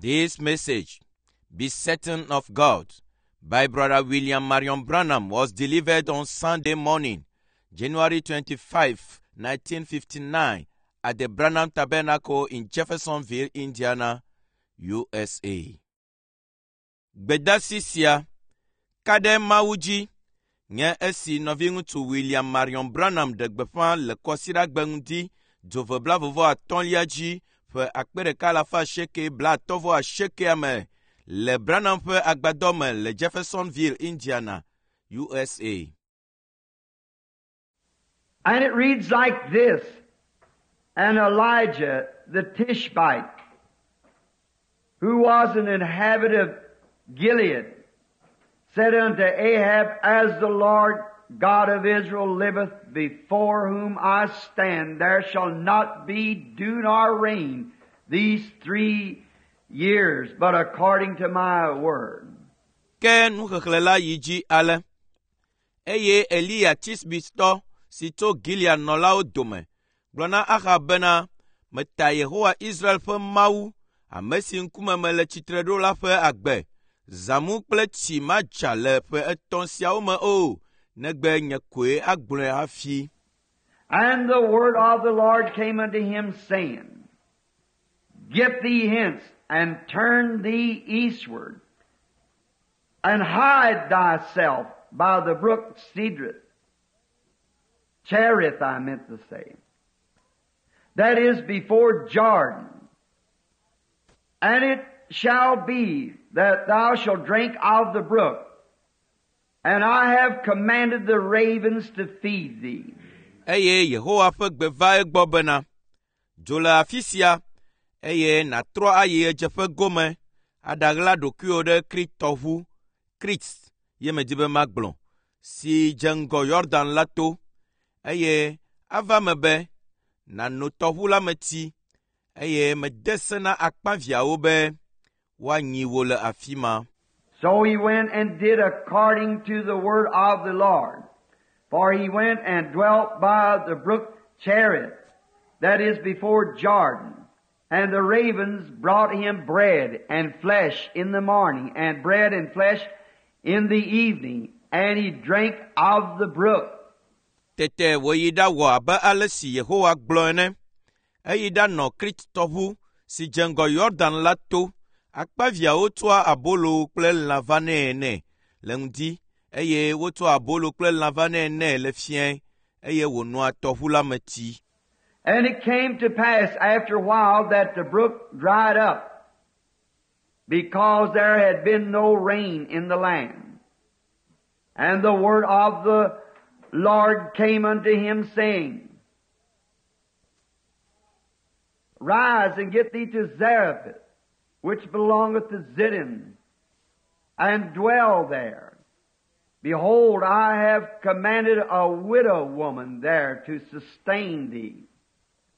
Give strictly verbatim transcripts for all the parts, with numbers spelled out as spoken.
This message, Be Certain of God, by Brother William Marion Branham was delivered on Sunday morning, January twenty-fifth, nineteen fifty-nine, at the Branham Tabernacle in Jeffersonville, Indiana, U S A. Gbedasi sia, ka ɖe Mawu dzi, nye esi nɔviŋutsu William Marion Branham ɖe gbeƒã le Kɔsiɖagbe ŋdi dzove blaeve atɔ̃lia dzi ƒe akpe ɖeka alafa asieke blaatɔ̃ vɔ asiekea me le Branham ƒe agbadɔ me le Jeffersonville, Indiana, U S A. And it reads like this: "And Elijah the Tishbite, who was an inhabitant of Gilead, said unto Ahab, 'As the Lord God of Israel liveth, before whom I stand, there shall not be dew nor rain these three years, but according to my word.'" Ke nuxexlẽ la yi dzi ale. Eye Eliya Tisbitɔ si tso Gilead nɔlawo dome gblɔ na Ahab bena, meta Yehowa Israel ƒe Mawu, ame si ŋkume mele tsitre ɖo la ƒe agbe, zãmu kple tsi madza le ƒe etɔ̃ siawo me o, negbe nye koe agblɔe hafi. And the word of the Lord came unto him, saying, 'Get thee hence, and turn thee eastward, and hide thyself by the brook Cedrith.'" Cherith, I meant to say. "That is before Jordan. And it shall be that thou shalt drink of the brook, and I have commanded the ravens to feed thee." Eye Yehowa ƒe gbe va egbɔ bena, dzo le afi sia, eye nàtrɔ ayi ɣedzeƒe gome aɖaɣla ɖokuiwò ɖe Krit tɔʋu, Krit ye medi be magblɔ, si dze ŋgɔ Yɔdan la to, eye ava me be nàno tɔʋu la me tsi, eye mede se na akpaviãwo be woanyi wò le afi ma. So he went and did according to the word of the Lord. For he went and dwelt by the brook Cherith, that is before Jordan. And the ravens brought him bread and flesh in the morning, and bread and flesh in the evening, and he drank of the brook. Tete wòyi ɖawɔ abe ale si Yehowa gblɔ ene. Eyi ɖanɔ Krit tɔʋu si dze ŋgɔ Yɔdan la to. Akpaviãwo tsɔa abolo kple lã vanɛ nɛ le ŋdi eye wotsɔa abolo kple lã vanɛ nɛ le fiẽ eye wònoa tɔʋu la me tsi. And it came to pass after a while that the brook dried up, because there had been no rain in the land. And the word of the Lord came unto him, saying, 'Rise and get thee to Zarephath, which belongeth to Zidon, and dwell there. Behold, I have commanded a widow woman there to sustain thee.'"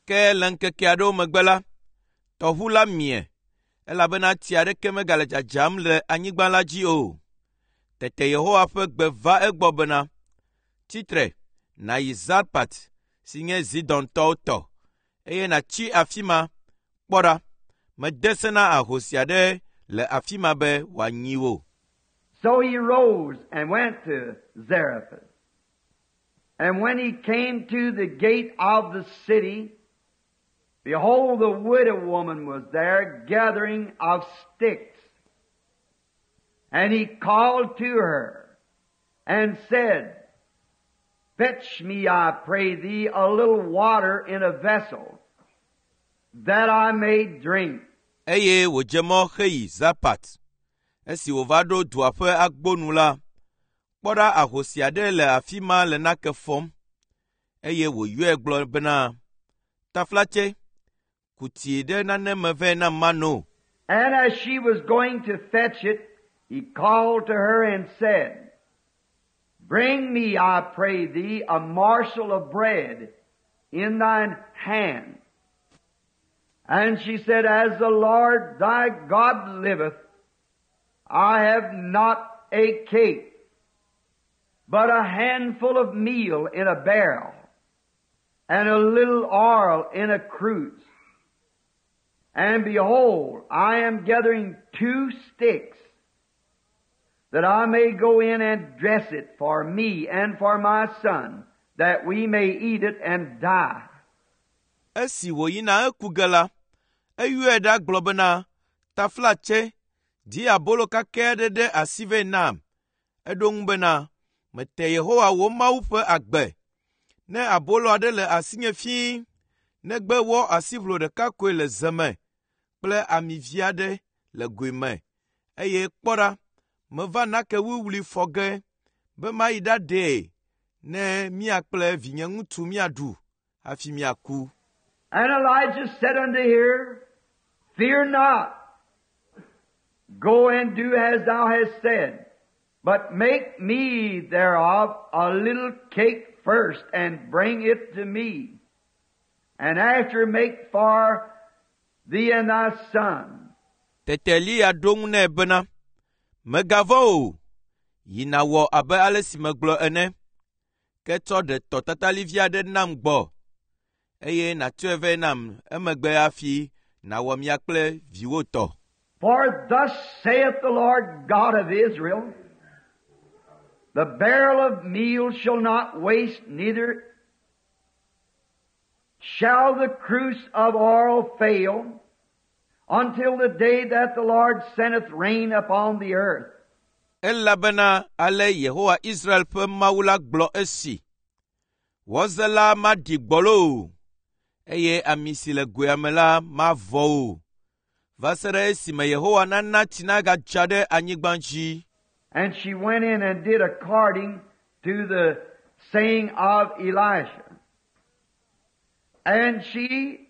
Ke le ŋkeke aɖewo megbe la, tɔʋu la mie elabena tsi aɖeke megale dzadzam le anyigba la dzi o. Tete Yehowa ƒe gbe va egbɔ bena, tsitre nàyi Zarpat si nye Zidontɔwo tɔ eye nàtsi afi ma. Kpɔ ɖa, mede se na ahosi aɖe le afi ma be wòanyi wò. So he rose and went to Zarephath. And when he came to the gate of the city, behold, the widow woman was there gathering of sticks. And he called to her and said, 'Fetch me, I pray thee, a little water in a vessel, that I may drink.'" Eye wòdze mɔ heyi Zarpat. Esi wòva ɖo dua ƒe agbonu la, kpɔ ɖa ahosi aɖe le afi ma le nake fɔm eye wòyɔe gblɔ bena, taflatse, ku tsi ɖe nane me vɛ nam mano. And as she was going to fetch it, he called to her and said, 'Bring me, I pray thee, a morsel of bread in thine hand.' And she said, 'As the Lord thy God liveth, I have not a cake, but a handful of meal in a barrel, and a little oil in a cruse. And behold, I am gathering two sticks, that I may go in and dress it for me and for my son, that we may eat it and die. Esi wòyina eku ge la, eyɔe ɖa gblɔ bena, “Taflatse, di abolo kakɛ aɖe ɖe asi vɛ nam.” Eɖo eŋu bena, “Mete Yehowa wò Mawu ƒe agbe. Ne abolo aɖe le asinye fĩi, negbe wɔ asiʋlo ɖeka koe le ze me kple ami vi aɖe le goe me, eye kpɔ ɖa, meva nake wuwlui fɔ ge be mayi ɖaɖee ne mía kple vinye ŋutsu míaɖu hafi míaku.” And Elijah said unto her, Fear not. Go and do as thou hast said, but make me thereof a little cake first, and bring it to me. And after make for thee and thy son. Tete Eliya ɖo eŋu nɛ bena, “Mègavɔ̃ o, yi nàwɔ abe ale si megblɔ ene. Ke tsɔ ɖe tɔ tatalivi aɖe nam gbɔ, eye nàtsɔe vɛ nam emegbe hafi nàwɔ mia kple viwò tɔ.” For thus saith the Lord God of Israel, The barrel of meal shall not waste, neither shall the cruse of oil fail, until the day that the Lord sendeth rain upon the earth. Elabena ale Yehowa Israel ƒe Mawu la gblɔ esi: Wɔze la maɖi gbɔlo o, eye ami si le goea me la mavɔ o, va se ɖe esime Yehowa nana tsi nagadza ɖe anyigba dzi. And she went in and did according to the saying of Elisha. And she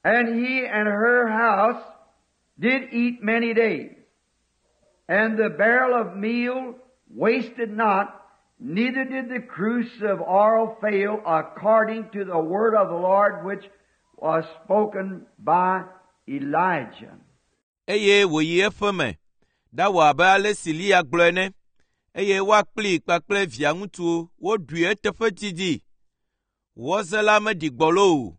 and he and her house did eat many days. And the barrel of meal wasted not, neither did the cruse of oil fail, according to the word of the Lord which was spoken by Elijah. Eye wòyi eƒe me, ɖawɔ abe ale si Eliya gblɔ ene, eye woa kplii kpakple via ŋutsu woɖui eteƒe didi. Wɔze la meɖi gbɔlo o,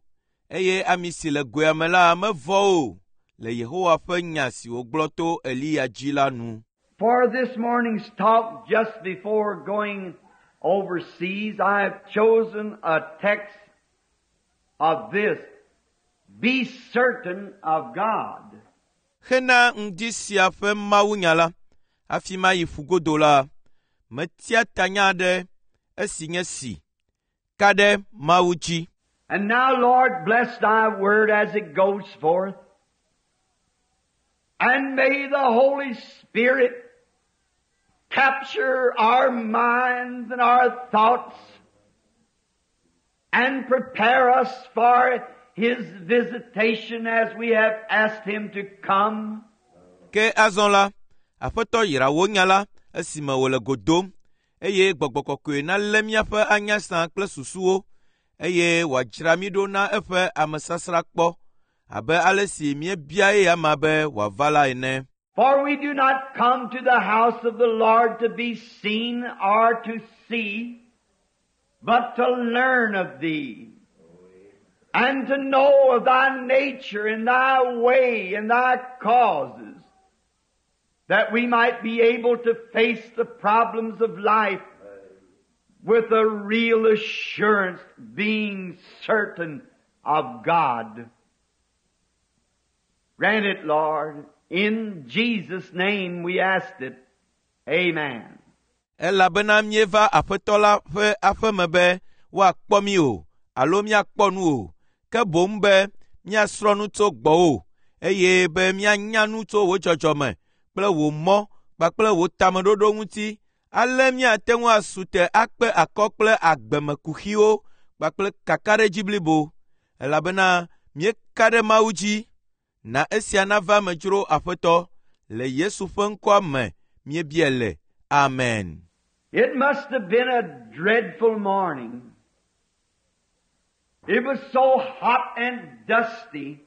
eye ami si le goea me la mevɔ o, le Yehowa ƒe nya si wògblɔ to Eliya dzi la nu. For this morning's talk, just before going overseas, I have chosen a text of this. Be certain of God. Hena ŋdi sia ƒe mawunya la, hafi mayi ƒugodo la, metia tanya aɖe esi nye si, ka ɖe Mawu dzi. And now, Lord, bless thy word as it goes forth. And may the Holy Spirit capture our minds and our thoughts and prepare us for His visitation as we have asked Him to come. Ke azɔ la, Aƒetɔ yra wò nya la esime wòle go dom, eye Gbɔgbɔ Kɔkɔe nalé míaƒe anyasã kple susuwo, eye wòadzra mí ɖo na eƒe amesasrakpɔ abe ale si míebia eya be wòava la ene. For we do not come to the house of the Lord to be seen or to see, but to learn of Thee, and to know of Thy nature and Thy way and Thy causes, that we might be able to face the problems of life with a real assurance, being certain of God. Grant it, Lord. In Jesus' name we ask it. Amen. Elabena míeva Aƒetɔ la ƒe aƒeme be woakpɔ mí o alo míakpɔ nu o, ke boŋ be míasrɔ̃ nu tso gbɔwò, eye be míanya nu tso wò dzɔdzɔme kple wò mɔ kpakple wò tameɖoɖo ŋuti, ale míate ŋu asu te akpe akɔ kple agbemekuxiwo kpakple kakaɖedzi blibo, elabena míeka ɖe Mawu dzi. Na esia nava eme dzro Aƒetɔ, le Yesu ƒe ŋkɔa me míebia le. Amen. It must have been a dreadful morning. It was so hot and dusty.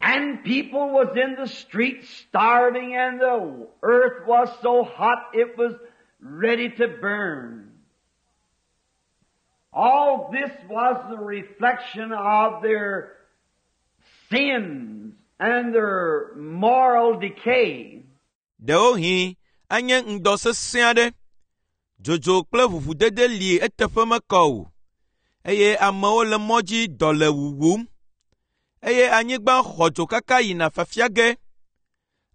And people was in the streets starving, and the earth was so hot it was ready to burn. All this was the reflection of their sins and their moral decay. Ɖewohĩ anye ŋdɔ sesẽ aɖe. Dzodzo kple ʋuʋudede li eteƒe mekɔ o, eye amewo le mɔ dzi dɔ le wuwum, eye anyigba xɔ dzo kaka yina fafia ge.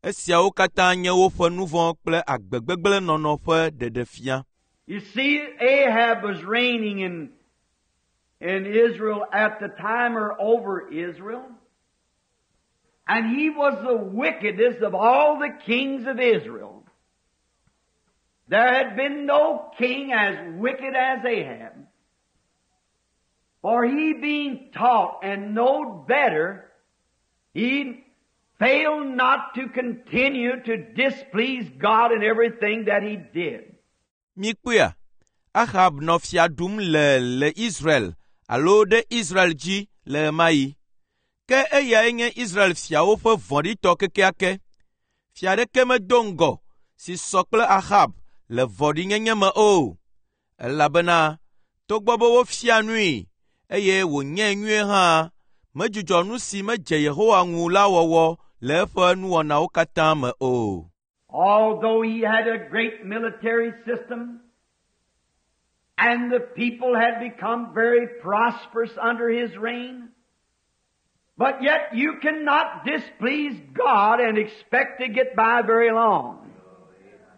Esiawo katã nye woƒe nu vɔ̃ kple agbe gbegblẽ nɔnɔ ƒe ɖeɖefia. You see, Ahab was reigning in, in Israel at the time or over Israel. And he was the wickedest of all the kings of Israel. There had been no king as wicked as Ahab. For he being taught and knowed better, he failed not to continue to displease God in everything that he did. Mikpɔea, Ahab nɔ fia ɖum le le Israel alo ɖe Israel dzi le ɣemaɣi. Ke eyae nye Israel fiawo ƒe vɔ̃ɖitɔ kekeake. Fia aɖeke medo ŋgɔ si sɔ kple Ahab le vɔ̃ɖinyenye me o, elabena togbɔ be wofia nui eye wònyae nyuie hã, medzudzɔ nu si medze Yehowa ŋu la wɔwɔ le eƒe nuwɔnawo katã me o. Although he had a great military system, and the people had become very prosperous under his reign, but yet you cannot displease God and expect to get by very long.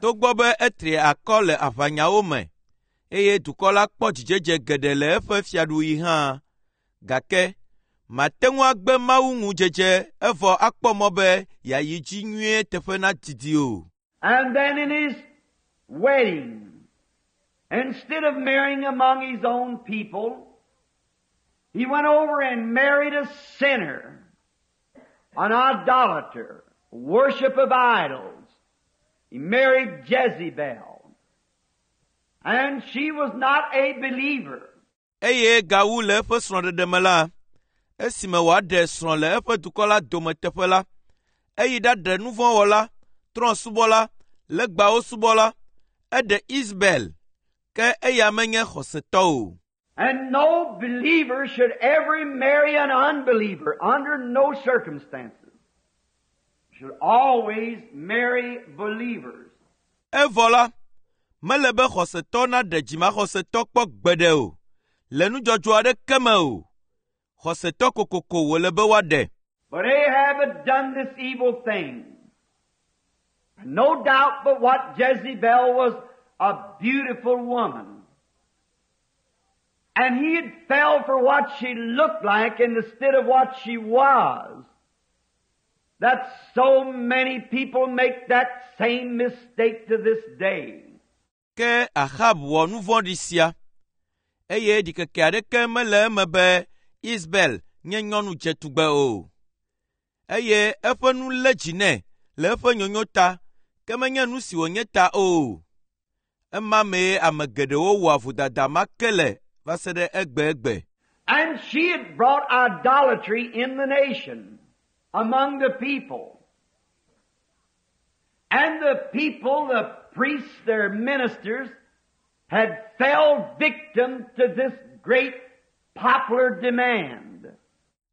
Togbɔ be etri akɔ le aʋanyawo me, eye dukɔ la kpɔ dzidzedze geɖe le eƒe fiaɖuɣi hã, gake mate ŋu agbe Mawu ŋu dzedze evɔ akpɔ mɔ be yeayi dzi nyuie teƒe nadidi o. And then in his wedding, instead of marrying among his own people, he went over and married a sinner, an idolater, worship of idols. He married Jezebel. And she was not a believer. Eye gawu le eƒe srɔ̃ɖeɖe me la, esime wòaɖe srɔ̃ le eƒe dukɔ la dome teƒe la, eyi ɖaɖe nu vɔ̃ wɔla, trɔ̃subɔla, legbawo subɔla, eɖe Isabel, ke eya menye xɔsetɔ o. And no believer should ever marry an unbeliever under no circumstances. Should always marry believers. Evɔ la, mele be xɔsetɔ naɖe dzimaxɔsetɔ kpɔ gbeɖe o, le nudzɔdzɔ aɖeke me o. Xɔsetɔ kokoko wòle be woaɖe. But Ahab had done this evil thing. No doubt but what Jezebel was a beautiful woman. And he had fell for what she looked like instead of what she was. That so many people make that same mistake to this day. Ke Ahab wɔ nu vɔ̃ɖi sia, eye ɖikeke aɖeke mele eme be Isabel nye nyɔnu dzetugbe o. Eye eƒe nu lé dzi nɛ le eƒe nyonyo ta, ke menye nu si wònye ta o. Ema mee ame geɖewo wɔa vodada ma ke le va se ɖe egbegbe. And she had brought idolatry in the nation, among the people. And the people, the priests, their ministers, had fell victim to this great popular demand.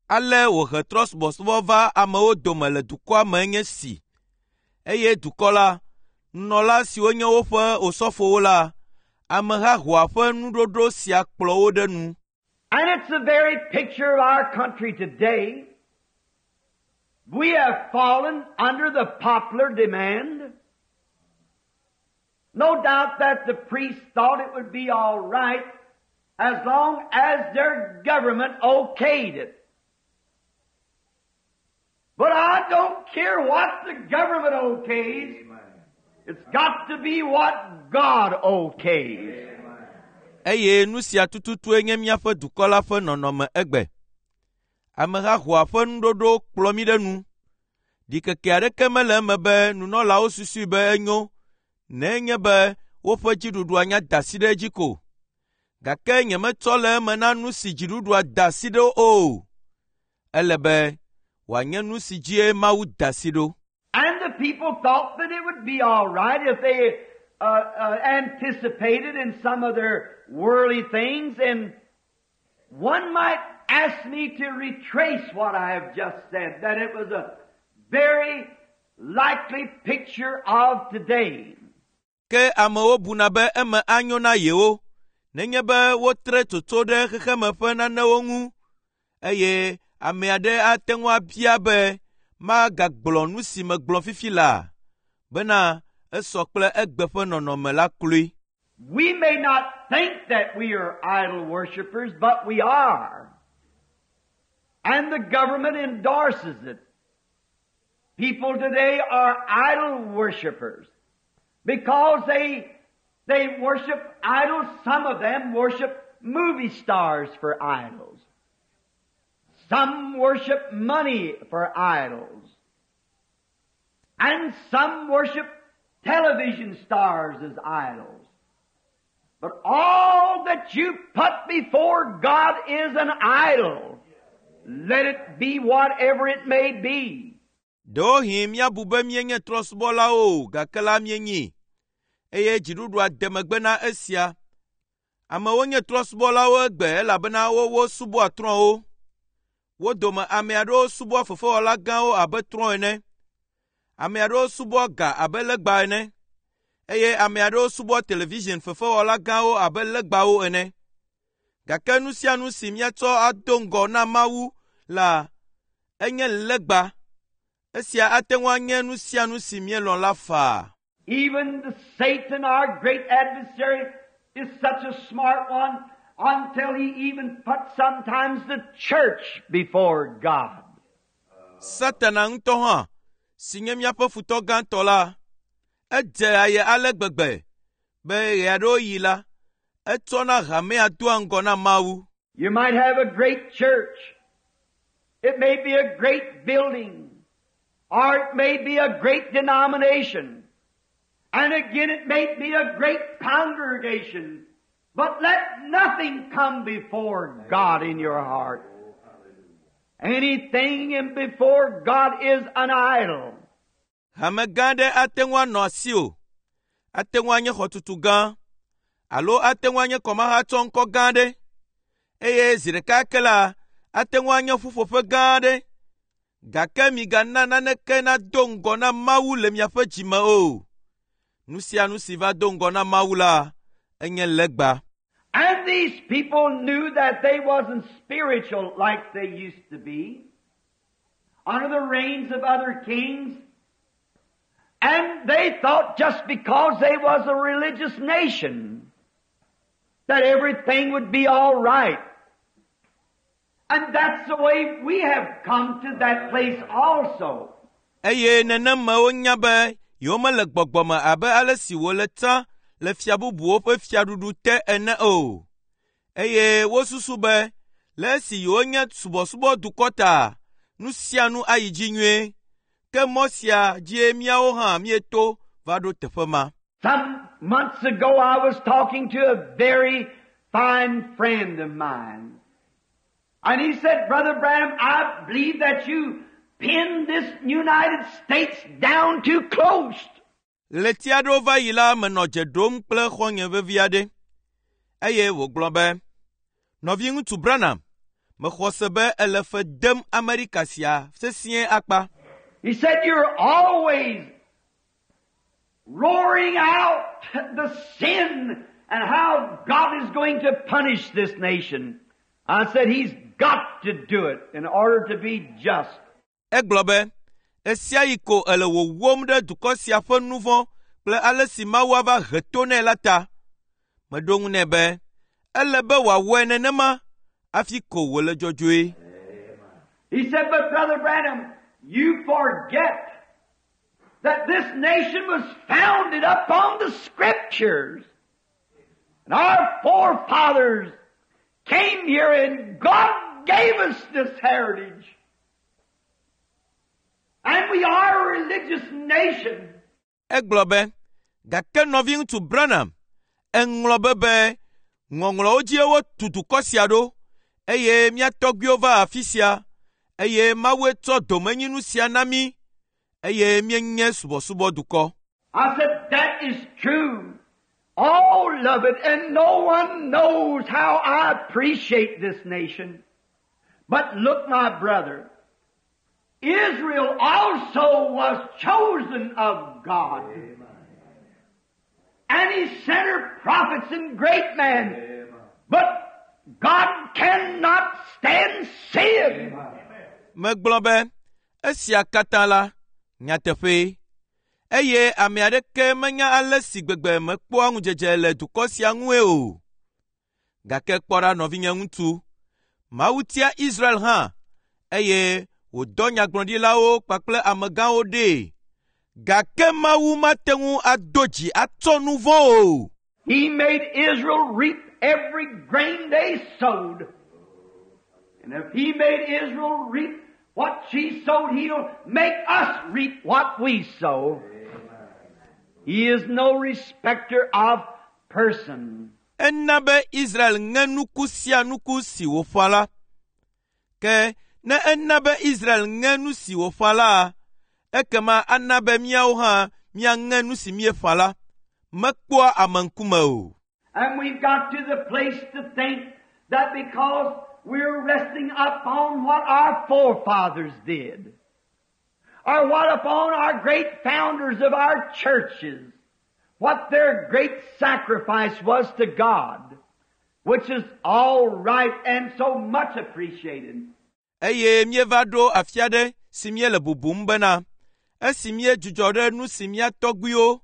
Ale wòhe trɔ̃subɔsubɔ va amewo dome le dukɔa me nye si. Eye dukɔ la, nunɔla siwo nye woƒe osɔfowo la, ameha hoa ƒe nuɖoɖo sia kplɔ wo ɖe nu. And it's the very picture of our country today. We have fallen under the popular demand. No doubt that the priests thought it would be all right as long as their government okayed it. But I don't care what the government okays. It's got to be what God okays. Eye nu sia tututue nye míaƒe dukɔ la ƒe nɔnɔme egbe. Ameha hoa ƒe nuɖoɖo kplɔ mí ɖe nu. Ɖikeke aɖeke mele eme be nunɔlawo susui be enyo nenye be woƒe dziɖuɖua nya da asi ɖe edzi ko. Gake nyemetsɔ le eme na nu si dziɖuɖua da asi ɖo o. Ele be wòanye nu si dzie Mawu da asi ɖo. And the people thought that it would be all right if they uh, uh, anticipated in some of their worldly things, and one might ask me to retrace what I have just said, that it was a very likely picture of today. Ke amewo buna be eme anyo na yewo nenye be wotre tsotso ɖe xexeme ƒe nanewo ŋu eye ame aɖe ate ŋu abia be magagblɔ nu si megblɔ fifi laa bena esɔ kple egbe ƒe nɔnɔme la kloe. We may not think that we are idol worshippers, but we are. And the government endorses it. People today are idol worshippers because they, they worship idols. Some of them worship movie stars for idols. Some worship money for idols. And some worship television stars as idols. But all that you put before God is an idol. Let it be whatever it may be. Ɖewohĩ míabu be míenye trɔ̃subɔlawo o gake la míenyi eye dziɖuɖua de megbe na esia. Amewo nye trɔ̃subɔlawo egbe elabena wowo subɔa trɔ̃wo. Wo dome ame aɖewo subɔa fefewɔla gãwo abe trɔ̃ ene. Ame aɖewo subɔa ga abe legba ene eye ame aɖewo subɔa television fefewɔla gãwo abe legbawo ene. Gake nu sia nu si míatsɔ ado ŋgɔ na Mawu la enye legba. Esia ate ŋu anye nu sia nu si míelɔ̃ la faa. Even the Satan, our great adversary, is such a smart one until he even puts sometimes the church before God. Satana ŋutɔ hã si nye míaƒe futɔ gãtɔ la, edze aye ale gbegbe be ɣe aɖewo yi la, etsɔna hamea doa ŋgɔ na Mawu. You might have a great church. It may be a great building. Or it may be a great denomination. And again it may be a great congregation. But let nothing come before God in your heart. Anything in before God is an idol. Hame gã aɖe ate ŋu anɔ asiwò, ate ŋu anye xɔtutu gã, alo ate ŋu anye kɔmahatsɔŋkɔ gã aɖe, eye zi ɖeka ke la, ate ŋu anye ƒuƒoƒe gã aɖe. Gake migana naneke nado ŋgɔ na Mawu le miaƒe dzime o. Nu sia nu si va do ŋgɔ na Mawu la, enye legba. And these people knew that they wasn't spiritual like they used to be under the reigns of other kings. And they thought just because they was a religious nation that everything would be all right. And that's the way we have come to that place also. Eye nenema wonya be yewomele gbɔgbɔme abe ale si wòle tsã le fia bubuwo ƒe fiaɖuɖu te ene o. Eye wosusu be le esi yewonye subɔsubɔdukɔ ta, nu sia nu ayi dzi nyuie. Ke mɔ sia dzie míawo hã míeto va ɖo teƒe ma. Some months ago I was talking to a very fine friend of mine. And he said, Brother Branham, I believe that you pinned this United States down too close. Ɣleti aɖewo va yi la menɔ dze ɖom kple xɔ̃nye vevi aɖe eye wògblɔ be, Nɔviŋutsu Branham, mexɔ se be ele fe dem Amerika sia sesĩe akpa. He said, You're always roaring out the sin and how God is going to punish this nation. I said, He's got to do it in order to be just. Egblɔ be, ɣe ko ele wòwom ɖe dukɔ sia ƒe nu vɔ̃ kple ale si Mawu ava he to nɛ la ta. Meɖo ŋu nɛ be, ele be wòawɔe nenema hafi ko wòle dzɔdzɔe. He said, But Brother Branham, you forget that this nation was founded upon the Scriptures. And our forefathers came here and God gave us this heritage. And we are a religious nation. Egblɔ be, gake nɔviŋutsu Branham, eŋlɔ be be ŋɔŋlɔwo dzie wotu dukɔ sia ɖo eye mía tɔgbuiwo va afi sia eye Mawue tsɔ domenyinu sia na mí eye míenye subɔsubɔdukɔ. I said, that is true. All of it, and no one knows how I appreciate this nation. But look, my brother, Israel also was chosen of God. And He sent her prophets and great men. But God cannot stand sin. Megblɔ be, esia katã la, nyateƒee. Eye ame aɖeke menya ale si gbegbe mekpɔa ŋudzedze le dukɔ sia ŋue o. Gake kpɔ ɖa nɔvinye ŋutsu, Mawu tia Israel hã, eye wòdɔ nyagblɔɖilawo kpakple amegãwo ɖee. Gake Mawu mate ŋu ado dzi atsɔ nu vɔ̃ o. He made Israel reap every grain they sowed. And if He made Israel reap what she sowed, He'll make us reap what we sow. He is no respecter of person. Ena be Israel ŋe nuku sia nuku si wòƒã la. Ke ne ena be Israel ŋe nu si wòƒã la, ekema ana be míawo hã míaŋe nu si míeƒã la. Mekpɔa ame ŋkume o. And we've got to the place to think that because we're resting upon what our forefathers did, or what upon our great founders of our churches, what their great sacrifice was to God, which is all right and so much appreciated. Eye míeva ɖo afi aɖe si míele bubum bena esi míedzudzɔ ɖe nu si mía tɔgbuiwo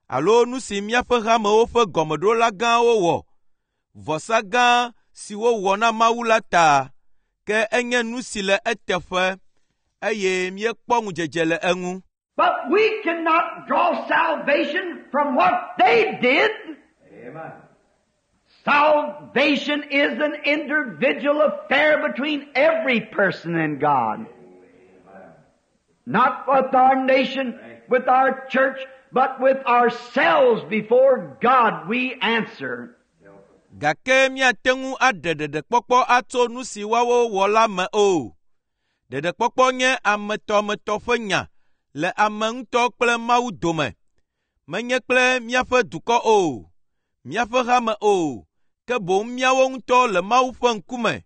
alo nu si míaƒe hamewo ƒe gɔmeɖola gãwo wɔ, vɔsa gã si wowɔ na Mawu la ta, ke enye nu si le eteƒe eye míekpɔ ŋudzedze le eŋu. But we cannot draw salvation from what they did. Salvation is an individual affair between every person and God. Not with our nation, with our church, but with ourselves before God we answer. Gake míate ŋu aɖe ɖeɖekpɔkpɔ atso nu si woawo wɔ la me o. Ɖeɖekpɔkpɔ nye ametɔmetɔ ƒe nya le ame ŋutɔ kple Mawu dome. Menye kple míaƒe dukɔ o, míaƒe hame o, ke boŋ míawo ŋutɔ le Mawu ƒe ŋkume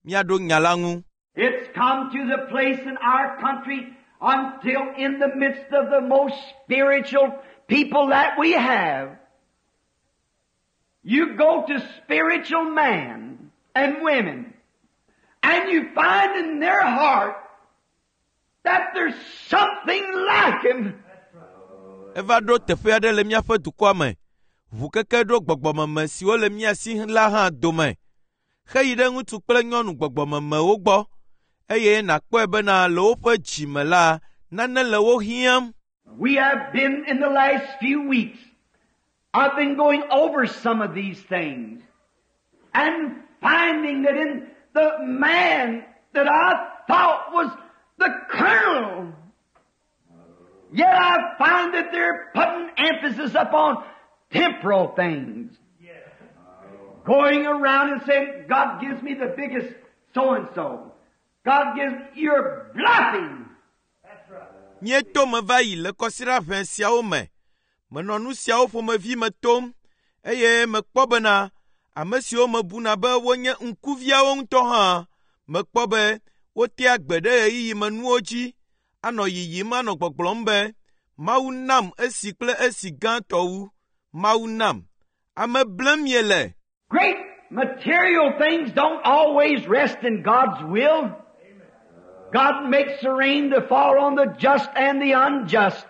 míaɖo nya la ŋu. It's come to the place in our country until in the midst of the most spiritual people that we have, you go to spiritual men and women, and you find in their heart that there's something lacking. Eva ɖo teƒe aɖe le míaƒe dukɔa me. Ʋukeke ɖo gbɔgbɔmeme siwo le mía si la hã dome. Heyi ɖe ŋutsu kple nyɔnu gbɔgbɔmemewo gbɔ eye nàkpɔe bena le woƒe dzi me la, nane le wo hiãm. We have been in the last few weeks. I've been going over some of these things and finding that in the man that I thought was the colonel, yet I find that they're putting emphasis upon temporal things. Going around and saying, God gives me the biggest so-and-so. God gives, you're bluffing. Míeto me va yi le kɔsiɖa ʋɛ siawo me. Menɔ nu siawo ƒomevi me tom eye mekpɔ bena ame siwo mebuna be wonye ŋkuviawo ŋutɔ hã, mekpɔ be wotea gbe ɖe ɣeyiɣimenuwo dzi anɔ yiyim anɔ gbɔgblɔm be, Mawu nam esi kple esi gãtɔ wu. Mawu nam. Ame blem miele. Great material things don't always rest in God's will. God makes the rain to fall on the just and the unjust.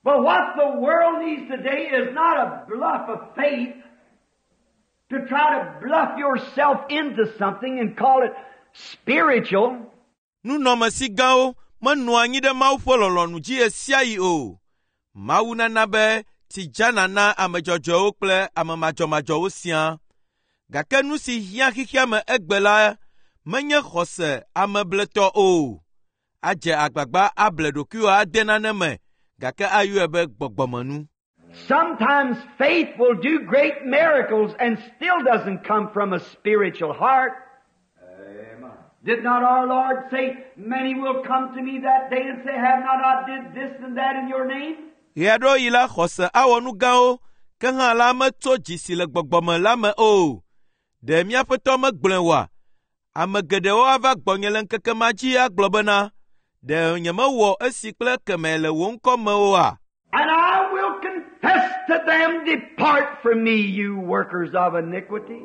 But what the world needs today is not a bluff of faith to try to bluff yourself into something and call it spiritual. Nunɔamesi gãwo menɔa anyi ɖe Mawu ƒe lɔlɔ̃nu dzi ɣe sia ɣi o. Mawu nana be tsi dzana na ame dzɔdzɔewo kple ame madzɔmadzɔwo siaa. Gake nu si hiã xexea me egbe la menye xɔse amebletɔ o. Adze agbagba able ɖokuiwò ade nane me gake ayɔe be gbɔgbɔmenu. Sometimes faith will do great miracles and still doesn't come from a spiritual heart. Did not our Lord say, many will come to me that day and say, have not I did this and that in your name? Ɣe aɖewo la xɔse awɔ nu gãwo, ke hã la metso dzi si le gbɔgbɔme la me o. Ɖe mía Aƒetɔ megblɔe oa? Ame geɖewo ava gbɔnye le ŋkeke ma dzi agblɔ bena, ɖe nyemewɔ esi kple ekemɛ le wò ŋkɔ me oa? And I will confess to them, depart from me, you workers of iniquity.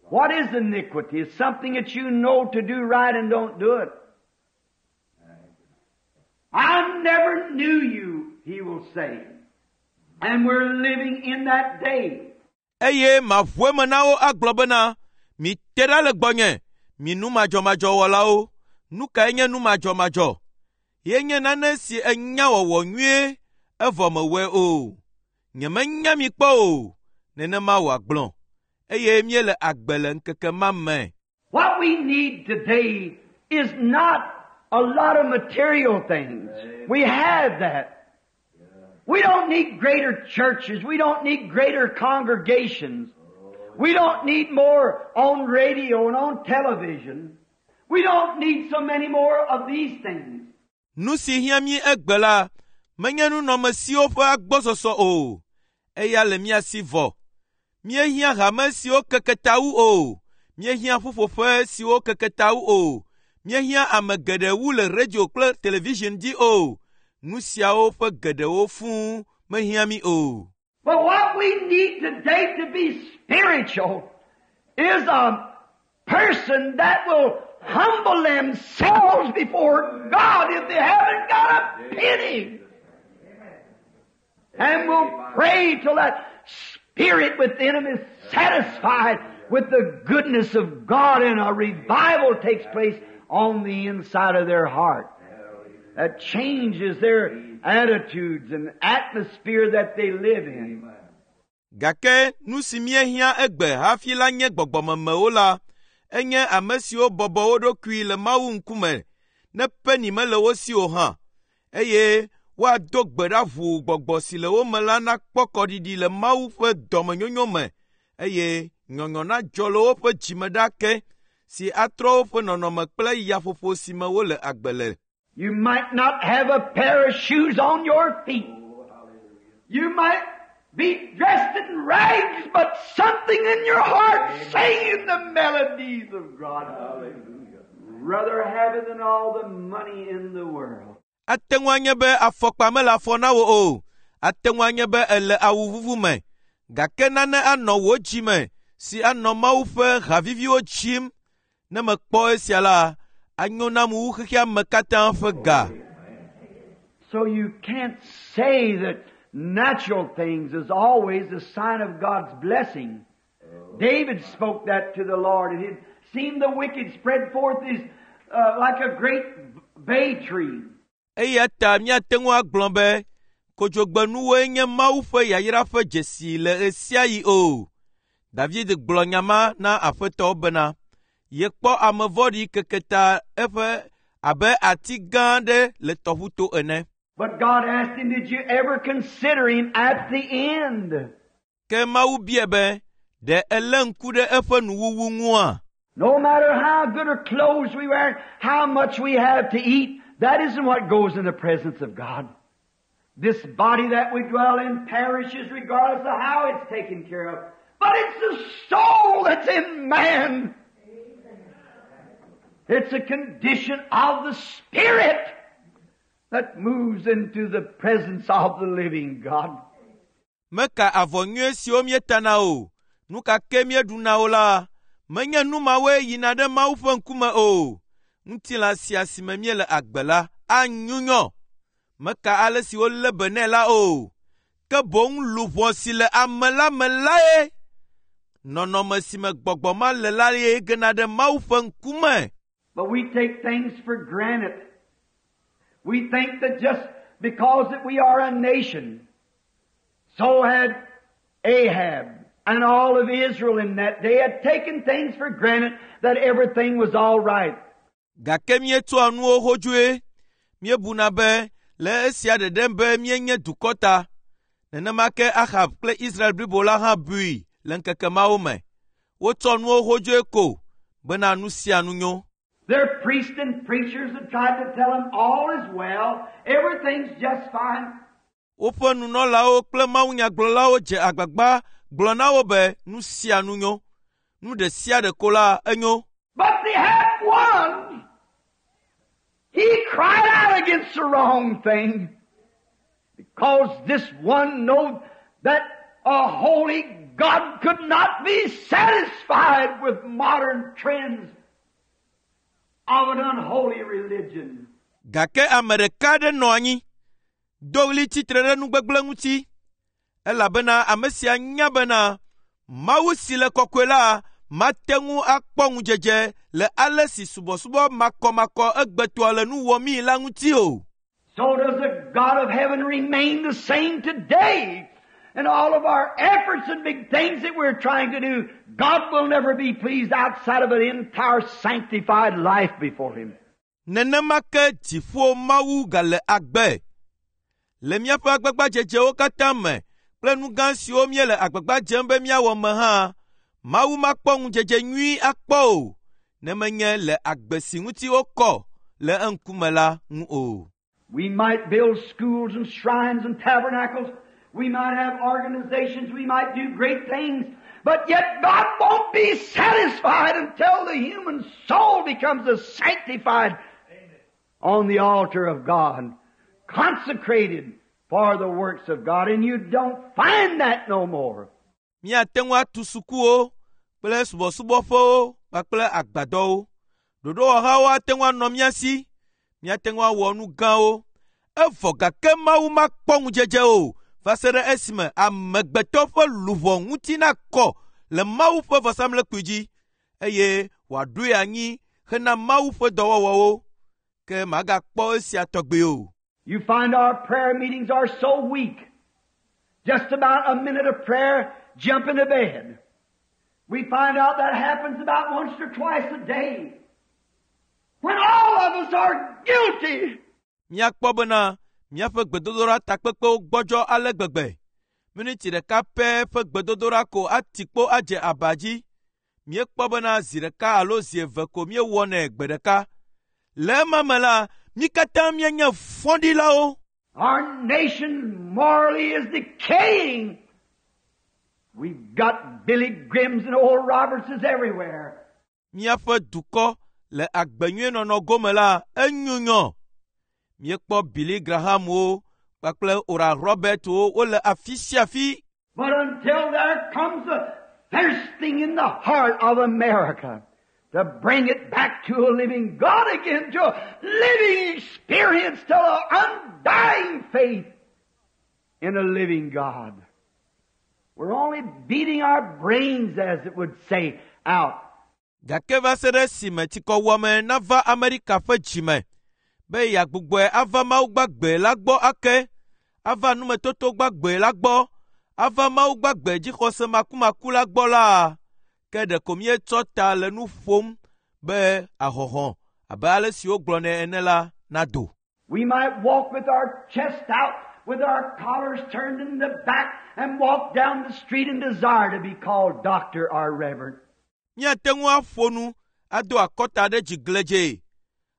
What is iniquity? It's something that you know to do right and don't do it. I never knew you, he will say. And we're living in that day. Eye maʋu eme na wo agblɔ bena, mite ɖa le gbɔnye, mi nu madzɔmadzɔwɔlawo. Nu kae nye nu madzɔmadzɔ? Ye nye nane si enya wɔwɔ nyuie, evɔ mewɔe o. Nyemenya mi kpɔ o. Nenema wòagblɔ. Eye míele agbe le ŋkeke ma me. What we need today is not a lot of material things. We have that. We don't need greater churches. We don't need greater congregations. We don't need more on radio and on television. We don't need so many more of these things. Nu si hiã mí egbe la, menye nunɔamesiwo ƒe agbɔsɔsɔ o. Eya le mía si vɔ. Míehiã hame siwo keke ta wu o. Míehiã ƒuƒoƒe siwo keke ta wu o. Míehiã ame geɖe wu le radio kple television dzi o. Nu siawo ƒe geɖewo fũu mehiã mí o. But what we need today to be spiritual is a person that will humble themselves before God if they haven't got a penny. And will pray till that spirit within them is satisfied with the goodness of God and a revival takes place on the inside of their heart. That changes their attitudes and atmosphere that they live in. Gake nu si míehiã egbe hafi la nye gbɔgbɔmemewo la, enye ame siwo bɔbɔ wo ɖokui le Mawu ŋkume ne peni mele wo si o hã, eye woado gbe ɖa ʋuu gbɔgbɔ si le wo me la nakpɔ kɔɖiɖi le Mawu ƒe dɔmenyonyo me, eye nyɔnyɔ nadzɔ le woƒe dzime ɖa ke si atrɔ woƒe nɔnɔme kple yaƒoƒo si me wole agbe le. You might not have a pair of shoes on your feet. You might be dressed in rags, but something in your heart singing the melodies of God. Hallelujah. Rather have it than all the money in the world. Ate ŋu anye be afɔkpa mele afɔ na wò o. Ate ŋu anye be èle awu vuvu me. Gake nane anɔ wò dzi me si anɔ Mawu ƒe haviviwo dzim. Ne mekpɔ esia la, anyo nam wu xexea me katã ƒe ga. So you can't say that natural things is always a sign of God's blessing. David spoke that to the Lord, and it seemed the wicked spread forth his, uh, like a great bay tree. Eya ta míate ŋu agblɔ be kodzogbenuwoe nye Mawu ƒe yayra ƒe dzesi le ɣe sia ɣi o. David gblɔ nya ma na Aƒetɔ bena yekpɔ ame vɔ̃ɖi keke ta eƒe abe ati gã aɖe le tɔʋuto ene. But God asked him, Did you ever consider him at the end? Ke Mawu bia be, ɖe èlé ŋku ɖe eƒe nuwuwu ŋua? No matter how good or clothes we wear, how much we have to eat, that isn't what goes in the presence of God. This body that we dwell in perishes regardless of how it's taken care of. But it's the soul that's in man. It's a condition of the spirit that moves into the presence of the living God. Meka avɔ nyui siwo míetana o, nu ka ke míeɖuna o la, menye nu mawoe yina ɖe Mawu ƒe ŋkume o. Ŋutilã sia si me míele agbe la anyunyɔ. Meka ale si wolé be nɛ la o. Ke boŋ luʋɔ si le ame la me lae. Nɔnɔme si me gbɔgbɔ ma le la ye gena ɖe Mawu ƒe ŋkume. But we take things for granted. We think that just because that we are a nation, so had Ahab and all of Israel in that day had taken things for granted that everything was all right. Gake míetsɔa nuwo hodzoe. Míebuna be le esia ɖeɖe be míenye dukɔ ta. Nenema ke Ahab kple Israel blibo la hã bui le ŋkeke mawo me. Wotsɔ nuwo hodzoe ko bena nu sia nu nyo. Their priests and preachers had tried to tell them all is well, everything's just fine. Woƒe nunɔlawo kple mawunyagblɔlawo dze agbagba gblɔ na wo be nu sia nu nyo. Nu ɖe sia ɖe ko la enyo. But they had one. He cried out against the wrong thing. Because this one knowed that a holy God could not be satisfied with modern trends of an unholy religion. Gake ame ɖeka aɖe nɔ anyi, do ɣli tsitre ɖe nugbegblẽ ŋuti, elabena ame sia nya bena Mawu si le kɔkɔe la mate ŋu akpɔ ŋudzedze le ale si subɔsubɔ makɔmakɔ egbetɔa le nu wɔmii la ŋuti o. So does the God of heaven remain the same today. And all of our efforts and big things that we're trying to do, God will never be pleased outside of an entire sanctified life before Him. Nenema ke dziƒo Mawu gale agbe. Le míaƒe agbagbadzedzewo katã me kple nu gã siwo míele agbagba dzem be míawɔ me hã, Mawu makpɔ ŋudzedze nyui akpɔ o, ne menye le agbe si ŋuti wokɔ le eŋkume la ŋu o. We might build schools and shrines and tabernacles. We might have organizations. We might do great things. But yet God won't be satisfied until the human soul becomes a sanctified on the altar of God, consecrated for the works of God. And you don't find that no more. Míate ŋu atu sukuwo kple subɔsubɔƒewo kpakple agbadɔwo. Ɖoɖowɔhawo ate ŋu anɔ mía si. Míate ŋu awɔ nu gãwo. Evɔ gake Mawu makpɔ ŋudzedze o va se ɖe esime amegbetɔ ƒe luʋɔ ŋuti nakɔ le Mawu ƒe vɔsamlekpui dzi eye wòaɖoe anyi hena Mawu ƒe dɔwɔwɔwo. Ke magakpɔ esia tɔgbi o. You find our prayer meetings are so weak. Just about a minute of prayer, jump into bed. We find out that happens about once or twice a day. When all of us are guilty. Míakpɔ bena míaƒe gbedodoɖa takpekpewo gbɔdzɔ ale gbegbe. Miniti ɖeka pɛ ƒe gbedodoɖa ko ati kpo adze aba dzi. Míekpɔ bena zi ɖeka alo zi eve ko míewɔnɛ gbe ɖeka. Le ema me la, mí katã míenye fɔɖilawo. Our nation morally is decaying. We've got Billy Grahams and Oral Robertses everywhere. Míaƒe dukɔ le agbenyuienɔnɔ gome la, enyunyɔ. Míekpɔ Billy Grahamwo kpakple Oral Robertwo wole afi sia afi. But until there comes a thirsting in the heart of America to bring it back to a living God again, to a living experience, to an undying faith in a living God. We're only beating our brains, as it would say, out. Gake va se ɖe esime tsikɔwuame nava Amerika ƒe dzime be yeagbugbɔe ava Mawu gbagbe la gbɔ ake, ava numetoto gbagbe la gbɔ, ava Mawu gbagbe dzixɔse makumaku la gbɔ la, ke ɖeko míetsɔ ta le nu ƒom be ahɔhɔ̃ abe ale si wogblɔnɛ ene la nado. We might walk with our chest out, with our collars turned in the back, and walk down the street and desire to be called doctor or reverend. Míate ŋu aƒo nu ado akɔta ɖe dzi gledzee,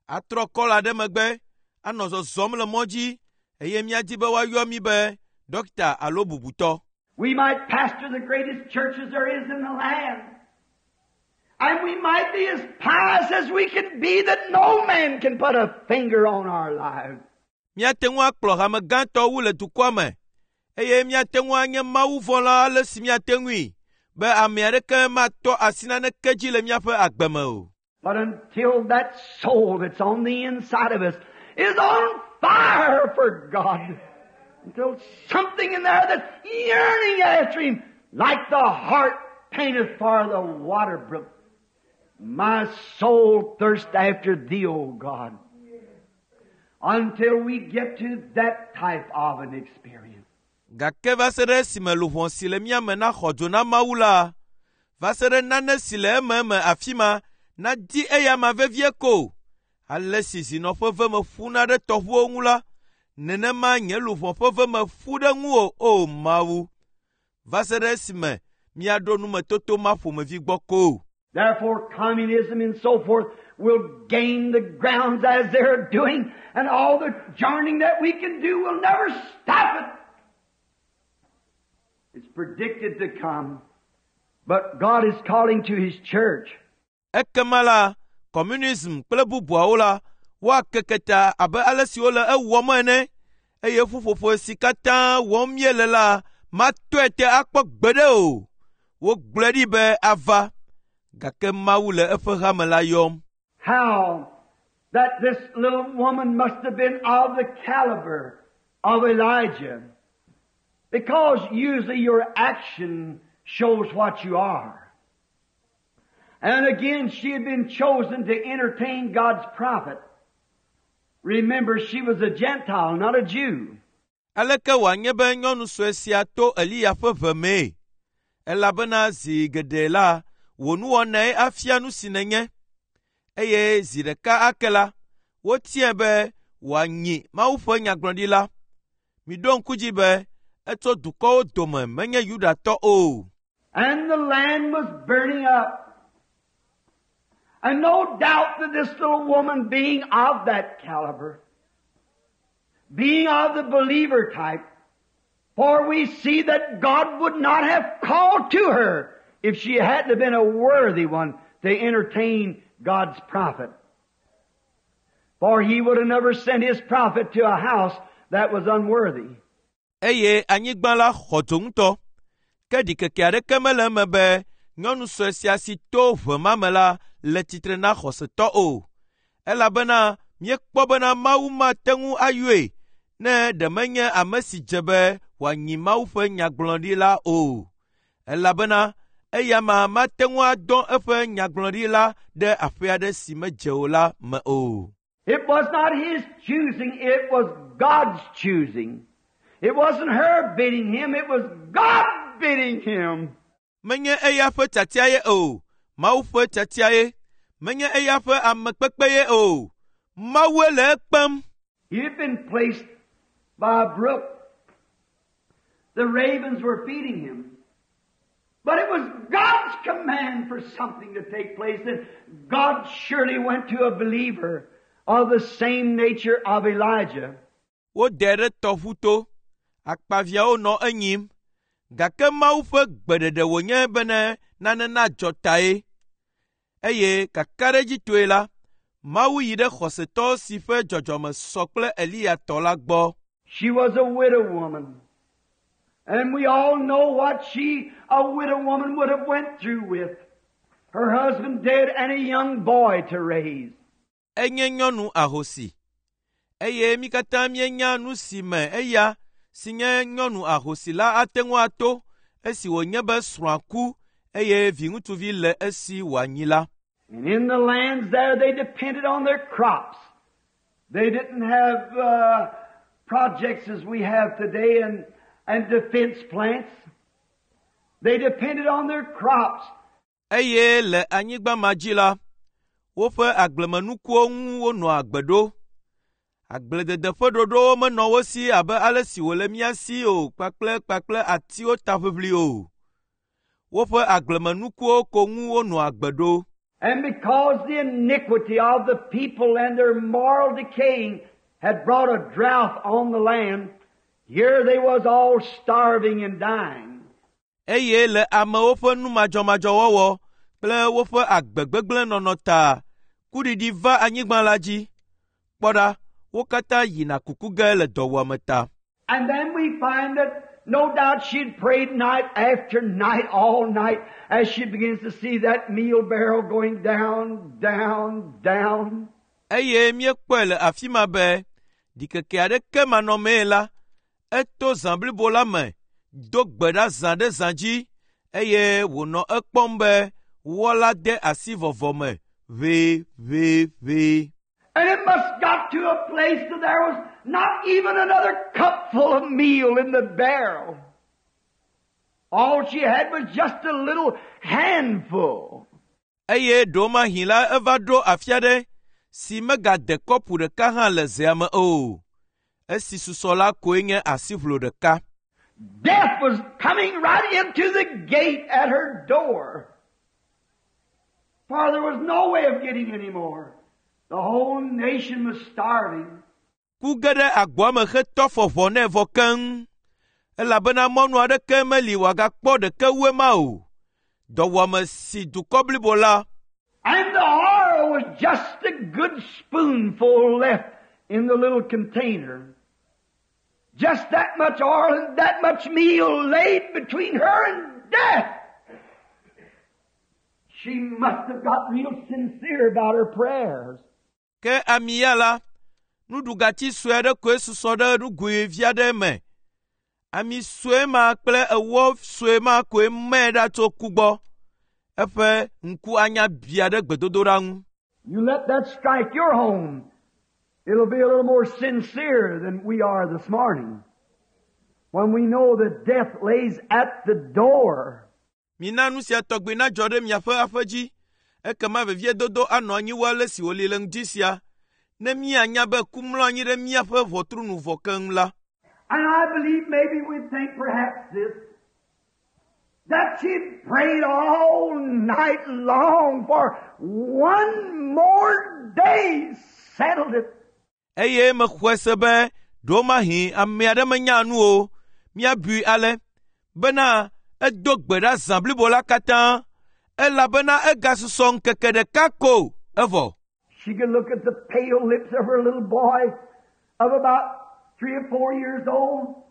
atrɔ kɔla ɖe megbe, anɔ zɔzɔm le mɔ dzi eye míadi be woayɔ mí be dɔkita alo bubutɔ. We might pastor the greatest churches there is in the land. And we might be as pious as we can be that no man can put a finger on our lives. Míate ŋu akplɔ hame gãtɔ wu le dukɔa me eye míate ŋu anye mawuvɔ̃la ale si míate ŋui be ame aɖeke matɔ asi naneke dzi le míaƒe agbe me o. But until that soul that's on the inside of us is on fire for God, until something in there that's yearning after Him, like the hart panteth for the water brook. My soul thirsts after Thee, O God. Until we get to that type of an experience. Gake va se ɖe esime luʋɔ si le mía me naxɔ dzo na Mawu la, va se ɖe nane si le ememe afi ma nadi eyama vevie ko. Ale si zinɔ ƒe veme ƒuna ɖe tɔʋuwo ŋu la, nenema nye luʋɔ ƒe veme ƒu ɖe ŋuwò, o Mawu. Va se ɖe esime míaɖo numetoto ma ƒomevi gbɔ ko. Therefore, communism and so forth will gain the grounds as they're doing, and all the joining that we can do will never stop it. It's predicted to come. But God is calling to His church. Ekema la, communism kple bubuawo la, woakeke ta abe ale si wole ewɔm ene eye ƒuƒoƒo si katã wɔm míele la matɔe te akpɔ gbeɖe o. Wogblɔe ɖi be ava, gake Mawu le eƒe hame la yɔm. How that this little woman must have been of the caliber of Elijah. Because usually your action shows what you are. And again, she had been chosen to entertain God's prophet. Remember, she was a Gentile, not a Jew. Aleke wòanye be nyɔnu sue sia to Eliya ƒe ʋe mee? Elabena zi geɖe la, wò nuwɔnae afia nu si nènye. Eye zi ɖeka ake la, wotiae be wòanyi Mawu ƒe nyagblɔɖila. Miɖo ŋku dzi be etso dukɔwo dome menye Yudatɔ o. And the land was burning up. And no doubt that this little woman, being of that caliber, being of the believer type, for we see that God would not have called to her if she hadn't have been a worthy one to entertain God's prophet. For he would have never sent his prophet to a house that was unworthy. Eye anyigba la xɔ dzo ŋutɔ. Ke ɖikeke aɖeke mele eme be nyɔnu sue sia si to ʋe ma me la le tsitre na xɔsetɔ o. Elabena míekpɔ bena Mawu mate ŋu ayɔe ne ɖe menye ame si dze be wòanyi Mawu ƒe nyagblɔɖila o. Elabena eya ma mate ŋu adɔ eƒe nyagblɔɖila ɖe aƒe aɖe si medze o la me o. It was not his choosing, it was God's choosing. It wasn't her bidding him, it was God bidding him. Menye eya ƒe tiatia ye o, Mawu ƒe tiatia ye. Menye eya ƒe amekpekpe ye o, Mawue le ekpem. He had been placed by a brook. The ravens were feeding him. But it was God's command for something to take place, and God surely went to a believer of the same nature of Elijah. Wodɛ ɖe tɔʋu to, akpaviãwo nɔ enyim, gake Mawu ƒe gbeɖeɖe wònye bene nane nadzɔ tae. Eye kakaɖedzitɔe la, Mawu yi ɖe xɔsetɔ si ƒe dzɔdzɔme sɔ kple Eliya tɔ la gbɔ. She was a widow woman. And we all know what she, a widow woman, would have went through with. Her husband dead and a young boy to raise. Enye nyɔnu ahosi eye mí katã míenya nu si me eya si nye nyɔnu ahosi la ate ŋu ato esi wònye be srɔ̃a ku eye viŋutsuvi le esi wòanyi la. And in the lands there, they depended on their crops. They didn't have uh, projects as we have today and, and defense plants. They depended on their crops. Eye le anyigba ma dzi la, woƒe agblemenukuwo ŋu wonɔa agbe ɖo. Agbledede ƒe ɖoɖowo menɔ wo si abe ale si wòle mía si o kpakple kpakple atiwo taʋiʋli o. Woƒe agblemenukuwo ko ŋu wonɔa agbe ɖo. And because the iniquity of the people and their moral decaying had brought a drought on the land, here they was all starving and dying. Eye le amewo ƒe numadzɔmadzɔwɔwɔ kple woƒe agbe gbegblẽ nɔnɔ ta, kuɖiɖi va anyigba la dzi. Kpɔ ɖa, wo katã yina kuku ge le dɔwuame ta. And then we find that no doubt she'd prayed night after night, all night, as she begins to see that meal barrel going down, down, down. Eye míekpɔe le afi ma be ɖikeke aɖeke manɔmee la, eto zã blibo la me, do gbe ɖa zã ɖe zã dzi eye wònɔ ekpɔm be wɔ la de asi vɔvɔ me ʋeʋeʋe. And it must got to a place that there was not even another cupful of meal in the barrel. All she had was just a little handful. Eye ɖewomahi la eva ɖo afi aɖe si megade kɔpu ɖeka hã le zea me o. Esi susɔ la koe nye asiʋlo ɖeka. Death was coming right into the gate at her door. For there was no way of getting any more. The whole nation was starving. Ku ge ɖe agboa me hetɔ afɔ ʋɔ nɛ vɔ keŋ. Elabena mɔnu aɖeke meli wòagakpɔ ɖeke wu ema o. Dɔwuame si dukɔ blibo la And the oil was just a good spoonful left in the little container. Just that much oil and that much meal laid between her and death. She must have got real sincere about her prayers. Ke ami ya la, nuɖugati sue aɖe koe susɔ ɖe nugoe vi aɖe me. Ami sue ma kple ewɔ sue ma koe mɛ ɖa tso ku gbɔ. Eƒe ŋku anya bia ɖe gbedodoɖa ŋu. You let that strike your home. It'll be a little more sincere than we are this morning. When we know that death lays at the door. Mina nu sia tɔgbi nadzɔ ɖe miaƒe aƒe dzi. Ekema veviedodo anɔ anyi wu ale si wòli le ŋdi sia. Ne míanya be ku mlɔ anyi ɖe míaƒe ʋɔtru nu vɔ keŋ la. And I believe maybe we think perhaps this, that she prayed all night long for one more day, settled it. Eye mexɔe se be ɖewomahi ame aɖe menya nu o. Míabui ale bena edo gbe ɖa zã blibo la katã elabena egasusɔ ŋkeke ɖeka ko evɔ. She could look at the pale lips of her little boy of about three or four years old,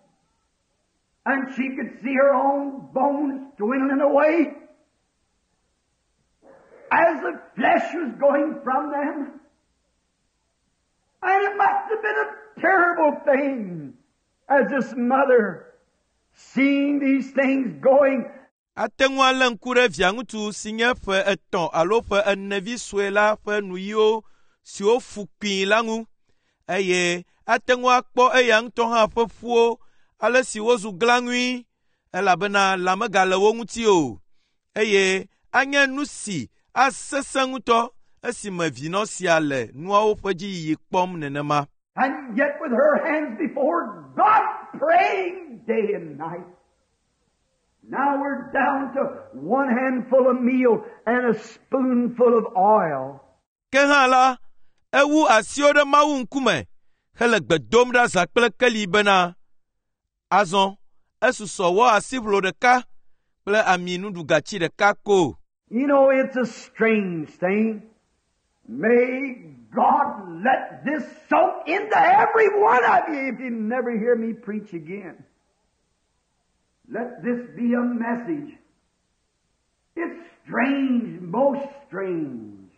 and she could see her own bones dwindling away as the flesh was going from them. And it must have been a terrible thing as this mother seeing these things going. Ate ŋu alé ŋku ɖe via ŋutsu si nye ƒe etɔ̃ alo ƒe ene vi sue la ƒe nuyiwo siwo fu kpii la ŋu eye ate ŋu akpɔ eya ŋutɔ hã ƒe ƒuwo ale si wozu glãŋui elabena lã megale wo ŋuti o eye anye nu si asesẽ ŋutɔ esime vinɔ sia le nuawo ƒe dziyiyi kpɔm nenema. And yet with her hands before God praying day and night. Now we're down to one handful of meal and a spoonful of oil. Ke hã la, ewu asiwo ɖe Mawu ŋkume hele gbe dom ɖa zã kple keli bena, azɔ esusɔ wɔ asiʋlo ɖeka kple ami nuɖugatsi ɖeka ko. You know, it's a strange thing. May God let this soak into every one of you if you never hear me preach again. Let this be a message. It's strange, most strange,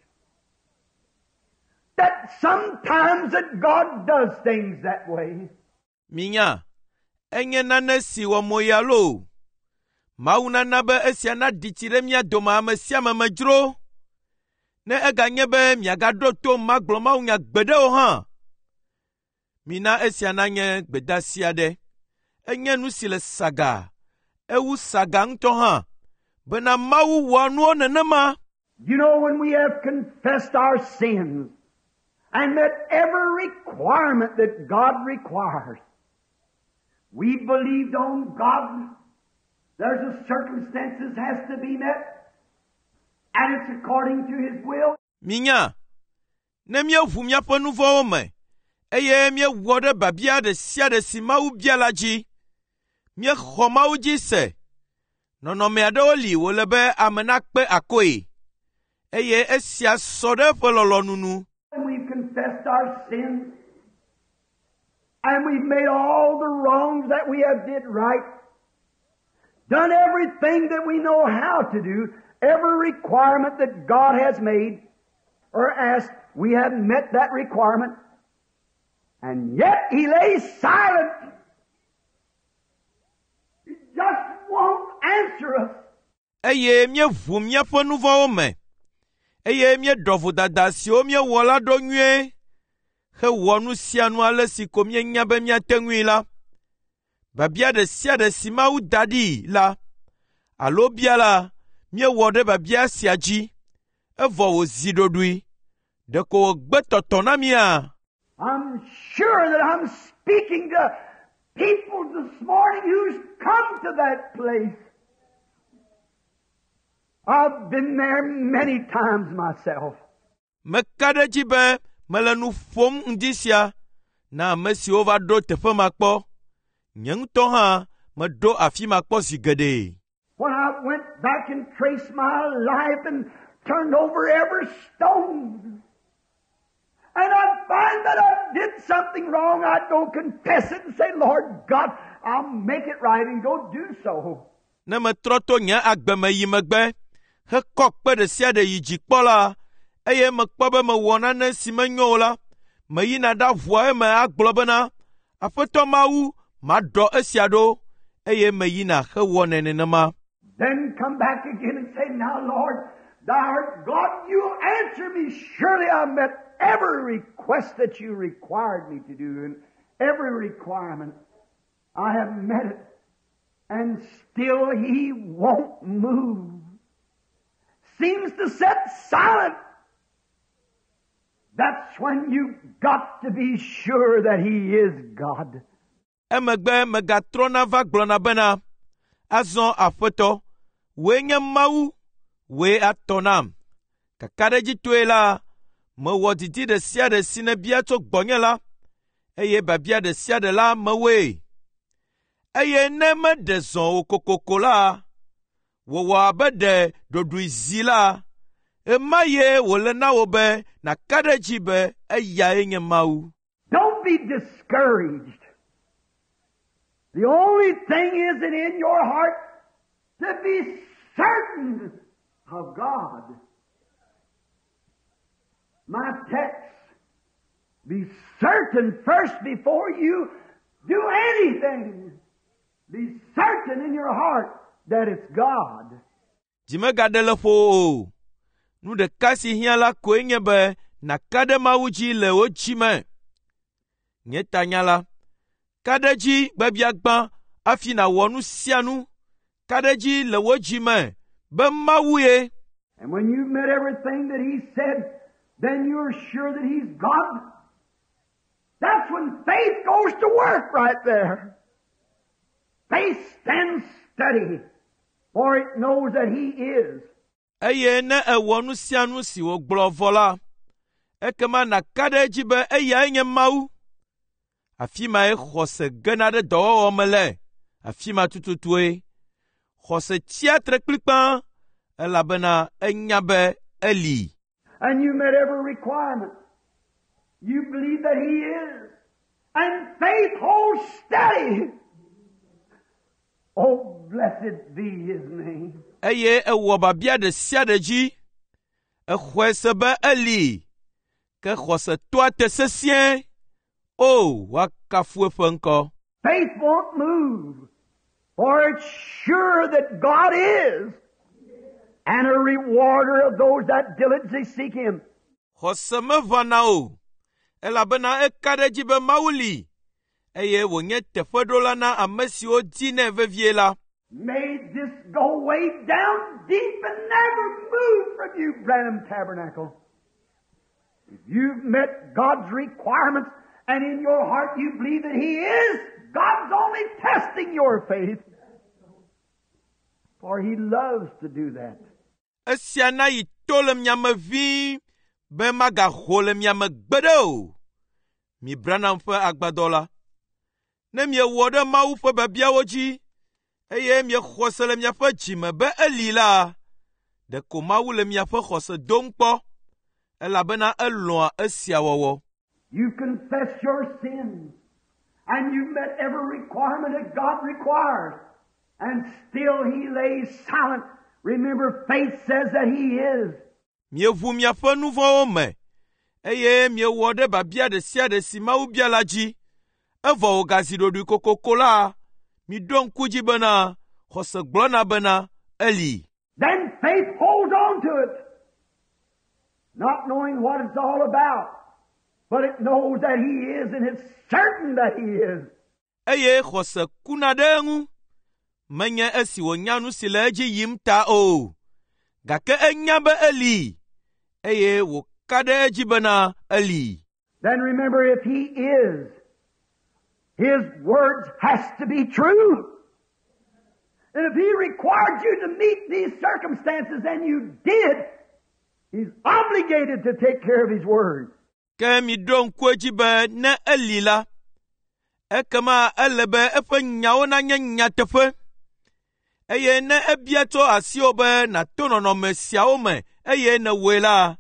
that sometimes that God does things that way. Minya, enye nane si wɔ moya loo. Mawu nana be esia naɖi tsi ɖe mía dome ame sia ame me dzro. Ne eganye be miagaɖo to magblɔ mawunya gbeɖe o hã. Mina esia nanye gbedeasi aɖe. Enye nu si le saga, ewu saga ŋutɔ hã, bena Mawu wɔa nuwo nenema. You know, when we have confessed our sins and met every requirement that God requires, we believed on God. There's a circumstances has to be met, and it's according to His will. Minya, ne míeʋu míaƒe nu vɔ̃wo me, eye míewɔ ɖe biabia ɖe sia ɖe si Mawu bia la dzi, míexɔ Mawu dzi se. Nɔnɔme aɖewo li wòle be ame nakpe akɔe, eye esia sɔ ɖe eƒe lɔlɔ̃nu nu. And we've confessed our sins, and we've made all the wrongs that we have did right, done everything that we know how to do, every requirement that God has made or asked, we have met that requirement, and yet He lays silent. He just won't answer us. Eye míeʋu míaƒe nu vɔ̃wo me, eye míeɖɔ vodada siwo míewɔ la ɖo nyuie, hewɔ nu sia nu ale si ko míenya be míate ŋui la. Biabia ɖe sia ɖe si Mawu da ɖi la, alo bia la, míewɔ ɖe biabia sia dzi, evɔ wòzi ɖoɖoe. Ɖeko wògbe tɔtɔ na mía? I'm sure that I'm speaking to people this morning who's come to that place. I've been there many times myself. Meka ɖe edzi be mele nu ƒom ŋdi sia na ame siwo va ɖo teƒe ma kpɔ. Nye ŋutɔ hã Meɖo afi ma kpɔ zi geɖe. When I went back and traced my life and turned over every stone, and I'd find that I did something wrong, I'd go confess it and say, Lord God, I'll make it right and go do so. Ne metrɔ to nye agbe me yi megbe hekɔ kpe ɖe sia ɖe yi dzi kpɔ la, eye mekpɔ be mewɔ nane si menyo o la, meyina ɖaʋua eme agblɔ bena, Aƒetɔ Mawu, maɖɔ esia ɖo, eye meyina hewɔnɛ nenema. Then come back again and say, Now, Lord, thou art God, you answer me. Surely I met every request that you required me to do and every requirement. I have met it. And still he won't move. Seems to sit silent. That's when you got to be sure that he is God. Emegbe megatrɔna va gblɔna bena, azɔ Aƒetɔ, wòe nye Mawu, wòe atɔ nam. Kakaɖedzitɔe la, mewɔ didi ɖe sia ɖe si nèbia tso gbɔnye la, eye biabia ɖe sia ɖe la mewɔe. Eye ne meɖe zɔ o kokoko la, wòwɔ abe ɖe ɖoɖoe zi la, ɣemaɣie wòle na wò be nàka ɖe edzi be eyae nye Mawu. Don't be discouraged. The only thing is that in your heart to be certain of God. My text, be certain first before you do anything. Be certain in your heart that it's God. Dzi megaɖe le ƒo o. Nu ɖeka si hiã la koe nye be nàka ɖe Mawu dzi le wò dzi me. Nye tanya la, ka ɖe edzi gbabiagbã hafi nàwɔ nu sia nu. Ka ɖe edzi le wò dzi me be Mawu ye. And when you've met everything that He said, then you're sure that He's God. That's when faith goes to work right there. Faith stands steady, for it knows that He is. Eye ne èwɔ nu sia nu si wògblɔ vɔ la, ekema nàka ɖe edzi be eyae nye Mawu. Afi mae xɔse gena ɖe dɔwɔwɔ me le. Afi ma tututue. Xɔse tsia tre kplikpaa elabena enya be eli. And you met every requirement. You believe that He is. And faith holds steady. Oh, blessed be His name. Eye ewɔ biabia ɖe sia ɖe dzi. Exɔe se be eli. Ke xɔse toa te sesĩe. O, woakafu eƒe ŋkɔ. Faith won't move, for it's sure that God is, and a rewarder of those that diligently seek Him. Xɔse meʋãna o, elabena eka ɖe edzi be Mawu li, eye wònye teƒeɖola na ame siwo dinɛ vevie la. May this go way down deep and never move from you, Branham Tabernacle. If you've met God's requirements and in your heart you believe that He is, God's only testing your faith. For He loves to do that. Esia na yi to le mia me ʋĩi be magaho le mia me gbeɖe o. Mi Branham ƒe agbadɔ la. Ne miewɔ ɖe Mawu ƒe biabiawo dzi eye miexɔ se le miaƒe dzime be eli la, ɖeko Mawu le miaƒe xɔse dom kpɔ elabena elɔ̃a esia wɔwɔ. You confess your sins and you've met every requirement that God requires and still He lays silent. Remember, faith says that He is. Mieʋu miaƒe nu vɔ̃wo me eye miewɔ ɖe biabia ɖe sia ɖe si Mawu bia la dzi. Evɔ wògazi ɖoɖoe kokoko la, miɖo ŋku dzi bena xɔse gblɔna bena eli. Then faith holds on to it, not knowing what it's all about, but it knows that He is and it's certain that He is. Eye xɔse kuna ɖe eŋu. Menye esi wònya nu si le edzi yim ta o, gake enya be eli eye wòka ɖe edzi bena eli. Then remember, if He is, His words has to be true. And if He required you to meet these circumstances and you did, He's obligated to take care of His word. Ke miɖo ŋku edzi be ne eli la, Ekema ele be eƒe nyawo nanye nyateƒe. Eye ne ebia tso asiwò be nàto nɔnɔme siawo me eye nèwɔe la,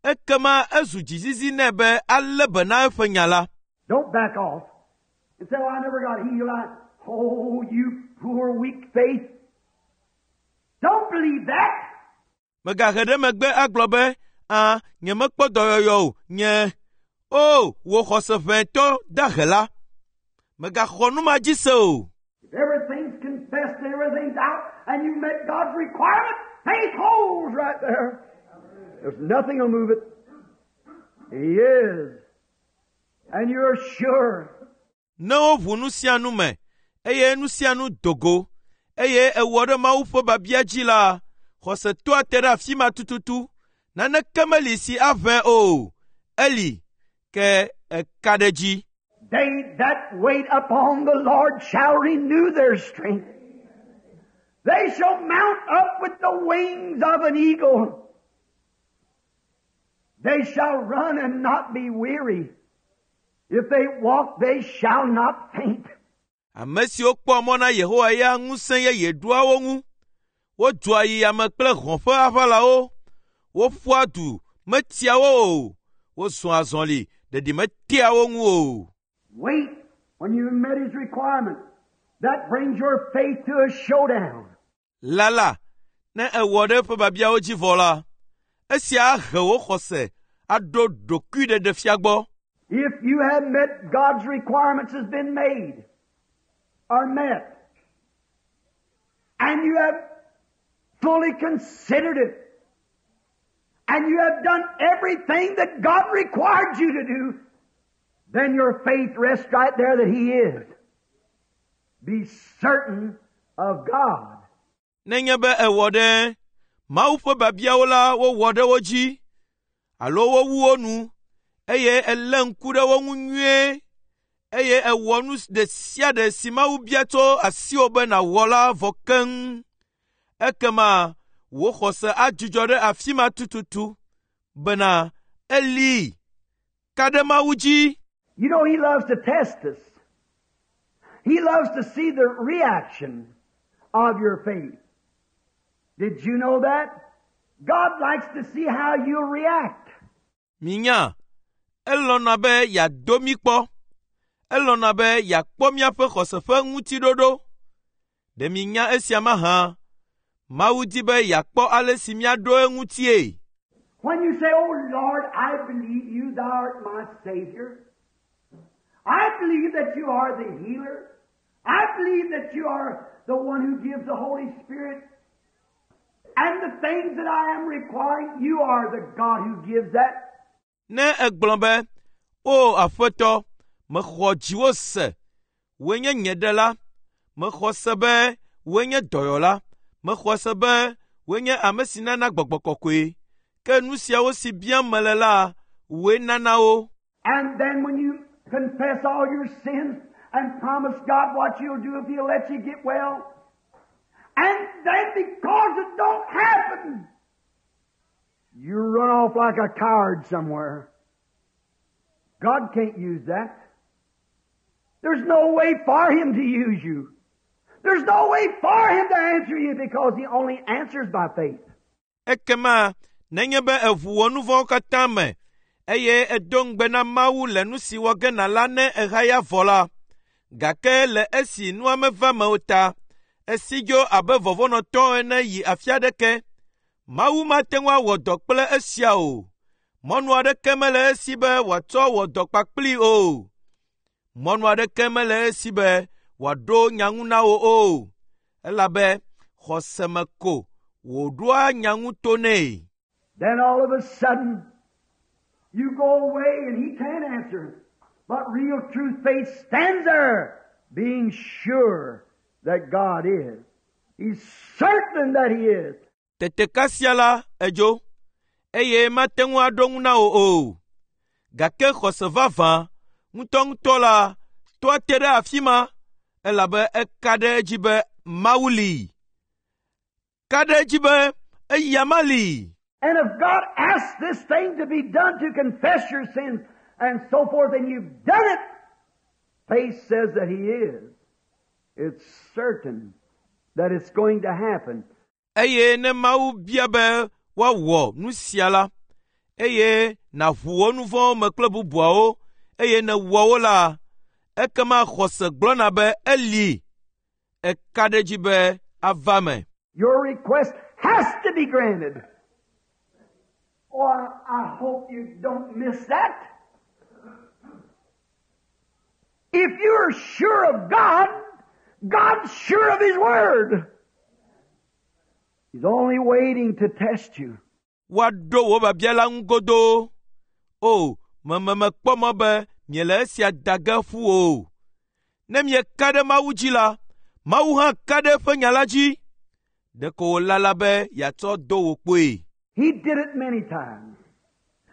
ekema ezu dzizizi nɛ be alé be na eƒe nya la. Don't back off and say, "Oh, I never got healed." I, oh, you poor weak faith. Don't believe that. Mègahe ɖe megbe agblɔ be, “Ã, nyemekpɔ dɔyɔyɔ o, nye o, wò xɔse ʋɛtɔ dahe la.” Mègaxɔ nu ma dzi se o. If everything's confessed and everything's out and you met God's requirement, faith holds right there. There's nothing will move it. He is. And you're sure. Ne woʋu nu sia nu me, eye nu sia nu do go, eye ewɔ ɖe Mawu ƒe biabia dzi la, xɔse toa te ɖe afi ma tututu. Naneke meli si aʋẽ o. Eli, ke eka ɖe edzi. They that wait upon the Lord shall renew their strength. They shall mount up with the wings of an eagle. They shall run and not be weary. If they walk, they shall not faint. Ame siwo kpɔa mɔ na Yehowa ya ŋusẽ yeye ɖoa wo ŋu. Wodzoa yi ame kple hɔ̃ ƒe aʋalawo. Woƒua du metia wo o. Wozɔa azɔli ɖeɖi metea wo ŋu o. Wait when you met His requirement. That brings your faith to a showdown. Lala, ne èwɔ ɖe eƒe biabiawo dzi vɔ la, esia ahe wò xɔse aɖo ɖokuiɖeɖefia gbɔ. If you have met God's requirements has been made or met, and you have fully considered it, and you have done everything that God required you to do, then your faith rests right there that He is. Be certain of God. Nenye be èwɔ ɖe Mawu ƒe biabiawo la wowɔ ɖe wo dzi alo wowu wo nu eye èlé ŋku ɖe wo ŋu nyuie eye èwɔ nu ɖe sia ɖe si Mawu bia tso asiwò be nàwɔ la vɔ keŋ. Ekema wò xɔse adzudzɔ ɖe afi ma tututu bena eli ka ɖe Mawu dzi. You know, He loves to test us. He loves to see the reaction of your faith. Did you know that? God likes to see how you react. Minya, elɔ̃na be yeado mí kpɔ. Elɔ̃na be yeakpɔ míaƒe xɔse ƒe ŋutiɖoɖo. Ɖe minya esia mahã? Mawu di be yeakpɔ ale si míaɖo eŋutie. When you say, "Oh Lord, I believe you, thou art my Savior. I believe that you are the healer. I believe that you are the one who gives the Holy Spirit. And the things that I am requiring, you are the God who gives that." Ne egblɔ be, “O Aƒetɔ, mexɔ dziwò se, wòe nye nye ɖela. Mexɔ se be wòe nye dɔyɔla. Mexɔ se be wòe nye ame si nana gbɔgbɔ kɔkɔe. Ke nu siawo si biam mele la, wòe nana wo.” And then when you confess all your sins and promise God what you'll do if He'll let you get well, and then because it don't happen, you run off like a coward somewhere. God can't use that. There's no way for Him to use you. There's no way for Him to answer you because He only answers by faith. Ekema nenye be èʋu wò nu vɔ̃wo katã me eye èdo ŋugbe na Mawu le nu si wɔ ge nàla ne èhaya vɔ la, gake le esi nua meva me o ta, esi dzo abe vɔvɔ̃nɔtɔ ene yi afi aɖeke. Mawu mate ŋu awɔ dɔ kple esia o. Mɔnu aɖeke mele esi be wòatsɔ wɔ dɔ kpakplii o. Mɔnu aɖeke mele esi be wòaɖo nya ŋu na wò o, elabe xɔse me ko wòɖoa nya ŋu to nɛ. Then all of a sudden, you go away and He can't answer. But real true faith stands there, being sure that God is. He's certain that He is. Tete kasia la edzo, eye mate ŋu aɖo ŋu na wò o. Gake xɔse vavã ŋutɔŋutɔ la toa te ɖe afi ma, elabe eka ɖe edzi be Mawu li. Ka ɖe edzi be eyama li. And if God asks this thing to be done to confess your sins and so forth, and you've done it, Faith says that He is. It's certain that it's going to happen. Eye ne Mawu bia be woawɔ nu sia la, eye nàʋu wò nu vɔ̃wo me kple bubuawo, eye nèwɔ wo la, ekema xɔse gblɔna be eli. Eka ɖe edzi be ava me. Your request has to be granted. Oh, I, I hope you don't miss that. If you're sure of God, God's sure of His Word. He's only waiting to test you. Woaɖo wò biabia la ŋu godoo. O, meme mekpɔ mɔ be miele esia da ge ƒu o. Ne mieka ɖe Mawu dzi la, Mawu hã ka ɖe eƒe nya la dzi. Ɖeko wòlala be yeatsɔ do wò kpoe. He did it many times.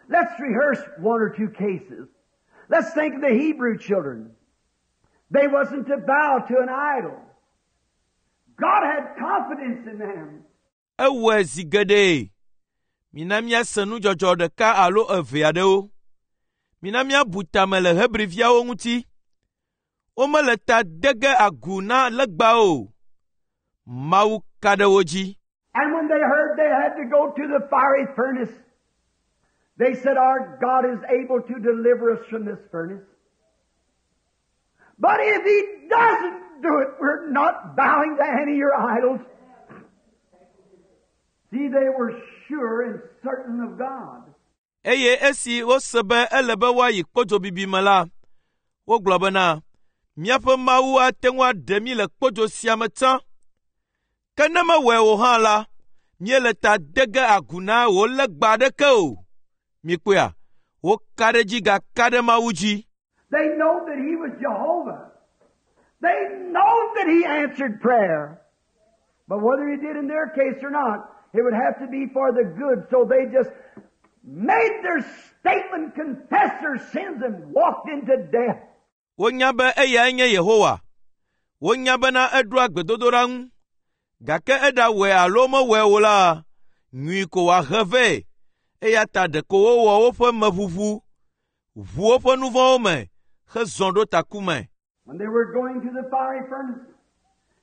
Let's rehearse one or two cases. Let's think of the Hebrew children. They wasn't to bow to an idol. God had confidence in them. Ewɔe zi geɖe. Mina míase nudzɔdzɔ ɖeka alo eve aɖewo. Mina míabu tame le Hebriviawo ŋuti. Womele ta de ge agu na legba o. Mawu ka ɖe wo dzi. And when they heard they had to go to the fiery furnace, they said, Our God is able to deliver us from this furnace. But if He doesn't do it, we're not bowing to any of your idols. See, they were sure and certain of God. Eye esi wose be ele be woayi kpodzobibi me la, wogblɔ bena, míaƒe Mawu ate ŋu aɖe mí le kpodzo sia me tsã. Ke ne mewɔe o hã la, míele ta de ge agu na wò legba aɖeke o. Mikpɔea, woka ɖe edzi gaka ɖe Mawu dzi. They know that He was Jehovah. They know that He answered prayer. But whether He did in their case or not, it would have to be for the good. So they just made their statement, confessed their sins, and walked into death. Wonya be eyae nye Yehowa. Wonya bena eɖoa gbedodoɖa ŋu. Gake eɖawɔe alo mewɔe o la, nyui ko wòahe vɛ. Eya ta ɖeko wowɔ woƒe meʋuʋu, ʋu woƒe nu vɔ̃wo me, hezɔ ɖo ta ku me. When they were going to the fiery furnace,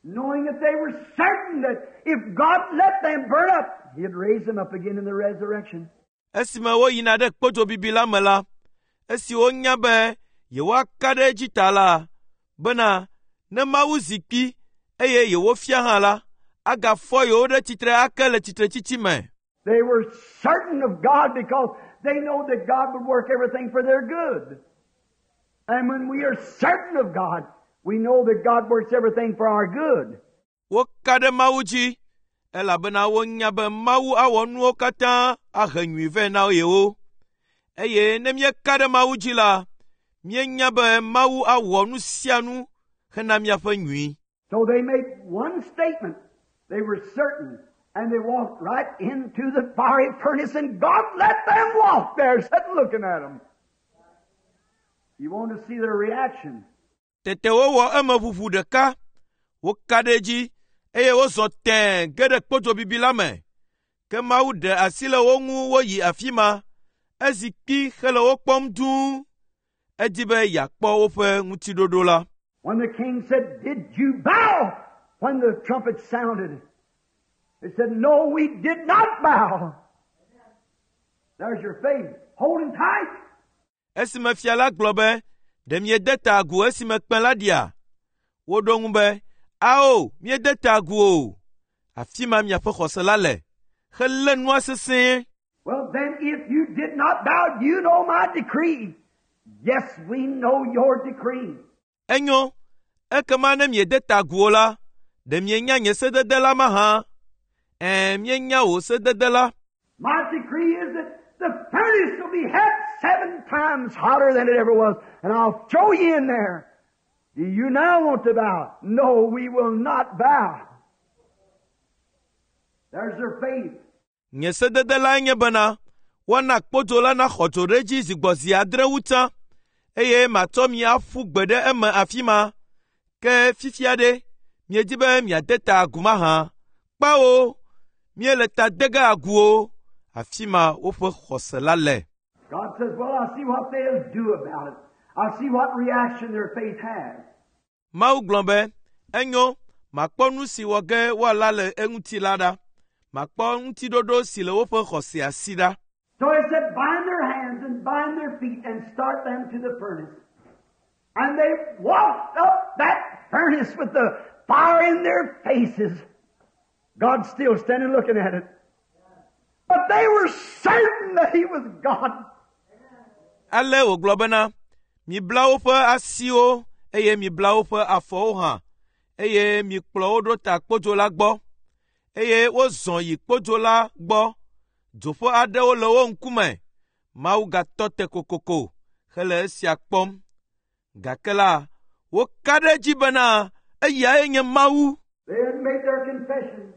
knowing that they were certain that if God let them burn up, He'd raise them up again in the resurrection. Esime woyina ɖe kpodzobibi la me la, esi wonya be yewoaka ɖe edzi ta la, bena ne Mawu zi kpi eye yewofia hã la, agafɔ yewo ɖe tsitre ake le tsitretsitsi me. They were certain of God because they know that God would work everything for their good. And when we are certain of God, we know that God works everything for our good. Woka ɖe Mawu dzi elabena wonya be Mawu awɔ nuwo katã ahe nyui vɛ na yewo. Eye ne míeka ɖe Mawu dzi la, míenya be Mawu awɔ nu sia nu hena míaƒe nyui. So they made one statement. They were certain. And they walked right into the fiery furnace and God let them walk there, sitting looking at them. You want to see their reaction. Tete wowɔ emeʋuʋu ɖeka, woka ɖe edzi eye wozɔ tẽe ge ɖe kpodzobibi la me. Ke Mawu ɖe asi le wo ŋu woyi afi ma. Ezi kpi hele wo kpɔm dũu. Edi be yeakpɔ woƒe ŋutiɖoɖo la. When the king said, Did you bow? When the trumpet sounded, they said, No, we did not bow. There's your faith. Holding tight. Esime fia la gblɔ be, ɖe miede ta agu esime kpẽ la ɖia? Woɖo ŋu be, ao, míede ta agu o. Afi ma miaƒe xɔse la le, helé nua sesĩe. Well, then, if you did not bow, you know my decree. Yes, we know your decree. Enyo, ekema ne miede ta agu o la, ɖe mienya nye sedede la mahã? Ɛ̃, míenya wò sedede la. My decree is that the furnace will be had seven times hotter than it ever was, and I'll throw you in there. Do you now want to bow? No, we will not bow. There's their faith. Nye sedede lae nye bena, woana kpodzo la naxɔ dzo ɖe edzi zi gbɔ zi adre wu tsã, eye matsɔ mi aƒu gbe ɖe eme afi ma. Ke fifia ɖe, miedi be miade ta agu mahã? Kpao, míele ta de ge agu o. Afi ma woƒe xɔse la le. God says, Well, I'll see what they'll do about it. I'll see what reaction their faith has. Mawu gblɔ be, “Enyo, makpɔ nu si wɔ ge woala le eŋuti la ɖa. Makpɔ ŋutiɖoɖo si le woƒe xɔsea si ɖa.” So he said, bind their hands and bind their feet and start them to the furnace. And they walked up that furnace with the fire in their faces. God still standing looking at it. But they were certain that He was God. Ale wògblɔ bena, “Mibla woƒe asiwo eye mibla woƒe afɔwo hã, eye mikplɔ wo ɖo ta kpodzo la gbɔ.” Eye wozɔ yi kpodzo la gbɔ. Dzo ƒe aɖewo le wo ŋkume. Mawu gatɔ te kokoko hele esia kpɔm. Gake la, woka ɖe edzi bena eyae nye Mawu. They had made their confession.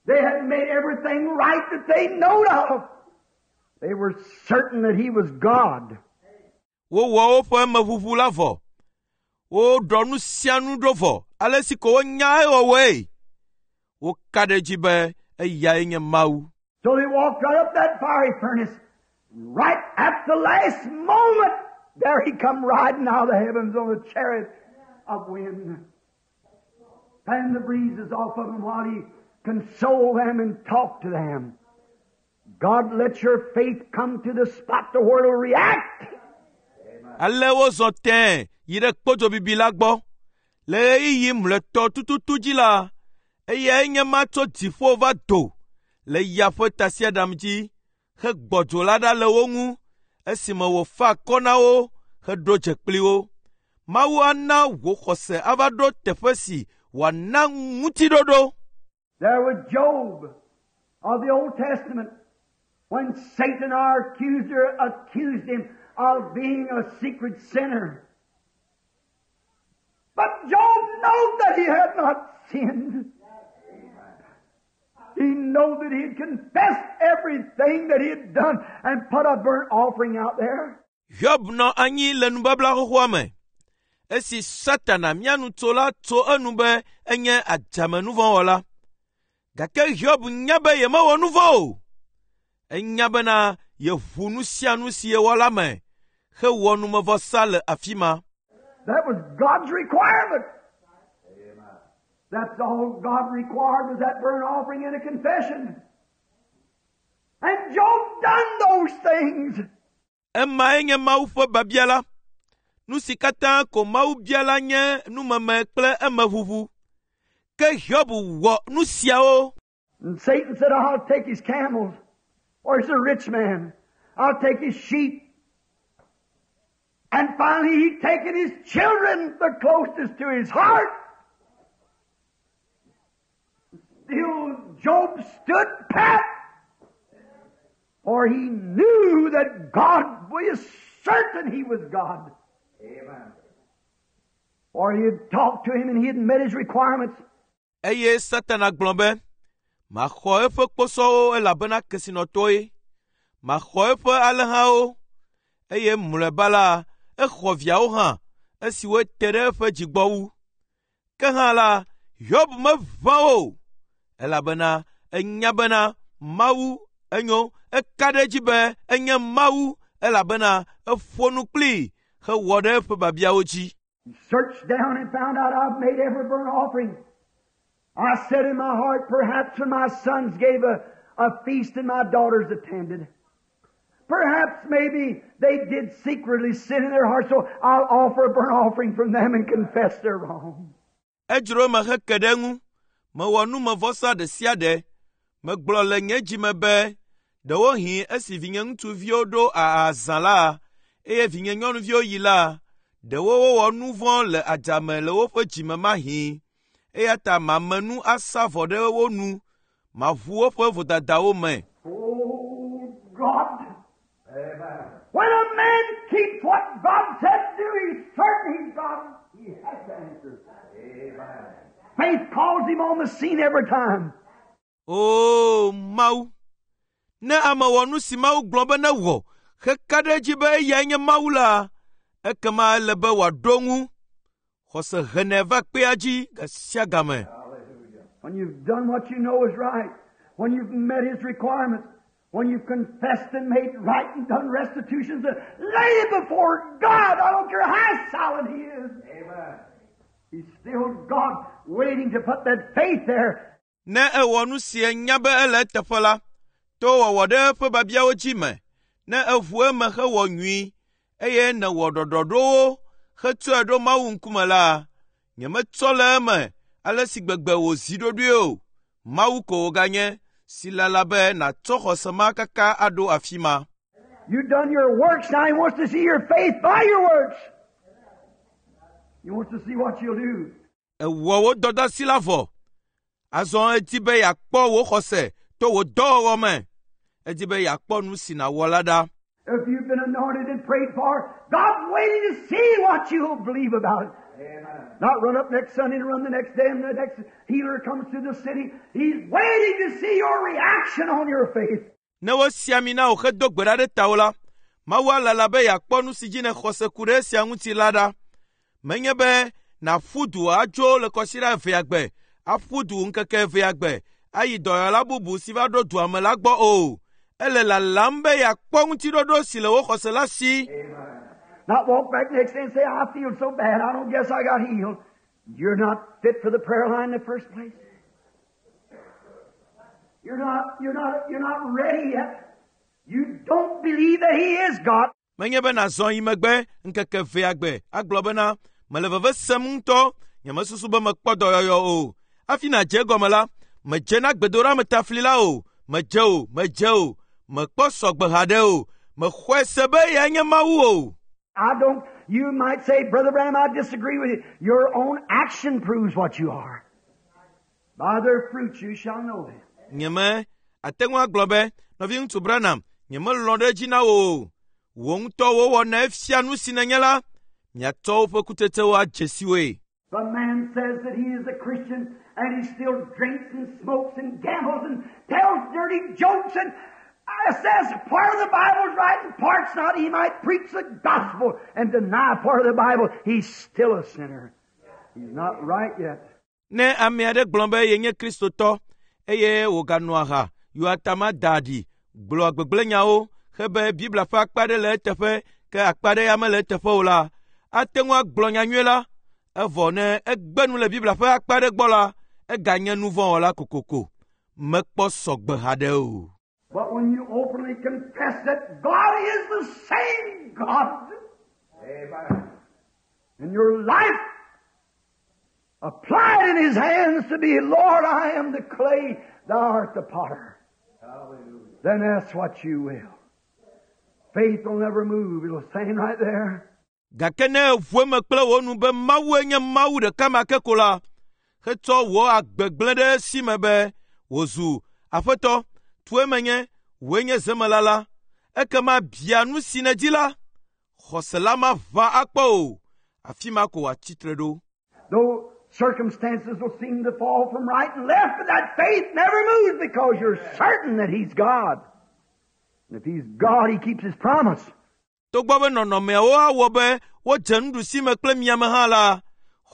They had made everything right that they knowed of. They were certain that He was God. Wowɔ woƒe meʋuʋu la vɔ. Woɖɔ nu sia nu ɖo vɔ ale si ko wonya ewɔwɔe. Woka ɖe edzi be eyae nye Mawu. So they walked right up that fiery furnace. Right at the last moment, there he come riding out of the heavens on a chariot of wind. Fanned the breezes off of them while he consoled them and talked to them. God let your faith come to the spot to where it'll react. Ale wozɔ tẽe yi ɖe kpodzo bibi la gbɔ. Le ɣeyiɣi mlɔetɔ tututu dzi la, eyae nye ma tso dziƒo va do le ya ƒe tasiaɖam dzi hegbɔ dzo la ɖa le wo ŋu esime wòfa akɔ na wo heɖo dze kpli wo. Mawu ana wò xɔse ava ɖo teƒe si wòana ŋutiɖoɖo. There was Job of the Old Testament when Satan, our accuser, accused him of being a secret sinner. But Job knew that he had not sinned. He knew that he had confessed everything that he had done and put a burnt offering out there. Hiob nɔ anyi le nubabla xoxoa me. Esi Satana mía nutsola tso enu be enye adzamenuvɔ̃wɔla. Gake Hiob nya be yemewɔ nu vɔ̃ o. Enya bena yeʋu nu sia nu si yewɔ la me hewɔ numevɔsa le afi ma. That was God's requirement. That's all God required was that burnt offering and a confession. And Job done those things. Emae nye Mawu ƒe biabia la. Nu si katã ko Mawu bia la nye numeme kple emeʋuʋu. Ke Hiob wɔ nu siawo. And Satan said, I'll take his camels. Or he's a rich man. I'll take his sheep. And finally he taken his children, the closest to his heart. Still Job stood pat. For he knew that God was certain he was God. Amen. For he had talked to him and he had met his requirements. Eye Satana gblɔ be, maxɔ eƒe kposɔwo elabena kesinɔtɔe. Maxɔ eƒe alẽhawo. Eye mlɔeba la, exɔ viawo hã esiwo te ɖe eƒe dzi gbɔ wu. Ke hã la, Hiob meʋã o, elabena enya bena Mawu enyo, eka ɖe edzi be enye Mawu elabena eƒo nu kplii hewɔ ɖe eƒe biabiawo dzi. He searched down and found out I've made every burnt offering. I said in my heart, perhaps when my sons gave a, a feast and my daughters attended, perhaps maybe they did secretly sin in their heart, so I'll offer a burnt offering from them and confess their wrong. Edzro eme heke ɖe eŋu. Mewɔ numevɔsa ɖe sia ɖe. Megblɔ le nye dzi me be, ɖewohĩ esi vinye ŋutsuviwo ɖo azã la, eye vinye nyɔnuviwo yi la, ɖewo wowɔ nu vɔ̃ le adzame le woƒe dzime mahĩ. Eya ta mame nu asa vɔ ɖe wo nu, maʋu woƒe vodadawo me. Oh, God. Amen. When a man keeps what God said do, he's certain he's God. He has to answer. Amen. Faith calls him on the scene every time. O Mawu, ne ame wɔ nu si Mawu gblɔ be newɔ heka ɖe edzi be eyae nye Mawu la, ekema ele be wòaɖo ŋu. Xɔse henɛ va kpea dzi ga sia game. When you've done what you know is right, when you've met his requirements, When you've confessed and made right and done restitutions, and laid it before God, I don't care how silent He is. Amen. He's still God waiting to put that faith there. Ne ewɔ nu si enya be ele eteƒe la, to wɔwɔ ɖe eƒe biabiawo dzi me, ne eʋu eme hewɔ nyui, eye nèwɔ ɖɔɖɔɖowo hetsɔe ɖo Mawu ŋkume la, nyemetsɔ le eme ale si gbegbe wòzi ɖoɖoe o. Mawu ko wòganye si lala be nàtsɔ xɔse ma kaka aɖo afi ma. You've done your works, now He wants to see your faith by your works. He wants to see what you'll do. Èwɔ wò dɔdeasi la vɔ. Azɔ edi be yeakpɔ wò xɔse to wò dɔwɔwɔ me. Edi be yeakpɔ nu si nàwɔ la ɖa. If you've been anointed and prayed for, God's waiting to see what you'll believe about it. Not run up next Sunday and run the next day and the next healer comes to the city. He's waiting to see your reaction on your faith. Ne wosi ami na wò hedo gbe ɖa ɖe tawò la, Mawu alala be yeakpɔ nu si dzi nèxɔ se ku ɖe esia ŋuti la ɖa. Menye be nàƒu du adzo le kɔsiɖa evea gbe, aƒu du ŋkeke evea gbe, ayi dɔyɔla bubu si va ɖo dua me la gbɔ o. Ele lalam be yeakpɔ ŋutiɖoɖo si le wò xɔse la si. Not walk back next day and say, I feel so bad, I don't guess I got healed. You're not fit for the prayer line in the first place. You're not, you're not, you're not ready yet. You don't believe that He is God. Menye be nàzɔ yi megbe ŋkeke evea gbe agblɔ bena mele veve sem ŋutɔ, nyemesusu be mekpɔ dɔyɔyɔ o. Hafi nàdze egɔme la, medze na gbedoɖametafli la o, medze o, medze o, mekpɔ sɔgbe haɖe o, mexɔe se be eyae nye Mawu o. I don't, you might say, Brother Branham, I disagree with you. Your own action proves what you are. By their fruits you shall know them. Nyeme ate ŋu agblɔ be nɔviŋutsu Branham, nyemelɔ̃ ɖe edzi na wò o. Wò ŋutɔ wò wɔnae fia nu si nènye la, miatsɔ woƒe kutsetsewo adze si woe. If a man says that he is a Christian and he still drinks and smokes and gambles and tells dirty jokes and uh, says part of the Bible's right and part's not, he might preach the gospel and deny part of the Bible. He's still a sinner. He's not right yet. Ne ame aɖe gblɔ be yenye Kristotɔ eye wòganɔ aha, yɔa atama da aɖi, gblɔa gbegblẽnyawo hebe Biblia ƒe akpa ɖe le eteƒe ke akpa ɖe ya mele eteƒe o la, ate ŋu agblɔ nyanyui la, evɔ ne egbe nu le Biblia ƒe akpa ɖe gbɔ la, eganye nu vɔ̃ wɔla kokoko. Mekpɔ sɔgbe haɖe o. But when you openly confess that God is the same God, Amen. And your life applied in His hands to be, Lord, I am the clay, Thou art the potter. Hallelujah. Then that's what you will. Faith will never move. It'll stand right there. Gake ne èʋu eme kple wò nu be Mawue nye Mawu ɖeka ma ke ko la, hetsɔ wò agbe gblẽ ɖe esi me be wòzu Aƒetɔ, tue menye, wòe nye zemela la, ekema bia nu si nèdi la, xɔse la maʋã akpɔ o. Afi ma ko wòatsi tre ɖo. Though circumstances will seem to fall from right and left, but that faith never moves because you're certain that He's God. And if He's God, He keeps His promise. Togbɔ be nɔnɔmeawo awɔ be wodze nuɖusi me kple miame hã la,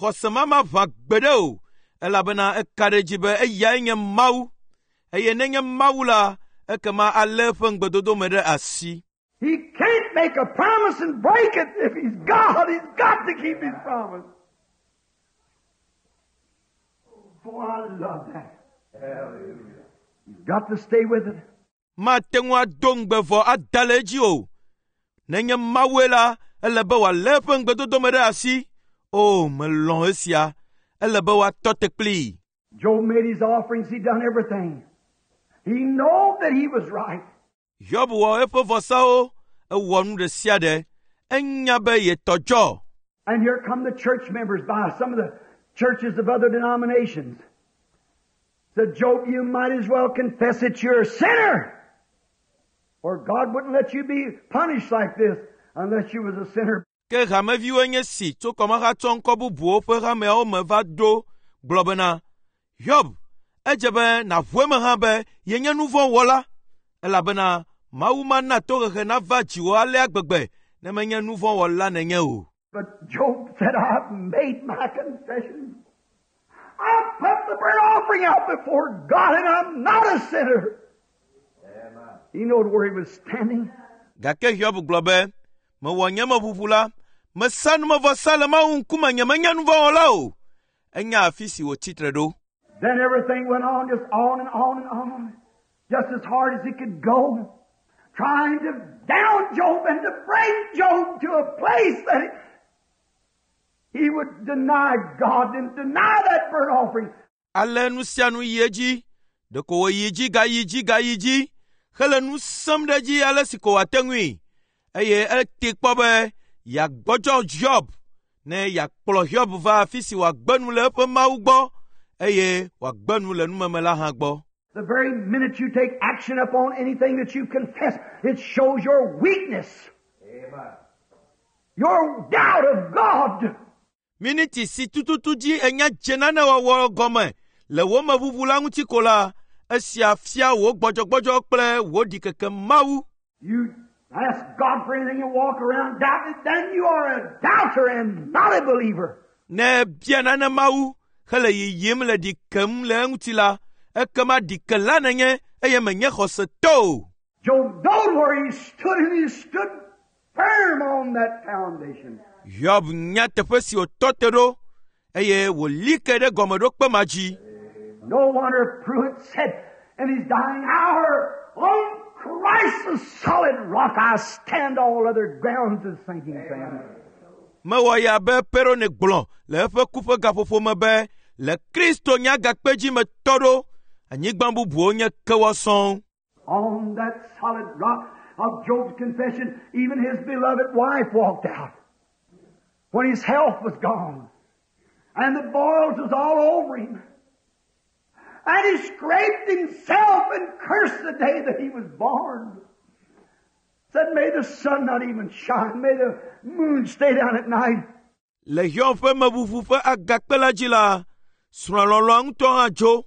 xɔse ma maʋã gbeɖe o, elabena eka ɖe edzi be eyae nye Mawu. Eye nenye Mawu la, ekema alé eƒe ŋugbedodo me ɖe asi. He can't make a promise and break it. If He's God, He's got to keep His promise. Boy, I love that. He's got to stay with it. Mate ŋu ado ŋugbe vɔ ada le edzi o. Nenye Mawue la, ele be wòalé eƒe ŋugbedodo me ɖe asi. O, melɔ̃ esia. Ele be wòatɔ te kplii. Job made his offerings. He done everything. He knew that he was right. Hiob wɔ eƒe vɔsawo, ewɔ nu ɖe sia ɖe. Enya be yetɔ dzɔ. And here come the church members by some of the churches of other denominations. Said, Job, you might as well confess that you're a sinner. Or God wouldn't let you be punished like this unless you was a sinner. Ke hameviwoe nye si tso kɔmahatsɔ ŋkɔ bubuwo ƒe hameawo me va ɖo gblɔ bena, Hiob, edze be nàʋu eme hã be yenye nu vɔ̃ wɔla, elabena Mawu mana tohehe nava dziwò alea gbegbe ne menye nu vɔ̃ wɔla nènye o. But Job said, I've made my confession. I've put the burnt offering out before God and I'm not a sinner. He knowed where he was standing. Gake Hiob gblɔ be, mewɔ nye meʋuʋu la, mesa numevɔsa le Mawu ŋkume nye menye nu vɔ̃ wɔla o. Enya afi si wòtsi tre ɖo. Then everything went on, just on and on and on, just as hard as it could go, trying to down Job and to bring Job to a place that he would deny God and deny that burnt offering. Ale nu sia nu yi edzi, ɖeko wòyi dzi gayi dzi gayi dzi hele nu sẽm ɖe edzi ale si ko wòate ŋui eye ete kpɔ be yeagbɔdzɔ Hiob ne yeakplɔ Hiob va afi si wòagbe nu le eƒe Mawu gbɔ eye wòagbe nu le numeme la hã gbɔ. The very minute you take action upon anything that you confess, it shows your weakness. Your doubt of God. Miniti si tututu dzi enya dze nane wɔwɔ gɔme le wò meʋuʋu la ŋuti ko la, esia fia wò gbɔdzɔgbɔdzɔ kple wò ɖikeke Mawu. You ask God for anything and walk around doubting, then you are a doubter and not a believer. Ne ebia nane Mawu hele yiyim le ɖi kem le eŋuti la, ekema ɖikela nènye eye menye xɔsetɔ o. Job knowed where he stood and he stood firm on that foundation. Hiob nya teƒe si wòtɔ te ɖo eye wòli ke ɖe gɔmeɖokpe ma dzi. No wonder Pruitt said in his dying hour, on Christ the solid rock I stand, all other grounds is sinking sand. Mewɔ ya be Perone gblɔ le eƒe ku ƒe gaƒoƒo me be le Kristo nye agakpe dzi metɔ ɖo, anyigba bubuwo nye kewɔ sɔŋ. On that solid rock of Job's confession, even his beloved wife walked out when his health was gone and the boils was all over him. And he scraped himself and cursed the day that he was born. Said, may the sun not even shine. May the moon stay down at night. Le Hiob ƒe meʋuʋu ƒe agakpe la dzi la, srɔ̃a lɔlɔ̃a ŋutɔ hã dzo.